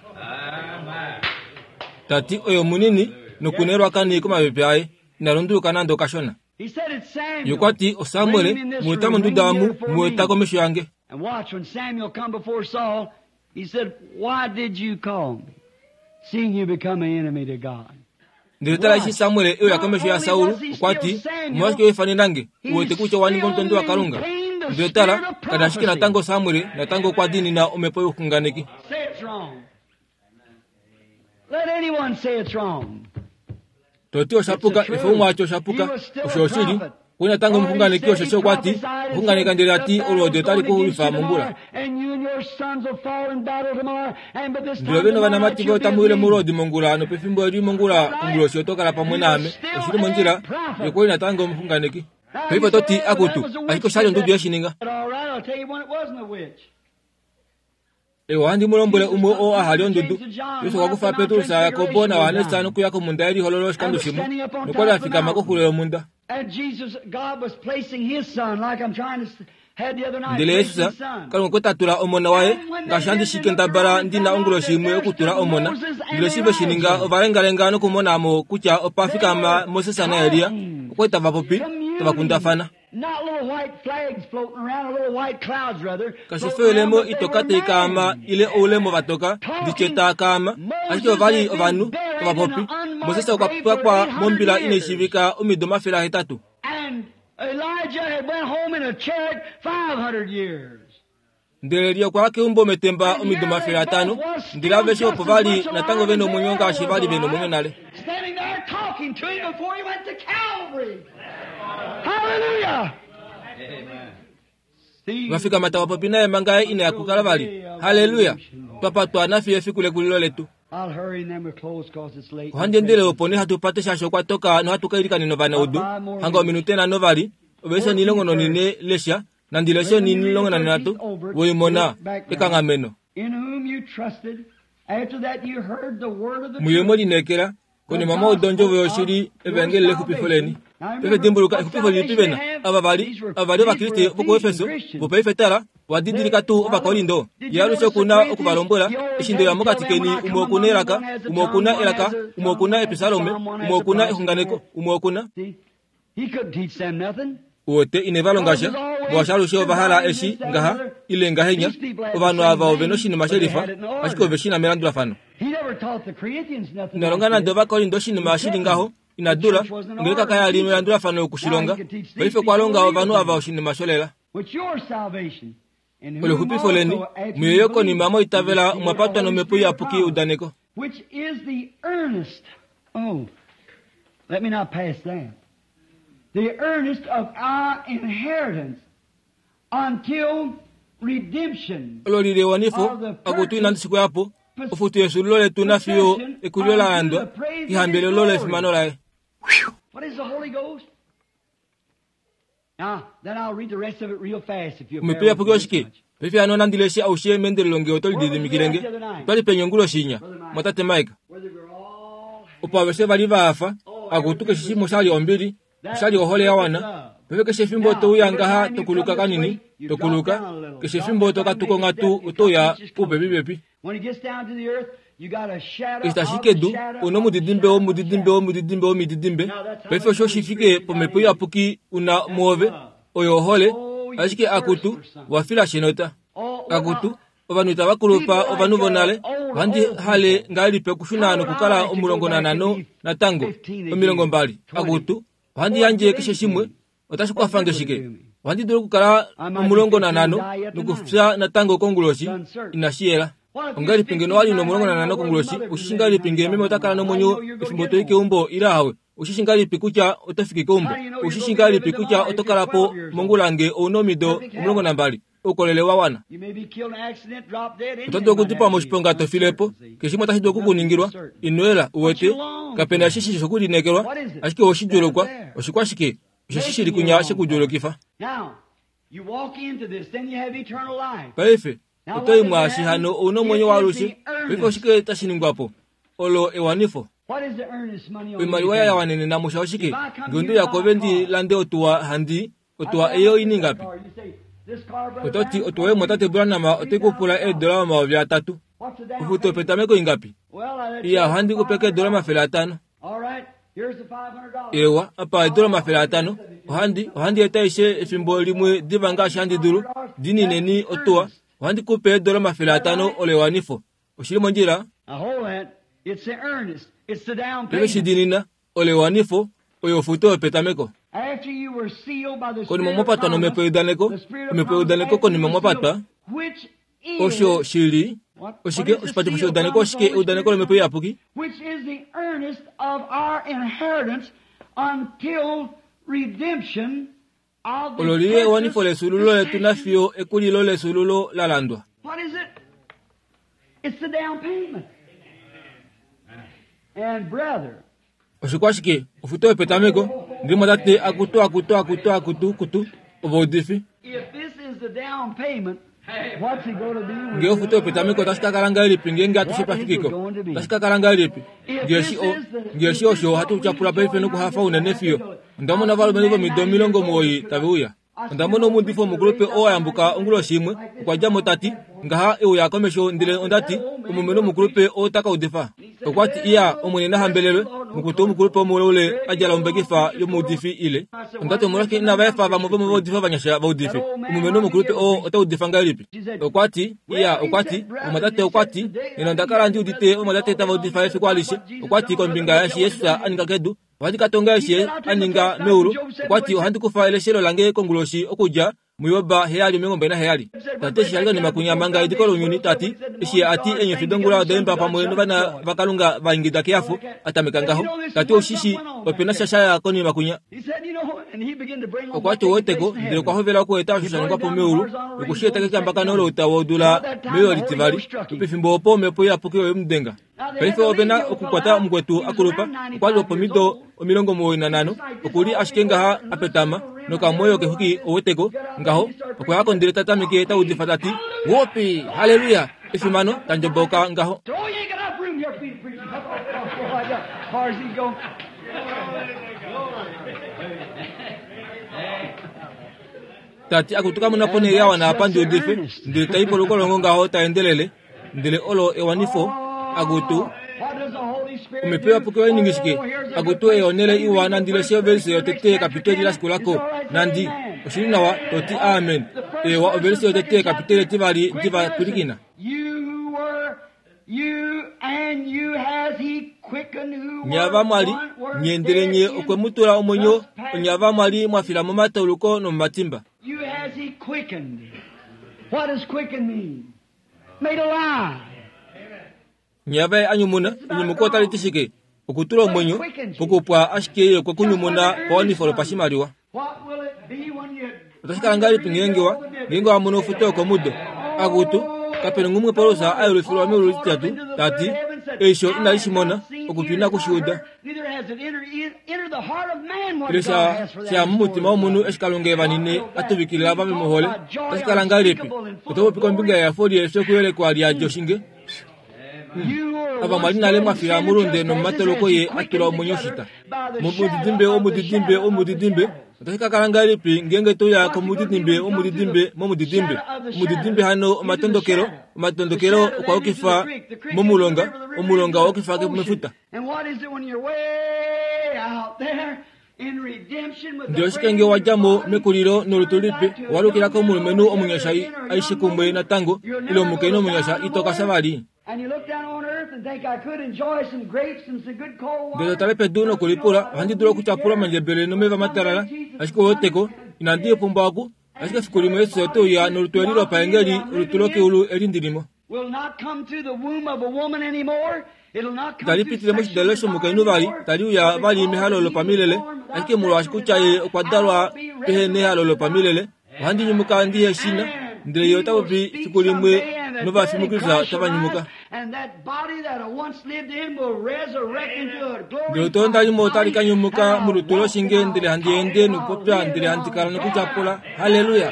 Ta ti oye omunini noku nelwakani komapepe aye, ina lunduluka nande okashona. He said it's Ye Samuel. okwa ti, OSamuel, Bring him in this mu eta room. Bring monduda him omu, here before mu eta me. komesho yange. And watch when Samuel come before Saul, he said, Why did you call me? Seeing you become an enemy to God. Ndele tala eshi Samuel e uya komesho yaSaul, okwa ti, Omolwashike wa ifanena nge, u wete kutya owa ninga omutondi waKalunga? Ndele tala, ka li ashike natango Samuel, natango okwa diinina omhepo youxunganeki. Say it's wrong. Let anyone say it's wrong. To ti osha puka, efo umwe a ti osha puka. Osho oshili. Okwa li natango omuxunganeki osheshi okwa ti, Oxunganeka ndele a ti olwoodi otali ku xulifa mongula. Ndele ove novanamati voye otamu wile molwoodi mongula nopefimbo eli mongula konguloshi oto kala pamwe naame. Oshi li mondjila. Ye okwa li natango omuxunganeki. Paife oto ti, Akutu, ashike osha li ondudu ye shi ninga. Ewa, ohandi mu lombwele umwe oo a hali ondudu. Jesus okwa kufa Petrus, Jakobo naJohannes nokuya komhunda yelihololo oshikando shimwe, nokwa li a fikama koxulo yomhunda. Ndele Jesus, Kalunga okwe ta tula Omona waye, ngaashi handi shi kendabala ndi na onguloshi imwe okutula Omona. Ndele eshi ve shi ninga, ova lengalenga nokumona mo kutya opa fikama Moses naElia. Okwa li tava popi, tava kundafana. Kashi fi oilemo itoka tai kaama ile oulemo va toka, ndi tye taa kaama, ashike ova li ovanhu tava popi. Moses okwa pakwa mombila inai shiivika omido 800. Ndele Elia okwa ya keumbo metemba omido 500, ndele aveshe opo va li natango ve nomwenyo ngaashi va li ve nomwenyo nale. Va fikama tava popi naye manga ye ina ya kukala vali. Halleluya! Twa patwa nafiyo efiku lekulilo letu. Ohandi endele opo nee hatu pate shaashi okwa toka nohatu ka ilikanena ovanaudu. Hanga ominute nhano vali, ovelishe 14 lesha Nandi leshe 13, Woimona, ekanghameno. Muye mwe lineekela, konima mwa uda ondjovo yoshili, evangeli lexupifo leni. Paife dimbuluka, exupifo lilipi ve na? Ava va li, ava va li Ovakriste vokuEfeso, vopaife tala, owa didilika tuu Ovakorinto? Ye alushe oku na oku va lombwela, Eshi nde uya mokati keni, umwe oku na elaka, umwe oku na elaka, umwe oku na episalome, umwe oku na exunganeko, umwe oku na. Uwete, ine va longa sha, molwaashi alushe ova hala eshi ngaha, ile ngahenya. Ovanhu ava ove noshinima shelifa, ashike ove shi na melandulafano. Ina longa nande Ovakorinto oshinima shi li ngaho, ina dula, ongeleka kaya li melandulafano oku shi longa. Paife okwa longa ovanhu ava oshinima sholela. Olexupifo leni, muye yo konima mwa itavela omwa patwa nomhepo iyapuki yeudaneko. Which is the earnest, oh, let me not pass that, the earnest of our inheritance until redemption. Olo li li ewanifo, akutu inandi shi koya po, ofutu yefyuululo letu nafiyo ekulilo la yandwa, kehambelelo lefimano laye. What is the Holy Ghost? Omhepo iyapuki oshike? Paife hano nandi leshe aushe meendelelo nge oto lididimikile nge. Otwa li peni onguloshi inya, mwatate Mike? Opo aveshe va li va hafa, akutu keshe shimwe osha li ombili, osha li ohole ya wana. Paife keshe efimbo to uya ngaha to kuluka kanini, to kuluka, keshe efimbo to katuka onghatu oto uya pupepipepi. Eshi tashi kedu, u na omudidimbe womudidimbe womudidimbe womididimbe. Paife osho shi fike pomhepo iyapuki u na muove, oyo ohole, ashike akutu, wa fila shenota. Akutu, ovanhu itava kulupa ovanhu vonale. Ohandi hale ngahelipi okushuna nokukala 15 natango, 20. Akutu, ohandi yandje keshe shimwe. Otashi kwafa nge shike? Ohandi dulu okukala 15 nokufya natango konguloshi. Inashi yela. Ongahelipi ngeno wa li no15 konguloshi? Ushi shi ngahelipi ngee meme ota kala nomwenyo efimbo to i keumbo ile ahawe? Ushi shi ngahelipi kutya oto fiki keumbo? Ushi shi ngahelipi kutya oto kala po mongula ngee ou na omido 12? Oukolele wa wana. Oto dulu okudipawa moshiponga to file po. Keshe shimwe otashi dulu oku ku ningilwa. Ino yela, uwete. Kape na eshi shi shokulineekelwa, ashike owe shi djuulukwa. Oshikwashike? Osheshi shi li kunya she ku djuulukifa. Paife, oto i mwaashi hano ou na omwenyo waalushe. Paife oshike tashi ningwa po? Olo ewanifo. Oimaliwa ya wanenena musha oshike? Nge onde uya kwoove ndi lande otuwa, handi Otuwa ei oi ningapi? Oto ti, Otuwa yomwatate Branham otai ku pula eedola 3000. Ofuto yopetameko ingapi? Iya, ohandi ku pe keedola 500. Ewa, apa eedola 500. Ohandi, ohandi eta aishe efimbo limwe diva ngaashi handi dulu. Dinineni otuwa. Ohandi ku pe eedola 500 olo ewanifo. Oshi li mondjila? Paife shi diinina, olo ewanifo, oyo ofuto yopetameko. Konima mwa patwa nomhepo yeudaneko, omhepo yeudaneko konima mwa patwa, osho shi li. Oshike oshipatifo sheudaneko? Oshike eudaneko lomhepo iyapuki? Which is the earnest of our inheritance until redemption of the Olo lili ewanifo purchased lefyuululo letu possession. nafiyo ekulilo lefyuululo la landwa. What is it? It's the down payment. And brother, Oshikwashike ofuto yopetameko ndili mwatate akutu akutu akutu akutu kutu ovaudifi. if this is the down payment, what's it going to be? when Ngee ofuto yopetameko otashi ka kala ngahelipi ngeenge atushe pafikiko? Otashi ka kala ngahelipi? Ngeeshi o ngeeshi osho ohatu tyapula paife nokuhafa unene fiyo. Onda mona ovalumenhu vomido 90 tave uya. Onda mona omuudifi omukulupe oo a yambuka onguloshi imwe, okwa dja mo tati, ngaha e uya komesho ndele onda ti, omulumenhu omukulupe oo ta ka udifa. Okwa ti, iya, Omwene na hambelelwe, mukutu omukulupe omuleule a djala ombekifa yomuudifi ile. Onda ti, omolwashike inava efa vamwe vomovaudifi ovanyasha va udife? Omulumenhu omukulupe oo ota udifa ngahelipi? Okwa ti, iya, okwa ti, omumwatate okwa ti, nena onda kala ndi udite ovamwatate tava udifa efiku alishe. Okwa ti kombinga yaeshi Jesus a ninga kedu, ohandi ka tonga eshi a ninga meulu. Okwa ti, ohandi kufa eleshelo lange konguloshi okudja muJob 7:27. Tati eshi sha li konima kunya manga ediko lounyuni, tati eshi a ti eenyofi dongula oda imba pamwe novana vaKalunga va ingida kehafo, a tameka ngaho. Tati oushi shi ope na sha sha ya konima kunya. He said, you know, and he began to bring on Okwa what ti taking oweteko place in ndele heaven. okwa hovela okueta osho sha ningwa po meulu noku shi eta kekambakano louta wodula meyo litivali. Pefimbo opo omhepo iyapuki oye mu denga. Paife ove na okukwata omukwetu a kulupa, okwa li wopomido 95, oku li ashike ngaha a petama nokamwoyo kexuki oweteko ngaho. Okwa ya ko ndele ta tameke ta udifa ta ti, Whoopi, haleluya, efimano, ta ndjoboka ngaho. Oh, you ain't got enough room here for me to preach. As far as he go. Tati akutuka mona ponhele ya wana apa ndi udife, ndele ta i polukolongo ngaho ta endelele, ndele olo ewanifo, akutu What does the Holy Spirit omhepo do? iyapuki oya shike? Oh, here's a Akutu good ei onhele place. iwa nandi leshe ovelise yotete yekapiteli la shikulako. It's all right, say Nandi, amen. oshili nawa, toti amen. The first Ewa verse ovelise of the yotete second yekapiteli chapter. etivali Quick diva listen. pwilikina. You who were, you and you has he quickened who Nye were ava mwali, one were nye ndele dead nye in okwe mu tula omwenyo, trespasses. onye ava mwali mwa fila momatauluko nomomatimba. You has he quickened. What does quicken mean? Made alive. Nye ava ye a nyumuna, enyumuko otali ti shike? Okutula omwenyo, pokupwa ashike ye okwe ku nyumuna pawanifo lopashimaliwa. What will it be when you Otashi kala ngahelipi ngeenge wa ngeenge wa mono ofuto yokomudo? Akutu, kapena ngumwe Paulus a yelufilwa meulu lititatu, ta ti, eisho inali shi mona, okutwi inaku shi uda. Neither has it entered the heart of man what Ile God sha has for sha that mumutima womunhu eshi Kalunga e vanine a tuvikilila ava vemuhole. Otashi kala ngahelipi? Oto popi kombinga yehafo liefyo kuyelekwa liyadi oshinge? You were Ava mwali once nale dead mwa in fila sin and mulunde trespasses nomumatoloko has he ye a tula quickened omwenyo together shita. by the Momudidimbe, shadow of the omudidimbe, shadow of the omudidimbe. shadows. Otashi ka kala ngahelipi ngeenge toya komudidimbe, omudidimbe, momudidimbe. Omudidimbe hano omatondokelo, omatondokelo okwa yukifa momulonga, omulonga owa yukifa mefuta. And what is it when you're way out there in redemption with Ndele the oshike nge wa dja mo mekulilo nolutu lipe, wa lukila komulumenhu omunyasha aishe kumwe natango, ile omukainhu omunyasha ito ka sha vali. And you look down on earth and think I could enjoy some grapes and some good cold Ndele water. tale pedu nokulipula, ohandi dulu okutyapula omandjebele nomeva matalala, ashike oweteko, inandi pumbwa oku, ashike efiku limwe Jesus ote uya nolutu eli lopaengeli, olutu lokeulu eli ndilimo. Will not come through the womb of a woman anymore. It'll not come Itali through pitile moshidalelo sexual shomukainhu vali, desire tali uya vali mehalo lopamilele, ashike molwaashi kutya ye okwa dalwa pehe nehalo lopamilele, ohandi nyumuka ndihe shina, ndele ye ota popi fiku limwe novafi muKristus tava nyumuka. And that body that I once lived in will resurrect into a Ndele olutu ndalimo otali ka nyumuka molutu loshinge, ndele handi ende nokupopya, ndele handi kala nokutyapula. Haleluya!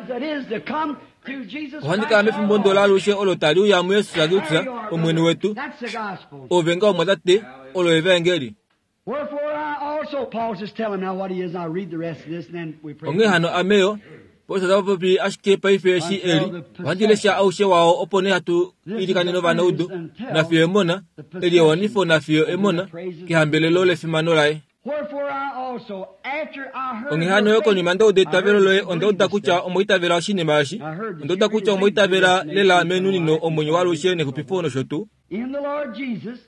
That is to come through Jesus Ohandi kala mefimbo ndo laalushe olo tali uya muYesus Kristus, Omwene wetu. That's the gospel. Ove nga omwatate, olo evangeli. Wherefore I also, Paul's just telling now what he is. I'll read the rest of this and then we pray. Onghee hano ameyo, Paulus ota popi ashike paife eshi eli, ohandi lesha aushe wao opo nee hatu ilikanene ovanaudu, nafiyo emona, eli ewanifo nafiyo emona, kehambelelo lefimano laye. Wherefore I also, after I heard Onghee hano yo konima nda uda eitavelo loye, onda uda kutya omwa itavela oshinima eshi, onda uda kutya omwa itavela lela menunino omwenyo waalushe nexupifo nosho tuu. in the Lord Jesus,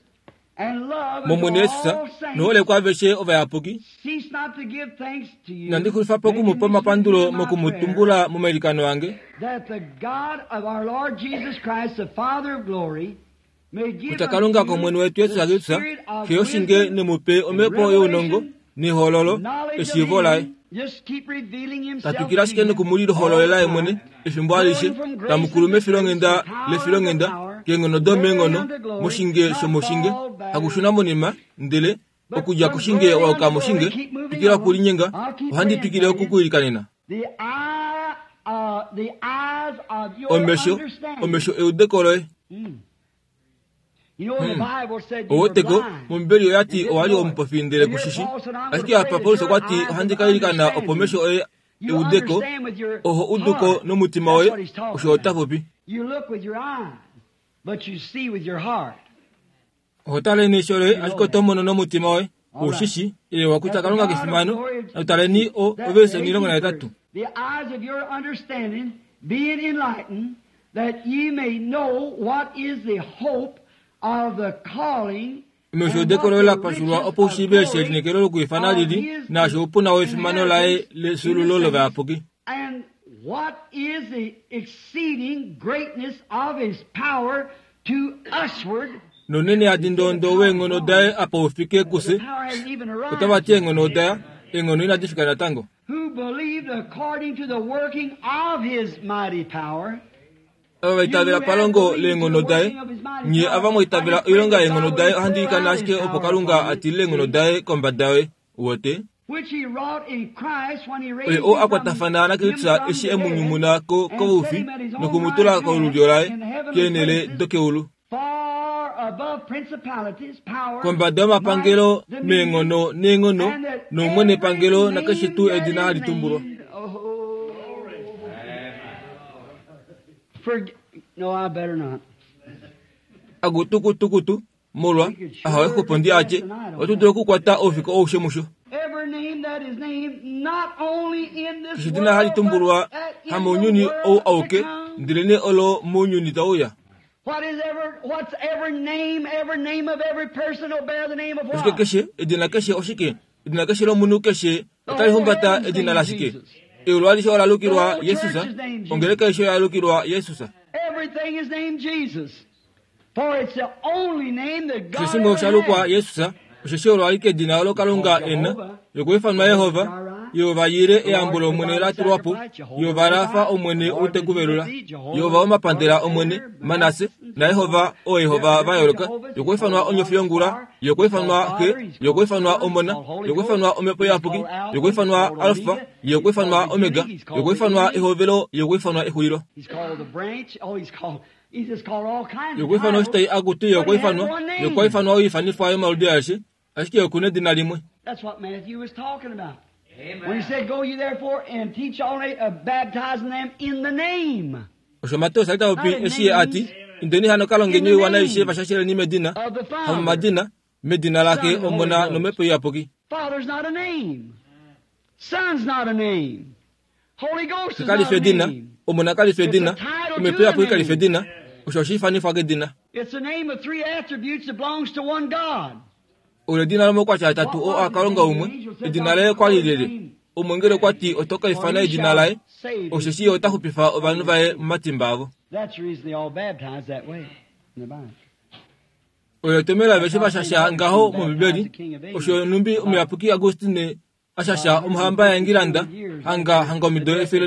mOmwene Jesus nohole kwaaveshe ovayapuki. Inandi xulifa po oku mu pa omapandulo moku mu tumbula momailikano ange, kutya Kalunga kOmwene wetu Jesus Kristus, Xe yoshinge ne mu pe omhepo younongo nehololo eshiivo laye. Ta twikile ashike noku mu lihololela ye mwene efimbo alishe, tamu kulu mefilonghenda lefilonghenda, keenghono domeenghono, moshinge shomoshinge, hakushuna monima, ndele okudja koshinge wa yuka moshinge, twikila okulinyenga, ohandi twikile oku ku ilikanena. Omesho, omesho eudeko loye. Oweteko, mOmbibeli oya ti owa li omupofi ndele ku shi shi. Ashike apa Paulus okwa ti ohandi ka ilikana opo omesho oye eudeko, oho uduko nomutima woye, osho ota popi. Oho tale neisho loye, ashike oto mono nomutima woye. Ou shi shi, ewa kutya Kalunga kefimano. Natu taleni o, overse 18. Omesho eudeko loye la pashulwa opo u shiive eshi elineekelo lokwiifana li li, naashi oupuna wefimano laye lefyuululo lovayapuki. Nounene hadi ndoondo weenghono daye apa u fike kufye, otava ti eenghono oda ya, eenghono inadi fika natango. Ava va itavela palongo leenghono daye, nye ava mwa itavela oilonga yeenghono daye, ohandi ilikana ashike opo Kalunga a tilile eenghono daye kombada yoye. Uwete? Oye oo a kwatafana naKristus eshi e mu nyumuna ko koufi noku mu tula kolulyo laye keenhele dokeulu. Kombada yomapangelo meenghono neenghono noumwenepangelo nakeshe tuu edina hali tumbulwa. Akutukutukutu, molwa ahowe xupo ndi a tye, Oto dulu okukwata oufiku aushe musho. Keshe edina hali tumbulwa hamounyuni ou auke, ndelenee olo mounyuni tau uya. Oshike keshe, edina keshe oshike? Edina keshe lomunhu keshe otali humbata edina lashike? Eulu alishe ola lukilwa Jesus, ongeleka aishe oya lukilwa Jesus. Keshe shimwe osha lukwa Jesus, osheshi olo alike edina olo Kalunga e na. Yokwiifanwa Yehova, Yehova Yire eyambo lOmwene la tulwa po, Yehova Rafa Omwene ou te ku velula, Yehova womapandela Omwene, Manasse, naYehova ooYehova va yooloka, yokwiifanwa Onyofi yongula, yokwiifanwa Xe, yokwiifanwa Omona, yokwiifanwa Omhepo Iyapuki, yokwiifanwa Alfa, yokwiifanwa Omega, yokwiifanwa Ehovelo, yokwiifanwa Exulilo. Yokwiifanwa Oshitai akutu yokwiifanwa, yokwiifanwa oiifanifwa yomaludi aeshe, ashike oku nedina limwe. That's what Matthew was talking about. When he said, Go ye therefore and teach all nations, baptizing them in the name Osho Mateus a li ta popi eshi ye a ti, Indeni hano ka longeni oiwana aishe va shasheleni medina, of the Father. hamomadina, medina laXe, Omona nOmhepo Iyapuki. Father's not a name. Son's not a name. Holy Ghost Xe is kali not fi a edina, name. Omona kali fi edina, Omhepo Iyapuki kali fi edina. Osho osha ifanifwa kedina. It's the name of three attributes that belongs to one God. Olo edina lomaukwatya atatu oo aKalunga umwe. Edina laye okwa li lyelye? Omweengeli okwa ti oto ka ifana edina laye, osheshi ye ota xupifa ovanhu vaye momatimba avo. That's the reason they all baptized that way in the Bible. Oyo etomhelo aveshe va shasha ngaho mOmbibeli. Osho nhumbi omuyapuki Augustine a shasha omuhamba yaEngilanda hanga hanga omido 150,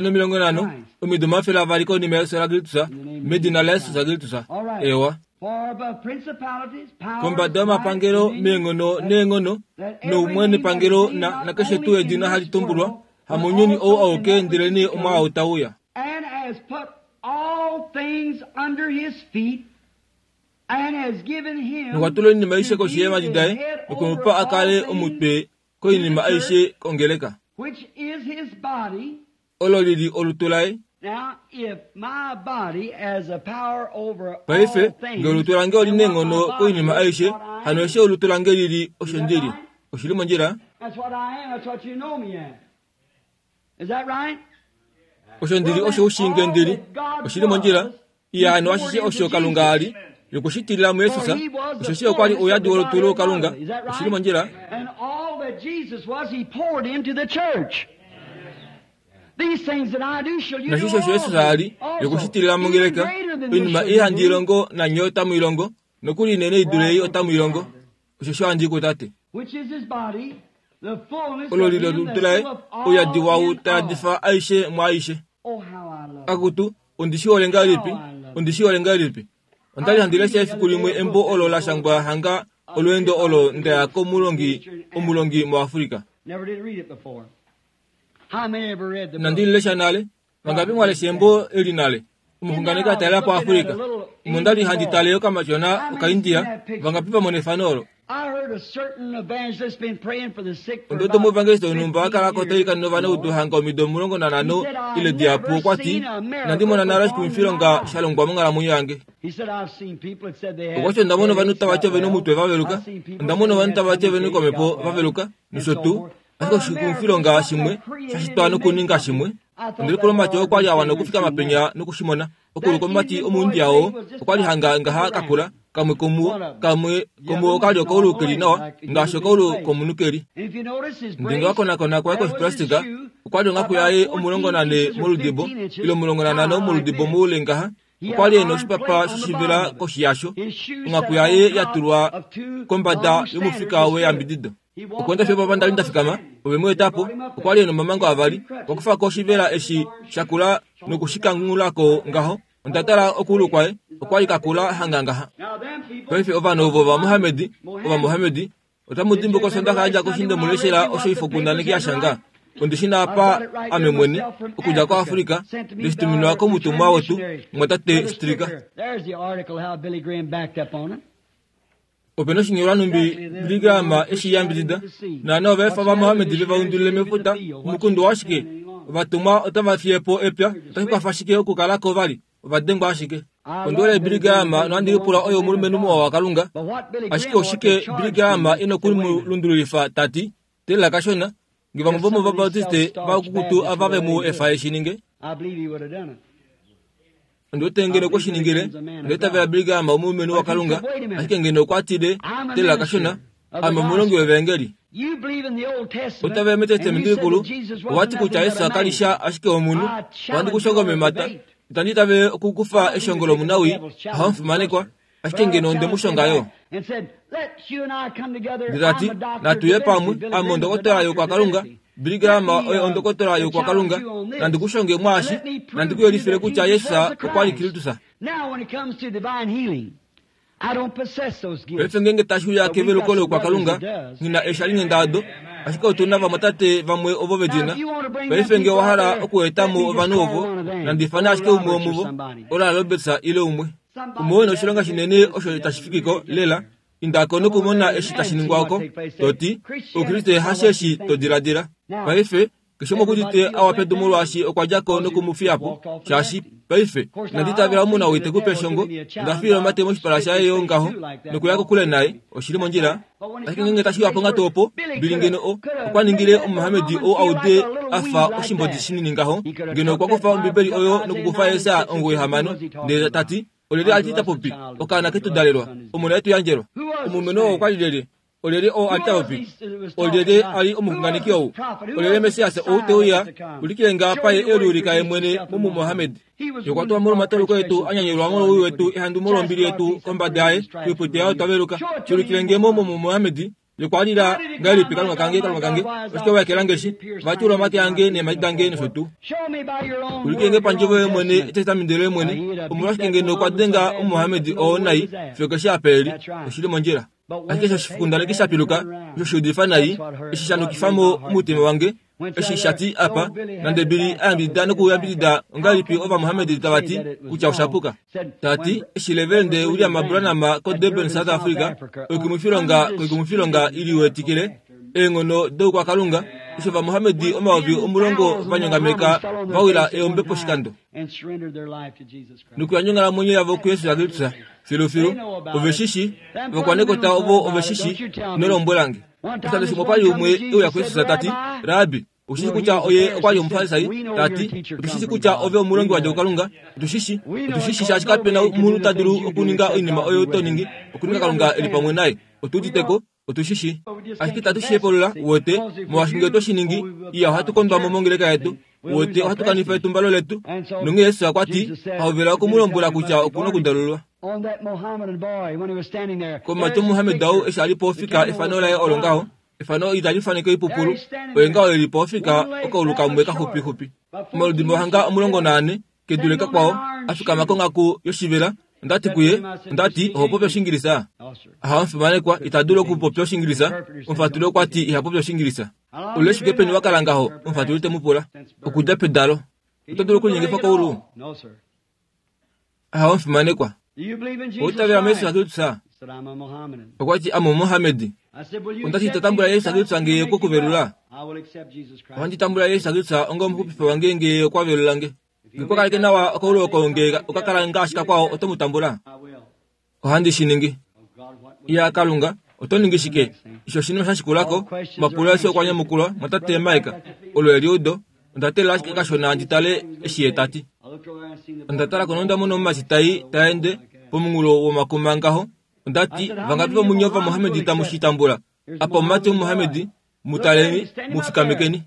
omido 200 konima yefyo laKristus, medina laJesus Kristus. Eewa. Far above principalities, powers, Kombada yomapangelo might, meenghono neenghono noumwe nepangelo na nakeshe tuu edina hali tumbulwa, hamounyuni ou auke ndelenee omwaau tau uya. and has put all things under his feet, and has given him Nokwa tula oinima aishe to koshi be yeemhadi the daye, head nokwe mu over pa a kale all things, omutwe koinima aishe kongeleka, which is his body. olo li li olutu laye. Now, if my body has a power over all Paife, things, ngee olutu lange oli then what neenghono my body koinima is, aishe, what I hano am. eshi olutu lange li li, osho ndi li. Oshi li mondjila? That's what I am. That's what you know me as. Is that right? Osho ndi li osho u shii nge ndi li. Oshi li mondjila? Iya, hano ashishe osho Kalunga a li, Yokushitilila muJesus, osheshi okwa li ouyadi wolutu lokalunga. Oshi li mondjila. And all that Jesus was, he poured into the church. These things that I do shall you do Nashisho osho Jesus a li also. yokushitilila mongeleka, Even greater than this oinima shall ei you handi do, ilongo nanye otamu ilongo, nokuli inene i dule ei otamu ilongo. Osheshi ohandi i kuTate. which is his body, the fullness Olo of li him lolutu that laye, filleth all ouyadi wau in ta all. yadifa aishe mwaaishe. Oh, how I love it. Akutu, ondi shi hole ngahelipi? Ondi shi hole ngahelipi? Onda li handi lesha efiku limwe embo olo la shangwa hanga olweendo olo nda ya komulongi omulongi muAfrika. Never did read it before. How many ever read the Inandi book? li lesha nale, vangapi mwa lesha embo eli nale? Omuxunganeki a talela po Afrika. Omo nda li handi tale okamatyona okaIndia, vangapi va mona efano olo? I heard a certain evangelist been praying for the sick for Ondi wete about omuevangeliste wonhumba a kala ko 15 ta ilikana ovanaudu hanga omido 15 ile dihapu okwa ti, inandi mona nale oshikumwifilonga sha longwa monghalamwenyo yange. He said, I've seen people that said they had Okwa ti onda mona ovanhu tava ti ovena omutwe va veluka, I've seen people onda mona ovanhu that tava ti said ovena they had okomhepo got va veluka, well, nosho and so tuu. forth. Ashike oshikumwifilonga shimwe sha shitwa nokuninga shimwe. Ondi lipula omumati oo kwali a wana okufikama penya nokushimona. Okulu komumati omuIndia oo okwali hanga ngaha kakula, kamwe komuwo, kamwe komuwo okali okaulu keli nawa, ngaashi okaulu komunhu keli. And if you notice his Ndenge brace, wa konakona kwaye that was his koshiplastika, shoe, okwali onghaku yaye 14 moludibo, ile 15 moludibo moule ngaha. Okwali ena oshipapa shoshivela koshi yasho, His shoe onghaku sat yaye on top ya tulwa of two kombada long yomufika standards weyambidido. He walked Okweenda fiyo papa ndali nda fikama, ove mu eta po, okwali ena omamango avali, okwa kufa ko oshivela eshi shakula nokushikangulako ngaho. Onda tala okuulu kwaye, okwali kakula hanga ngaha. Now them people, Paife ovanhu ovo vaMohamedi, ovamohamedi, otamu dimbuka osondaxa ya dja ko eshi nde mu leshela osho oifokundaneki ya shanga. Ondi shi na apa ame mwene, okudja koAfrika, ndeshi tuminwa komutumwa wetu, mwatate Stricker. There's the article how Billy Graham backed up on it. Opena oshinyolwa nhumbi Billy Graham eshi yambidida, naana ovaefa vaMohamedi vevaundulile mefuta, omukundu washike? Ovatumwa otava fiye po epya, otashi kwafa shike okukalako vali? Ovadengwa ashike. Ondi hole Billy Graham nohandi lipula oye omulumenhu muwa waKalunga. But what Billy Ashike Graham ought to oshike charge Billy Graham people ina to women. okumulundululifa tati, teelela kashona, nge vamwe vomOvabautiste vakukutu ava ve mu efa eshi ninge. I believe he would have done it. Ondi wete ngeno okwe shi ningile, onda itavela Billy Graham omulumenhu waKalunga, ashike ngeno okwa tile, teelela kashona, ame omulongi wevangeli. You believe in the Old Testament, Otava and you metestamenti said likulu, that Jesus owati wasn't kutya nothing Jesus but a kali man. sha ashike omunhu, ohandi kushonga omemata, itandi itavele okukufa eshongo lomunawi, ohamufimanekwa, ashike ngeno onde mu shonga yo. And said, "Let you and I come together. Ndati, I'm a doctor natuye of pamwe, divinity. Billy ame Graham is a ondokotola doctor of yokwakalunga, divinity. Billy Graham Let me, oye ondokotola yokwakalunga, challenge you on this. nandi kushonge mwaashi, And let me prove nandi to you kuyelifile that kutya Jesus Jesus was the okwa li Christ. Kristus. Now, when it comes to divine healing, I don't possess those gifts. Paife ngenge tashi uya keveluko lokwakalunga, ngina eeshalinghenda ado, ashike otu na vamwatate vamwe ovo vedina. Paife nge owa hala okuetamo ovanhu ovo, nandi ifane ashike umwe womuvo, Oral Roberts ile umwe. Umwe oo ena oshilonga shinene osho tashi fikiko lela, indako nokumona eshi tashi ningwa oko, toti, Oukriste hasho eshi to diladila. Paife, keshe umwe okudite awa pedu molwaashi okwa dja ko nokumufiya po, shaashi paife, inandi itavela omunhu ite kupe eshongo, onda fiila omate moshipala shaye yo ngaho, nokuya kokule naye, oshili mondjila. Ashike ngenge tashi uya ponghatu opo, Billy ngeno okwa ningile omumohamedi oo aude a fa oshimbodi shinini ngaho, ngeno okwa kufa Ombibeli oyo nokukufa Jesaja 9:6, ndele tati, olyelye a li ta popi, okaana ke tu dalelwa, omona e tu yandjelwa. Omulumenhu oo okwa li lyelye? Olyelye oo a li ta popi? Olyelye a li omuxunganeki ou? Olyelye Messias ou te uya, ulikile nge apa ye e liulika ye mwene mumumohamedi. Ye okwa tulwa molwomatauluko etu, a nyanyulwa molwowii wetu, ehandu molwombili yetu kombada yaye, koipute yaye otwa veluka. Shi ulikile nge mo mumumohamedi, ye okwa lila ngahelipi Kalunga kange, Kalunga kange, oshike wa ekela eshi? Va tyuula omake ange neemhadi dange nosho tuu. Show me by your own Ulikile word, nge your pandjovo own yoye mwene, testament. etestamenti loye mwene, omolwashike ngeno okwa denga omumohamedi oo nai, fiyo keshe apa e li, oshili mondjila. Ashike eshi oshikundaneki sha piluka, osho sha udifa nai, eshi sha nukifa mo omutima wange, eshi sha ti apa, nande Billy a yambidida nokuyambidida ongahelipi ovamohamedi tava ti kutya osha puka. Tati, eshi Reverend William Branham koDurban, South Africa, oikumwifilonga iliwetikile, eenghono doukwakalunga, osho ovamohamedi 10,000 va nyongameka va wila eombe poshikando. And surrendered their life to Jesus Christ. Nokuyandja onghalamwenyo yavo kuJesus Kristus filufilu, ove shishi, ovakwanekota ovo ove shishi, ino lombwela nge. Oshikando shimwe okwali umwe e uya kuJesus tati, Rabbi, Otu shi kutya oye okwa li Omufarisai, ta ti, Otu shi shi kutya ove omulongi wa dja kuKalunga. Otu shi shi. Otu shi shi shaashi kape na omunhu ta dulu okuninga oinima oyo to ningi, okuninga Kalunga e li pamwe naye. Otu udite ko. Otu shi shi. Ashike itatu shi hepulula, uwete, molwaashi ngee otwe shi ningi, iya ohatu kondwa mo mongeleka yetu. Uwete, ohatu kanifa etumbalo letu. Nonghee Jesus okwa ti, Hovela oku mu lombwela kutya oku na okudalululwa. Komumati Omuhammed ou eshi a li pofika efano laye olo ngaho, efano itali faneke oipupulu, oye ngaho e li pofika okaulu kamwe kaxupixupi. Omaludimbo hanga 14 ke dule kakwao, a fikama konghaku yoshivela. Onda ti kuye, onda ti, Oho popi Oshingilisa? Aha, omufimanekwa, ita dulu okupopya Oshingilisa. Omufatuli okwa ti iha popi Oshingilisa. Oule shike peni wa kala ngaho? Omufatuli te mu pula. Okudja pedalo. Oto dulu okulinyengifa koulu? Aha, omufimanekwa. Owa itavela muJesus Kristus? Okwa ti, Ame Omumohamedi. Onda ti, Ito tambula Jesus Kristus nge Ye okwe ku velula? Ohandi tambula Jesus Kristus onga omuxupifi wange nge Ye okwa velula nge. Nge okwa kaleke nawa okaulu oko nge oka kala ngaashi kakwao, oto mu tambula? Ohandi shi ningi. Iya, Kalunga, oto ningi shike? Eshi oshinima sha shikula ko, omapulo aeshe okwa nyamukulwa, mwatate Mike. Olo eliudo. Onda teelela ashike kashona ndi tale eshi ye ta ti. Onda tala ko nonda mona omumati tai ta ende pomunghulo womakuma ngaho. Onda ti, Vangapi vomunye Ovamohamedi tamu shi tambula? Apa omumati Omumohamedi, mu taleni, mu fikamekeni.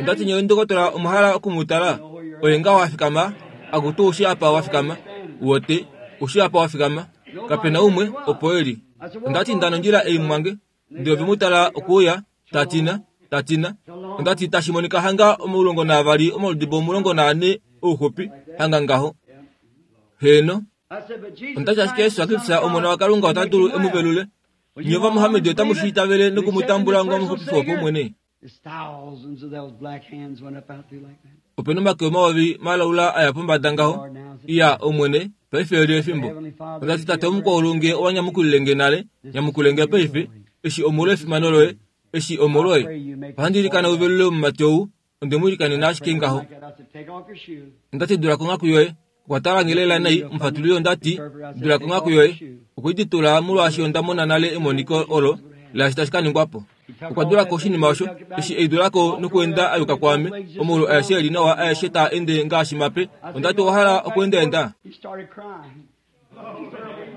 Onda ti, Nye ndokotola omwa hala oku mu tala? Oye ngaho a fikama, akutu oushi apa wa fikama. Uwete, oushi apa wa fikama. Kape na umwe, opo e li. Onda ti, Nda nondjila ei mwange. Ndele ove mu tala okuuya, ta tina, ta tina. Onda ti, Tashi monika hanga omulongo naavali omaludibo 14 ouxupi, hanga ngaho. Heeno. Onda ti ashike Jesus Kristus Omona waKalunga ota dulu e mu velule. Nye Ovamohamedi otamu shi itavele noku mu tambula onga omuxupifi wopaumwene? Ope na omake omayovi malaula a ya pombada ngaho. Iya, Omwene, paife oli efimbo. Onda ti, Tate omukwaulu, nge owa nyamukulile nge nale, nyamukule nge paife, eshi omolwefimano loye, eshi omolwoye. Ohandi ilikana u velule omumati ou, Onde mu ilikanena ashike ngaho. Onda ti, Dula konghaku yoye. Okwa tala nge lela nai, omufatululi onda ti, Dula konghaku yoye. Okwe i titula molwaashi onda mona nale emoniko olo laashi tashi ka ningwa po. Okwa dula ko oshinima osho, eshi e i dula ko nokuenda a yuka kwaame, omaulu aeshe e li nawa aeshe taa ende ngaashi mape. Onda ti, Owa hala okuendaenda?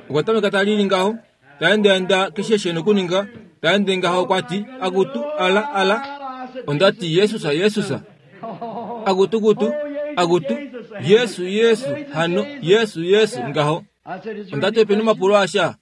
Okwa tameka ta lili ngaho, ta endaenda keshe she nokuninga, ta ende ngaho okwa ti, Akutu, ala, ala. Onda ti, Jesus, Jesus. Akutu, kutu, akutu, Yesu, Yesu, hano, Yesu, Yesu, ngaho. Onda ti, Opena omapulo asha,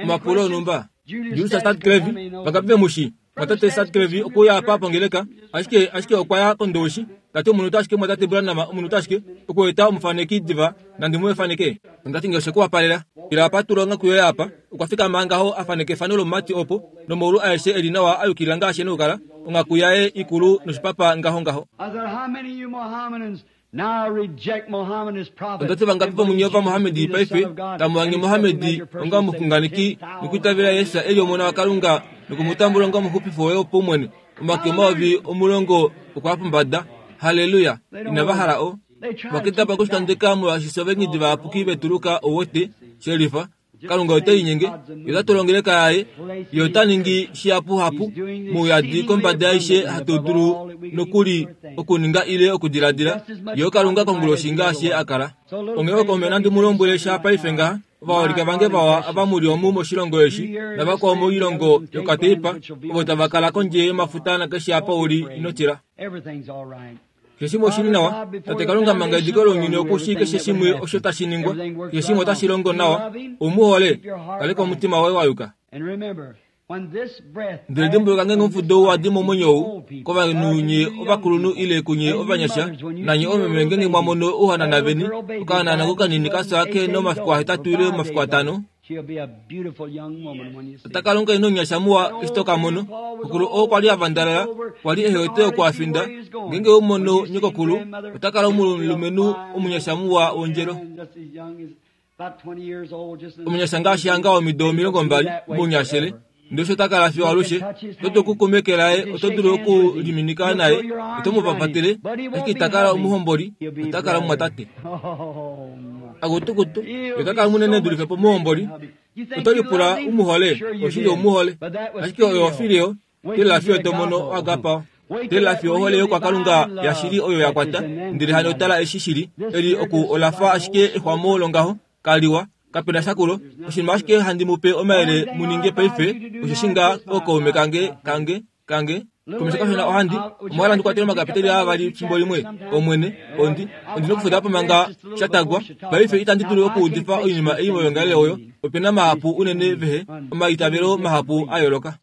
omapulo onhumba. Julius Stadklevi, vangapi ve mu shii? Mwatate Stadklevi okuya apa pongeleka, ashike, ashike okwa ya kOndowishi. Ta ti omunute ashike Mwatate Branham, omunute ashike, okueta omufaneki diva, nandi mu faneke. Onda ti nge oshe ku wapalela, ila apa tula onghaku yoye apa. Okwa fikama ngaho a faneke efano lomumati opo, nomaulu aeshe e li nawa a yukilila ngaashi e na okukala, onghaku yaye ikulu noshipapa ngaho ngaho. Onda ti vangapi vomunye Ovamohamedi paife tamu ange Mohamedi onga omuxunganeki nokwiitavela Jesus e li Omona waKalunga noku mu tambula onga omuxupifi woye wopaumwene? Omake 10,000 okwa ya pombada. Halleluya! Inava hala o. Ova kendabala okushitandeka molwaashi fye ovaengedi vayapuki vetuluka, ou wete, shelifa. Kalunga ote linyenge, Ye ota tula ongeleka yaye, Ye ota ningi shihapuhapu mouyadi kombada yaishe hatu dulu nokuli okuninga ile okudiladila. Ye oKalunga konguloshi ngaashi Ye a kala. Onghee oko nandi mu lombwele sha paife ngaha, ovaholike vange vawa ava mu li omu moshilongo eshi navakwao moilongo yokateipa ovo tava kala kondje yomafuta nakeshe apa u li, ino tila. Keshe shimwe oshi li nawa. Tate Kalunga manga ediko lounyuni oku shii keshe shimwe osho tashi ningwa. Keshe shimwe otashi longo nawa. Ou mu hole? Kaleka omutima woye wa yuka. Ndele dimbuluka ngeenge omufudo ou wa di momwenyo ou, kovanhu nye ovakulunhu ile kunye ovanyasha, nanye oomeme ngeenge mwa mono ouhanana veni, okahanana kokanini ka fya ke na omafiku ahetatu ile omafiku atano, Ota kala omukainhu omunyasha muwa eshi to ka mono. Xokulu oo kwa li a vandalala, kwa li ehe wete oku a finda. Ngeenge we mu mono nyokokulu, ota kala omulumenhu omunyasha muwa wondjelo. Omunyasha ngaashi hanga womido 20, mounyashele. Ndele osho ta kala fiyo alushe. Oto dulu okukuma eke laye, oto dulu okuliminika naye, oto mu papatele, ashike ita kala omuhomboli, ota kala omumwatate. Akutukutu, ota kala munene dulife pomuhomboli. Oto lipula u mu hole, oshili ou mu hole. Ashike oyo ofileo, telela fiyo to mono agapao. Teelela fiyo ohole yokwakalunga yashili oyo ya kwata, ndele hano tala eshi shili. Eli oku ola fa ashike exwamo longaho, kaliwa, kape na sha kulo. Oshinima ashike handi mu pe omayele mu ninge paife, osheshi nga ookaume kange, kange, kange. Komesho kashona ohandi, omwa hala ndi kwatele omakapiteli aa avali fimbo limwe? Omwene, ondi, ondi nokufuda po manga sha tagwa. Paife itandi dulu okuudifa oinima ei moyoongalele oyo. Ope na mahapu unene vehe, omaitavelo mahapu a yooloka.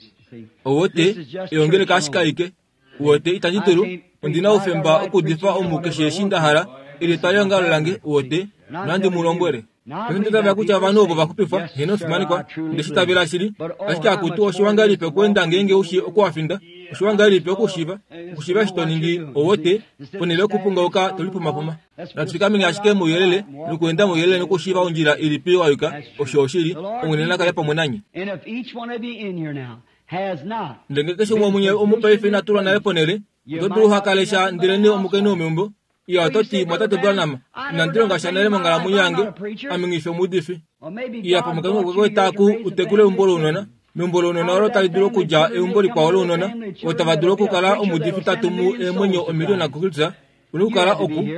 Owote, eongeleka ashike aike. Uwete, itandi dulu, ondi na oufemba okuudifa omu keshe eshi nda hala, eli etwalihongalo lange, uwete, nohandi mu lombwele. Paife onda itavela kutya ovanhu ovo va xupifwa, heeno omufimanekwa, onde shi itavela shili. Ashike akutu, oshiwa ngahelipi okweenda ngeenge u shii oku wa finda? Oshiwa ngahelipi okushiiva, okushiiva eshi to ningi, ouwete, ponhele yokupungauka to lipumapuma. Natu fikameni ashike mouyelele, nokuenda mouyelele nokushiiva ondjila ilipi wa yuka, osho oshili. Omwene na kale pamwe nanye. Ndele ngee keshe umwe womunye omu paife ina tulwa nale ponhele, oto dulu uha kale sha ndelenee omukainhu womeumbo. Iya, oto ti, Mwatate Branham, inandi longa sha nale monghalamwenyo yange, ame nghi fi omuudifi. Iya, pamwe Kalunga okwe ku eta ku u tekule eumbo lounona, meumbo lounona olo tali dulu okudja eumbo likwao lounona, ovo tava dulu okukala omuudifi ta tumu eemwenyo omiliona kuKristus, u na okukala oku.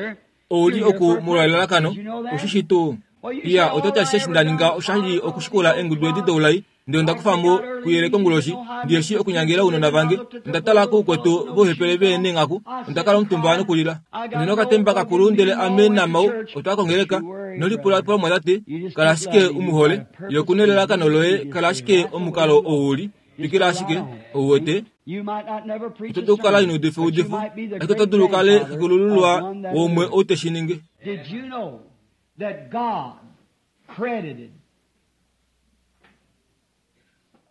Ou li oku molwa elalakano, u shi shii tuu? Iya, oto ti ashishe eshi nda ninga osha li okushikula eengudu edi doulai, ndele onda kufa mo kuyele konguloshi, ndi shi okunyangela ounona vange. Onda tala koukwetu vouhepele ve neenghaku, onda kala omutumba nokulila. Ondi na okatemba kakulu ndele ame naMau otwa ya kongeleka. Ino lipulapula omumwatate, kala ashike u mu hole. Ye oku na elalakano loye, kala ashike omukalo ou u li. Twikila ashike, ou wete. Oto dulu okukala ino udifa eudifo, ashike oto dulu u kale xekulululwa waumwe ou te shi ningi.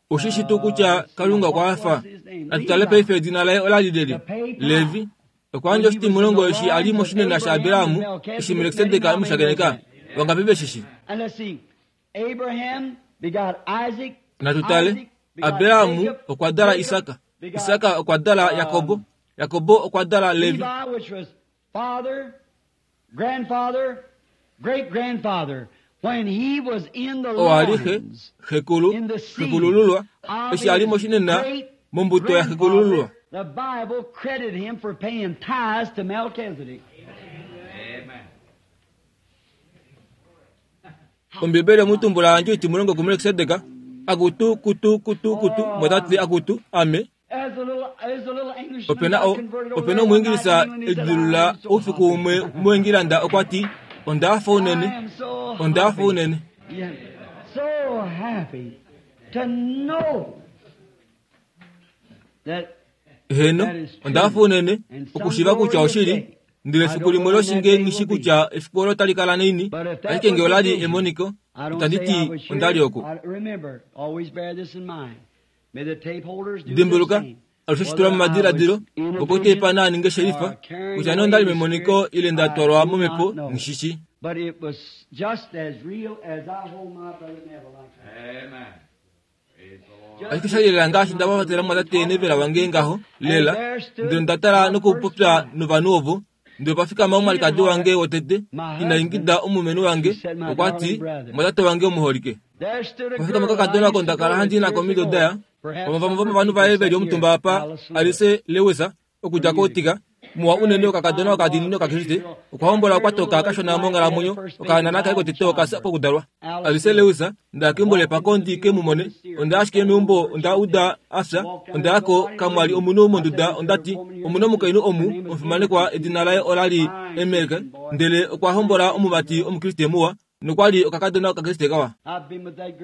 Oshi shi tuu kutya Kalunga okwa hafa? Natu tale paife edina laye ola li lyelye? Levi. Okwa yandja oshitimulongo eshi a li moshinena shaAbraham eshi Melkisedek e mu shakeneka. Vangapi ve shi shi? Natu tale. Abraham okwa dala Isak. Isak okwa dala Jakob. Jakob okwa dala Levi. Grandfather, great grandfather, when he was in the Oo a li xe, loins, xekulu, in the seed xekulululwa, of eshi a li his moshinena great mombuto yaxekulululwa. grandfather, the Bible credited him for paying tithes to Melchizedek. Ombibeli omutumbula yandje oitimulongo kuMelkisedek, akutu, kutu, kutu, kutu, motati akutu, ame. Ope na o, ope na Omuingilisa e lidilulula oufiku umwe muEngilanda okwa ti, Onda hafa unene. Onda hafa unene. Heeno, onda hafa unene okushiiva kutya oshili. Ndele efiku limwe loshinge nghi shi kutya efiku olo otali kala naini, ashike nge ola li emoniko, itandi ti onda li oku. Dimbuluka, alushe shi tula momadiladilo, opo uteipa naa ninge shelifa, kutya nee onda li memoniko ile nda twalwa momhepo, nghi shi shii. Ashike sha li lela ngaashi nda papatela mumwatate Neville wange ngaho, lela, ndele onda tala nokupopya novanhu ovo, Ndele opa fikama omwalikadi wange wotete, ina ingida omulumenhu wange, okwa ti, Mwatate wange omuholike. Opa fikama okakadona oko nda kala handi nako omido daya, vamwe vamwe vomovanhu vaye ve li omutumba apa, Alice Lewis, okudja koUtica, muwa unene okakadona okadiinini Okakriste, okwa hombola okwa toka kashona monghalamwenyo, okahanana kaye kotete oka fya pokudalwa. Alice Lewis, Nda ya keumbo lepako ndi ke mu mone. Onda ya ashike meumbo, onda uda a fya. Onda ya ko, kamwa li omunhu monduda. Onda ti, Omu na omukainhu omu, omufimanekwa, edina laye ola li Emmerke, ndele okwa hombola omumati Omukriste muwa, nokwa li okakadona Okakriste kawa.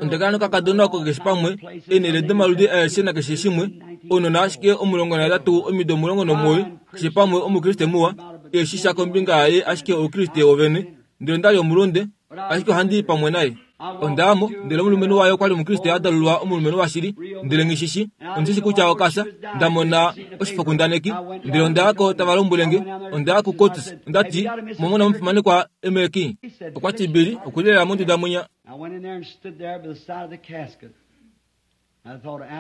Onda kala nokakadona oko keshe pamwe, eenhele domaludi aeshe nakeshe shimwe, ounona ashike 18, omido 19, keshe pamwe Omukriste muwa, eshi sha kombinga yaye ashike Oukriste wovene. Ndele onda li omulunde. Ashike ohandi i pamwe naye. Onda ya mo, ndele omulumenhu waye okwa li Omukriste a dalulwa omulumenhu washili, ndele nghi shi shi. Ondi shi shi kutya oka fya. Nda mona oshifokundaneki, ndele onda ya ko tava lombwele nge. Onda ya kuCoats, onda ti, Omwa mona omufimanekwa Emerkin? Okwa ti, Billy, oku li lela monduda mwinya.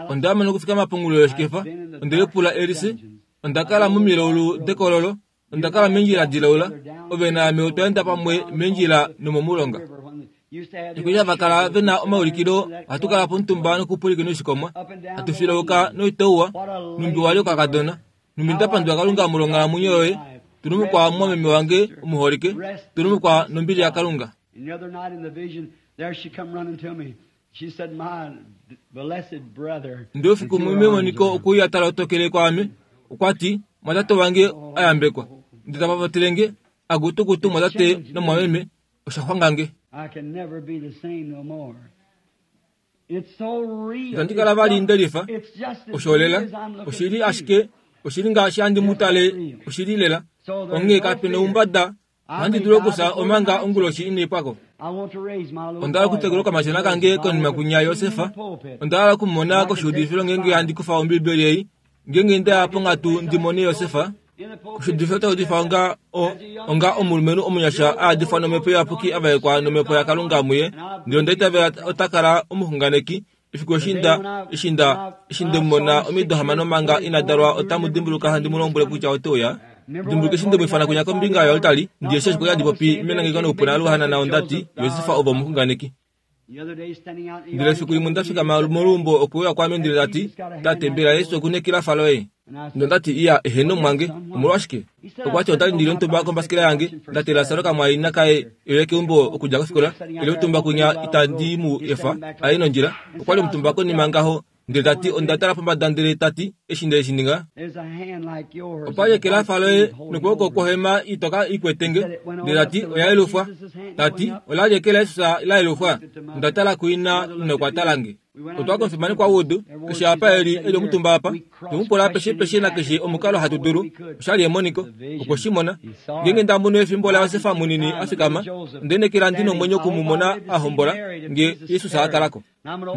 Onda ya mo nokufikama pongulu yoshikefa, onde lipula Elise, Onda kala momilaulu dekololo, Onda kala meendjila dilaula, ove naame otwa enda pamwe meendjila nomomulonga. Eshi va kala ve na omaulikilo, ohatu kala pomutumba nokupwilikina oishikomwa, hatu filauka noitauwa, nhumbi wa li okakadona. Nhumbi nda pandula Kalunga molwonghalamwenyo yoye. Tulumukwa mumwameme wange omuholike. Tulumukwa nombili yaKalunga. And the other night in the vision, there she come running to me. She said, My blessed brother. Ndele oufiku umwe memoniko okwe uya ta lotokele kwaame. Okwa ti, Mwatate wange a yambekwa. Ndele ta papatele nge, Akutukutu mwatate nomwameme, osha xwanga nge. I can never be the same no more. It's so real. Itandi kala vali nde lifa. It's just as Osho lela, real as I'm looking oshili at you. ashike, oshili ngaashi handi mu tale, oshili lela. Onghee kape na oumbada, ohandi dulu okufya omanga onguloshi inai pwa ko. I want to raise my little Onda hala boy okutekula okamashona kange konima kunya Josef. Onda hala okumumona koshiudifilo ngeenge handi kufa Ombibeli ei, ngeenge nda ya ponghatu ndi mone Josef. in the pulpit. Koshiudifilo ota udifa onga o, onga omulumenhu omunyasha a adifwa nomhepo iyapuki a vaekwa nomhepo yaKalunga muye, ndele onda itavela ota kala omuxunganeki. Efiku eshi nda, eshi nda, eshi nde mu mona omido hamano manga ina dalwa otamu dimbuluka handi mu lombwele kutya ote uya. Dimbuluka eshi nde mu ifana kunya kombinga yoaltari, ndi eshi ashike handi popi menangeko noupuna luhanana onda ti, Josef ove omuxunganeki. The other day standing out in the Ndele yard, efiku limwe nda fikama moluumbo okwe uya kwaame ndele ta ti, Tate, mbela Jesus oku nekila fa loye? Nonda ti, Iya, eheno mwange. Omolwashike? Okwa ti, Onda li ndi li omutumba kombasikela yange, nda teelela Sara okamwaina kaye e uye keumbo okudja kofikola, e li omutumba kunya itandi mu efa a ye nondjila. Okwa li omutumba konima ngaho, ndele ta ti, Onda tala pombada ndele ta ti, Eshi nde shi ninga, There's a hand like yours. opa li eke la fa loye nokwooko kwohema itoka i kwete nge. Ndele ta ti, Oya yelufwa. Ta ti, Ola li eke laJesus la yelufwa. Onda tala kuina nokwa tala nge. Otwa komufimanekwa Wood, keshe apa e li, e li omutumba apa. Twe mu pula apeshe peshe nakeshe omukalo hatu dulu. Osha li emoniko. Okwe shi mona. Ngeenge nda mono efimbo laJosef munini a fikama, onda inekela ndi nomwenyo oku mu mona a hombola, nge Jesus a kala ko.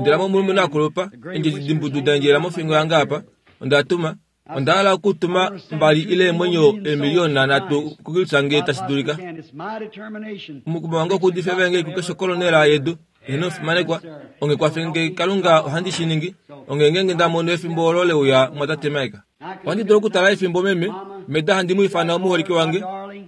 Ndele ame omulumenhu a kulupa, eendjedi dimbudu da endjelela mofingo yange apa, onda tuma. Onda hala okutuma mbali ile eemwenyo eemiliyona nhatu kuKristus nge tashi dulika. Omukumo wange okuudifa evangeli kukeshe okolonela yedu. Eheno omufimanekwa, onge kwafe nge Kalunga ohandi shi ningi. Onge ngeenge nda mono efimbo olo le uya mwatate Mike. Ohandi dulu okutala efimbo meme, meda handi mu ifana omuholike wange.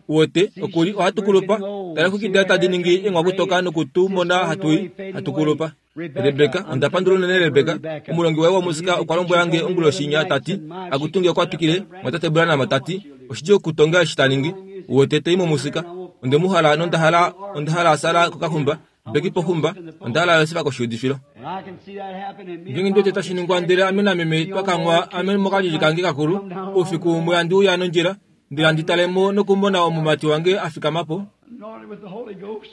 Uwete, oku li, ohatu kulupa. Tala exwiki daye tadi ningi eenghwakutoka noku tu mona hatu i, hatu kulupa. Rebeka, onda pandula unene Rebeka. Omulongi waye womusika okwa lombwela nge onguloshi inya ta ti, Akutunge okwa twikile, mwatate Branham ta ti, oshidjuu okutonga eshi ta ningi. Uwete, ta i momusika. Onde mu hala nonda hala, onda hala a sala kokaxumba, Beki poxumba, onda hala Josef koshiudifilo. Ngeenge ndi wete tashi ningwa ndele ame nameme twa kanghwa ame mokalili kange kakulu, oufiku umwe handi uya nondjila, ndele handi tale mo nokumona omumati wange a fikama po, Anointed with the Holy Ghost,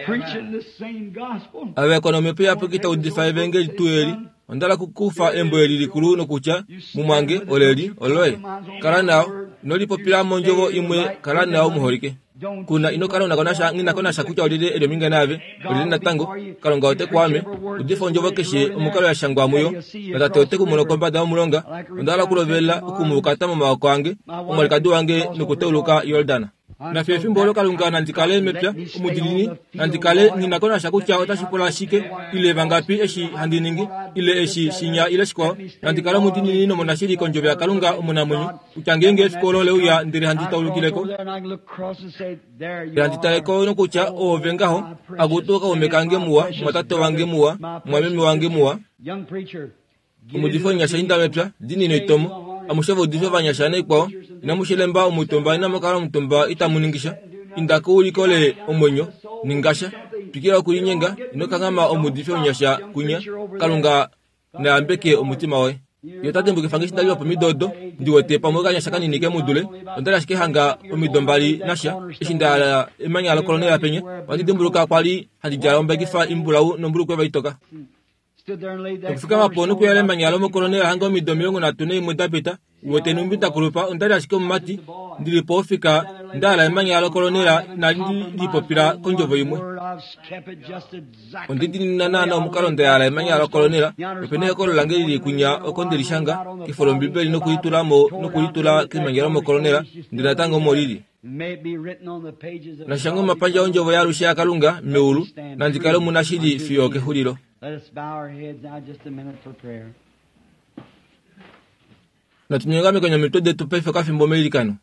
preaching the same gospel. a vaekwa nomhepo iyapuki ta udifa evangeli tuu eli. Onda hala okukufa embo eli likulu nokutya, Mumwange, oleli, oloye. Kala nao. Ino lipopila mondjovo imwe, kala nao muholike. Kuna, ino kala una nghi na ko nasha kutya olyelye e li ominga naave, olyelye natango. Kalunga ote ku ame. Udifa ondjovo keshe omukalo ya shangwa muyo, naTate ote ku mono kombada yomulonga. Onda hala okulovela oku mu ukata momaoko ange, omwalikadi wange nokutauluka Yordan. Nafye efimbo olo Kalunga nandi kale mepya, omudiinini, nandi kale nghi na ko nasha kutya otashi pula shike, ile vangapi eshi handi ningi, ile eshi, shinya ile shikwao, nandi kale omudiinini nomunashili kOndjovo yaKalunga omunamwenyo, kutya ngeenge efiku olo le uya ndele handi taulukile ko, ndele handi tale ko nokutya oove ngaho, akutu kaume kange muwa, mwatate wange muwa, mwameme wange muwa, omuudifi omunyasha inda mepya, dinini oitomo, amushe ovaudifi ovanyasha naikwao, inamu shilemba omutumba, inamu kala omutumba itamu ningi sha. Inda ko u likole omwenyo, ninga sha. Twikila okulinyenga, ino kanghama omuudifi omunyasha kunya. Kalunga na yambeke omutima woye. Ye ota dimbukifa nge eshi nda li wopomido odo, ndi wete pamwe okanyasha kanini ke mu dule. Onda li ashike hanga omido mbali nasha, eshi nda yala emanya lokolonela penya. Ohandi dimbuluka kwa li handi djala ombekifa imbulau nombulukweva itoka. Okufikama po nokuyala emanya lomokolonela hanga omido 31 da pita, uwete nhumbi nda kulupa, onda li ashike omumati, ndi li po ofika, nda yala emanya lokolonela inali ndi lipopila kondjovo imwe. Onde dinina naana omukalo nda yala emanya lokolonela, nope na ekolo lange li li kunya oko nde li shanga, kefo lOmbibeli noku li tula mo noku li tula kemanya lomokolonela, ndele natango omo li li. Nashangwe omapandja ondjovo yaalushe yaKalunga meulu, nandi kale omunashili fiyo okexulilo. Natu nyongamekeni omitwe detu paife okafimbo meilikano.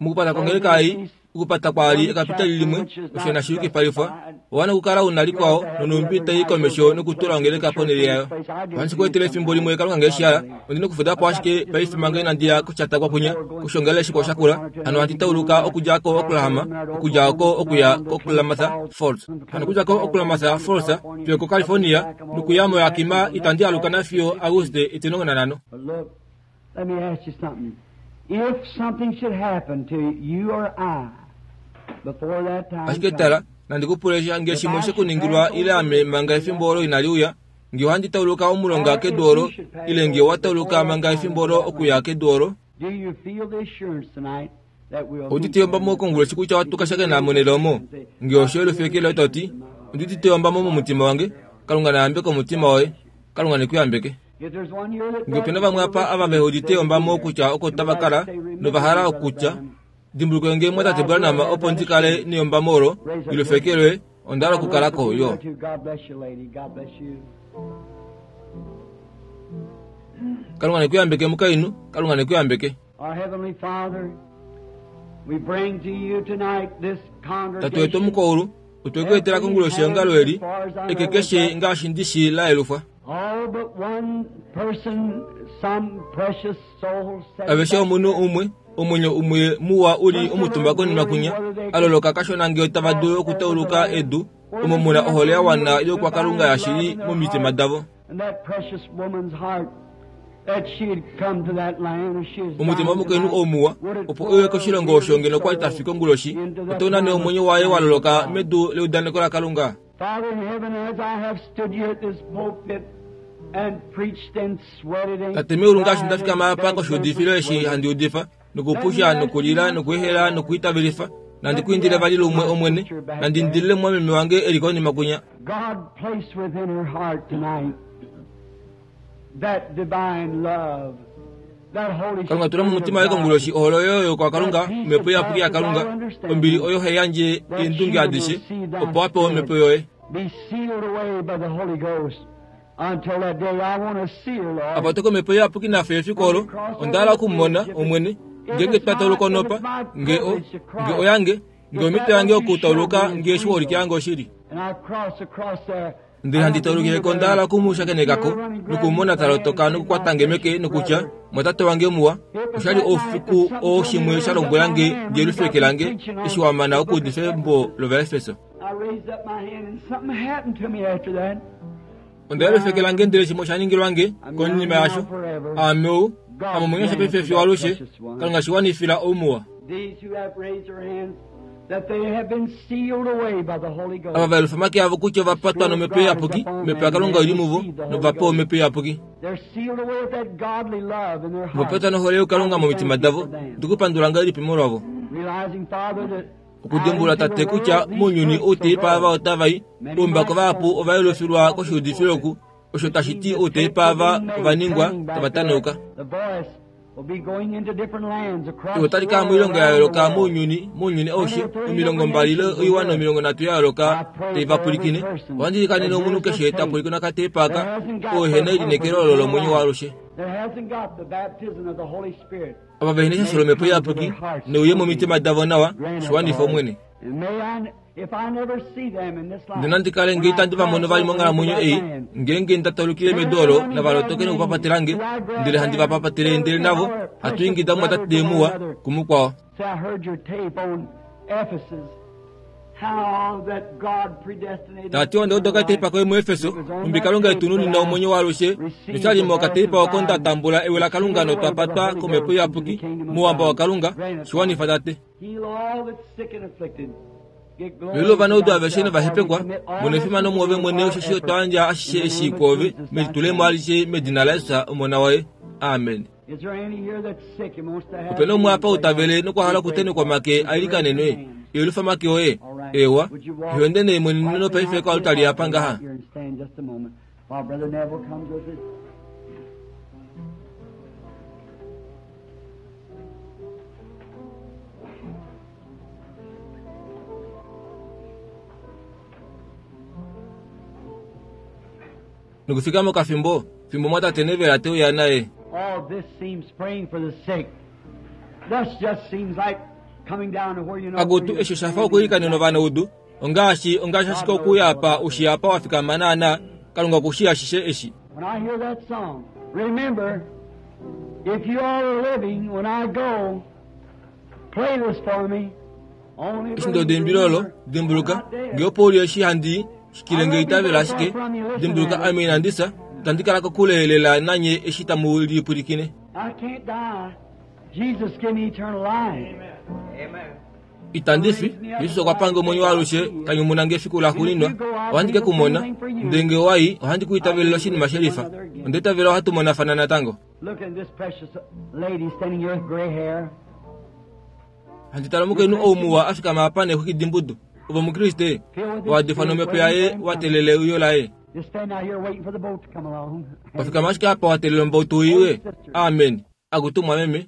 Mokupata kwongeleka ei, okupata kwaali ekapitali limwe, osho inashi yukipalifwa. Owa na okukala u na likwao nonhumbi tai i komesho nokutula ongeleka ponhele yayo. Ohandi shi ku etele efimbo limwe Kalunga nge shi hala. Ondi na okufuda po ashike paife manga inandi ya koshatakwa kwinya, koshiongalele shikwao shakula. Hano ohandi tauluka okudja ko-Oklahoma, okudja oko okuya koKlamath Falls. Hano okudja ko-Klamath Falls fiyo koCalifornia, nokuya moYakima itandi aluka nafiyo Auguste 15. Let me ask you something. If something should happen to you or I before that time Ashike tala, nandi ku pule sha nge shimwe she ku ningilwa ile ame manga efimbo olo inali uya, nge ohandi tauluka omulonga kedu olo, ile nge owa tauluka manga efimbo olo okuya kedu olo, Do you feel the assurance tonight that we'll Oudite meet ombamo konguloshi kutya ohatu ka shakena monhele omo? Nge osho elufekelo to ti, Ondi udite ombamo momutima wange. Kalunga na yambeke omutima woye. Kalunga ne ku yambeke. Nge ope na vamwe apa ava ve udite ombamo kutya oko tava kala nova hala okutya, Dimbulukwe nge mwatate Branham opo ndi kale neyombamo olo, ilufekelwe, onda hala okukala ko yo. Kalunga ne ku yambeke mukainhu, Kalunga ne ku yambeke. Tate wetu omukoulu, otwe ku etela konguloshi eongalo eli, eke keshe ngaashi ndi shi la yelufwa. Aveshe omunhu umwe, omwenyo umwe muwa u li omutumba konima kwinya, a loloka kashona nge otava dulu okutauluka edu, omo mu na ohole ya wana youkwakalunga yashili momitima davo. Omutima womukainhu ou muwa, opo e uye koshilongo osho ngeno kwa li ta fi konguloshi, otau nane omwenyo waye wa loloka medu leudaneko laKalunga. Tate meulu ngaashi nda fikama apa koshiudifilo eshi handi udifa, nokupusha nokulila nokuehela nokuitavelifa, nandi ku indile vali lumwe Omwene, nandi indilile mumwameme wange e li konima kwinya. Kalunga tula momutima waye konguloshi ohole oyo yokwakalunga, omhepo iyapuki yaKalunga, ombili oyo hai yandje eendunge adishe, opo a pewe omhepo yoye. Apa to komhepo iyapuki nafye efiku olo, onda hala oku mu mona, Omwene, ngeenge twa tauluka onopa, nge o, nge oyange, nge omhito yange okutauluka nge shiholike yange oshili. Ndele handi taulukile ko nda hala oku mu shakeneka ko, noku mu mona ta lotoka nokukwata nge meke nokutya, Mwatate wange muwa, osha li oufiku oo shimwe sha lombwela nge ndi yelufe eke lange eshi wa mana okuudifa embo lOvaefeso. Onda yelufa eke lange ndele shimwe osha ningilwa nge konima yasho. Aame ou, ame omwenyo sha paife fiyo alushe, Kalunga shi wanifila oumuwa. Ava va yelufa omake avo kutya ova patwa nomhepo iyapuki, omhepo yaKalunga oi li muvo, nova pewa omhepo iyapuki. Ova patwa nohole yokalunga momitima davo. Ndi ku pandula ngahelipi molwavo? Okudimbulula tate kutya mounyuni ou teipa ava otava i, oumbako vahapu ova yelufilwa koshiudifilo oku, osho tashi ti outeipa ava ova ningwa tava tanauka. Ewi otali kala moilongo ya yooloka mounyuni, mounyuni aushe, 20 ile oiwana 30 ya yooloka tai va pwilikine. Ohandi ilikanene omunhu keshe ta pwilikine okateipa aka, oo ehena elineekelo olo lomwenyo waalushe. Ava vehena eshasho lOmhepo Iyapuki, neuye momitima davo nawa, shi wanifa Omwene. Ndele nandi kale nge itandi va mono vali monghalamwenyo ei, ngeenge nda taulukile medu olo, nava lotoke nokupapatela nge, ndele handi va papatele ndele navo hatu ingida mumwatate muwa kumukwao. Ta ti onda uda okateipa koye muEfeso, nhumbi Kalunga e tu nunina omwenyo waalushe, noshali mokateipa oko nda tambula ewi laKalunga notwa patwa kOmhepo Iyapuki mouhamba waKalunga, shi wanifa Tate. Velula ovanaudu aveshe novahepekwa, mona efimano mwoove mwene, osheshi otwa yandja ashishe eshi kwoove melitulemo alishe medina laJesus Omona waye. Amen. Ope na umwe apa ou ta vele nokwa hala okutenhekwa omake a ilikanenwe? Yelufa omake oye. Eewa. Ihonde nee mwene nopaife koaltari apa ngaha. Nokufika mokafimbo, fimbo mwatate Neville te uya naye. All this seems praying for the sick. This just seems like. Akutu, eshi osha fa okwiilikanena ovanaudu, ongaashi, ongaashi ashike okuuya apa u shii apa wa fikama naana, Kalunga oku shii ashishe eshi. When I hear that song, remember, if you all are living, when I go, play this for me. Only Eshi ndo deimbilo olo, dimbuluka, nge opo u li eshi handi i, shikile nge itavela ashike, dimbuluka ame inandi fya, itandi kala kokule lela nanye eshi tamu li pwilikine. I can't die. Jesus give me eternal life. Itandi fi, Jesus okwa pange omwenyo waalushe, ta nyumuna nge efiku laxuuninwa. Ohandi ke ku mona. Ndele nge owa i, ohandi ku itavelele oshinima she lifa. Onda itavela ohatu monafana natango. Look at this precious lady standing here with gray hair. Handi tala omukainhu ou muwa a fikama apa neexwiki dimbudu. Ove Omukriste? Wa difwa nomhepo yaye wa teelela euyo laye. Just stand out here waiting for the boat to come along. Wa fikama ashike apa wa teelela ombautu i uye. Amen. Akutu mumwameme.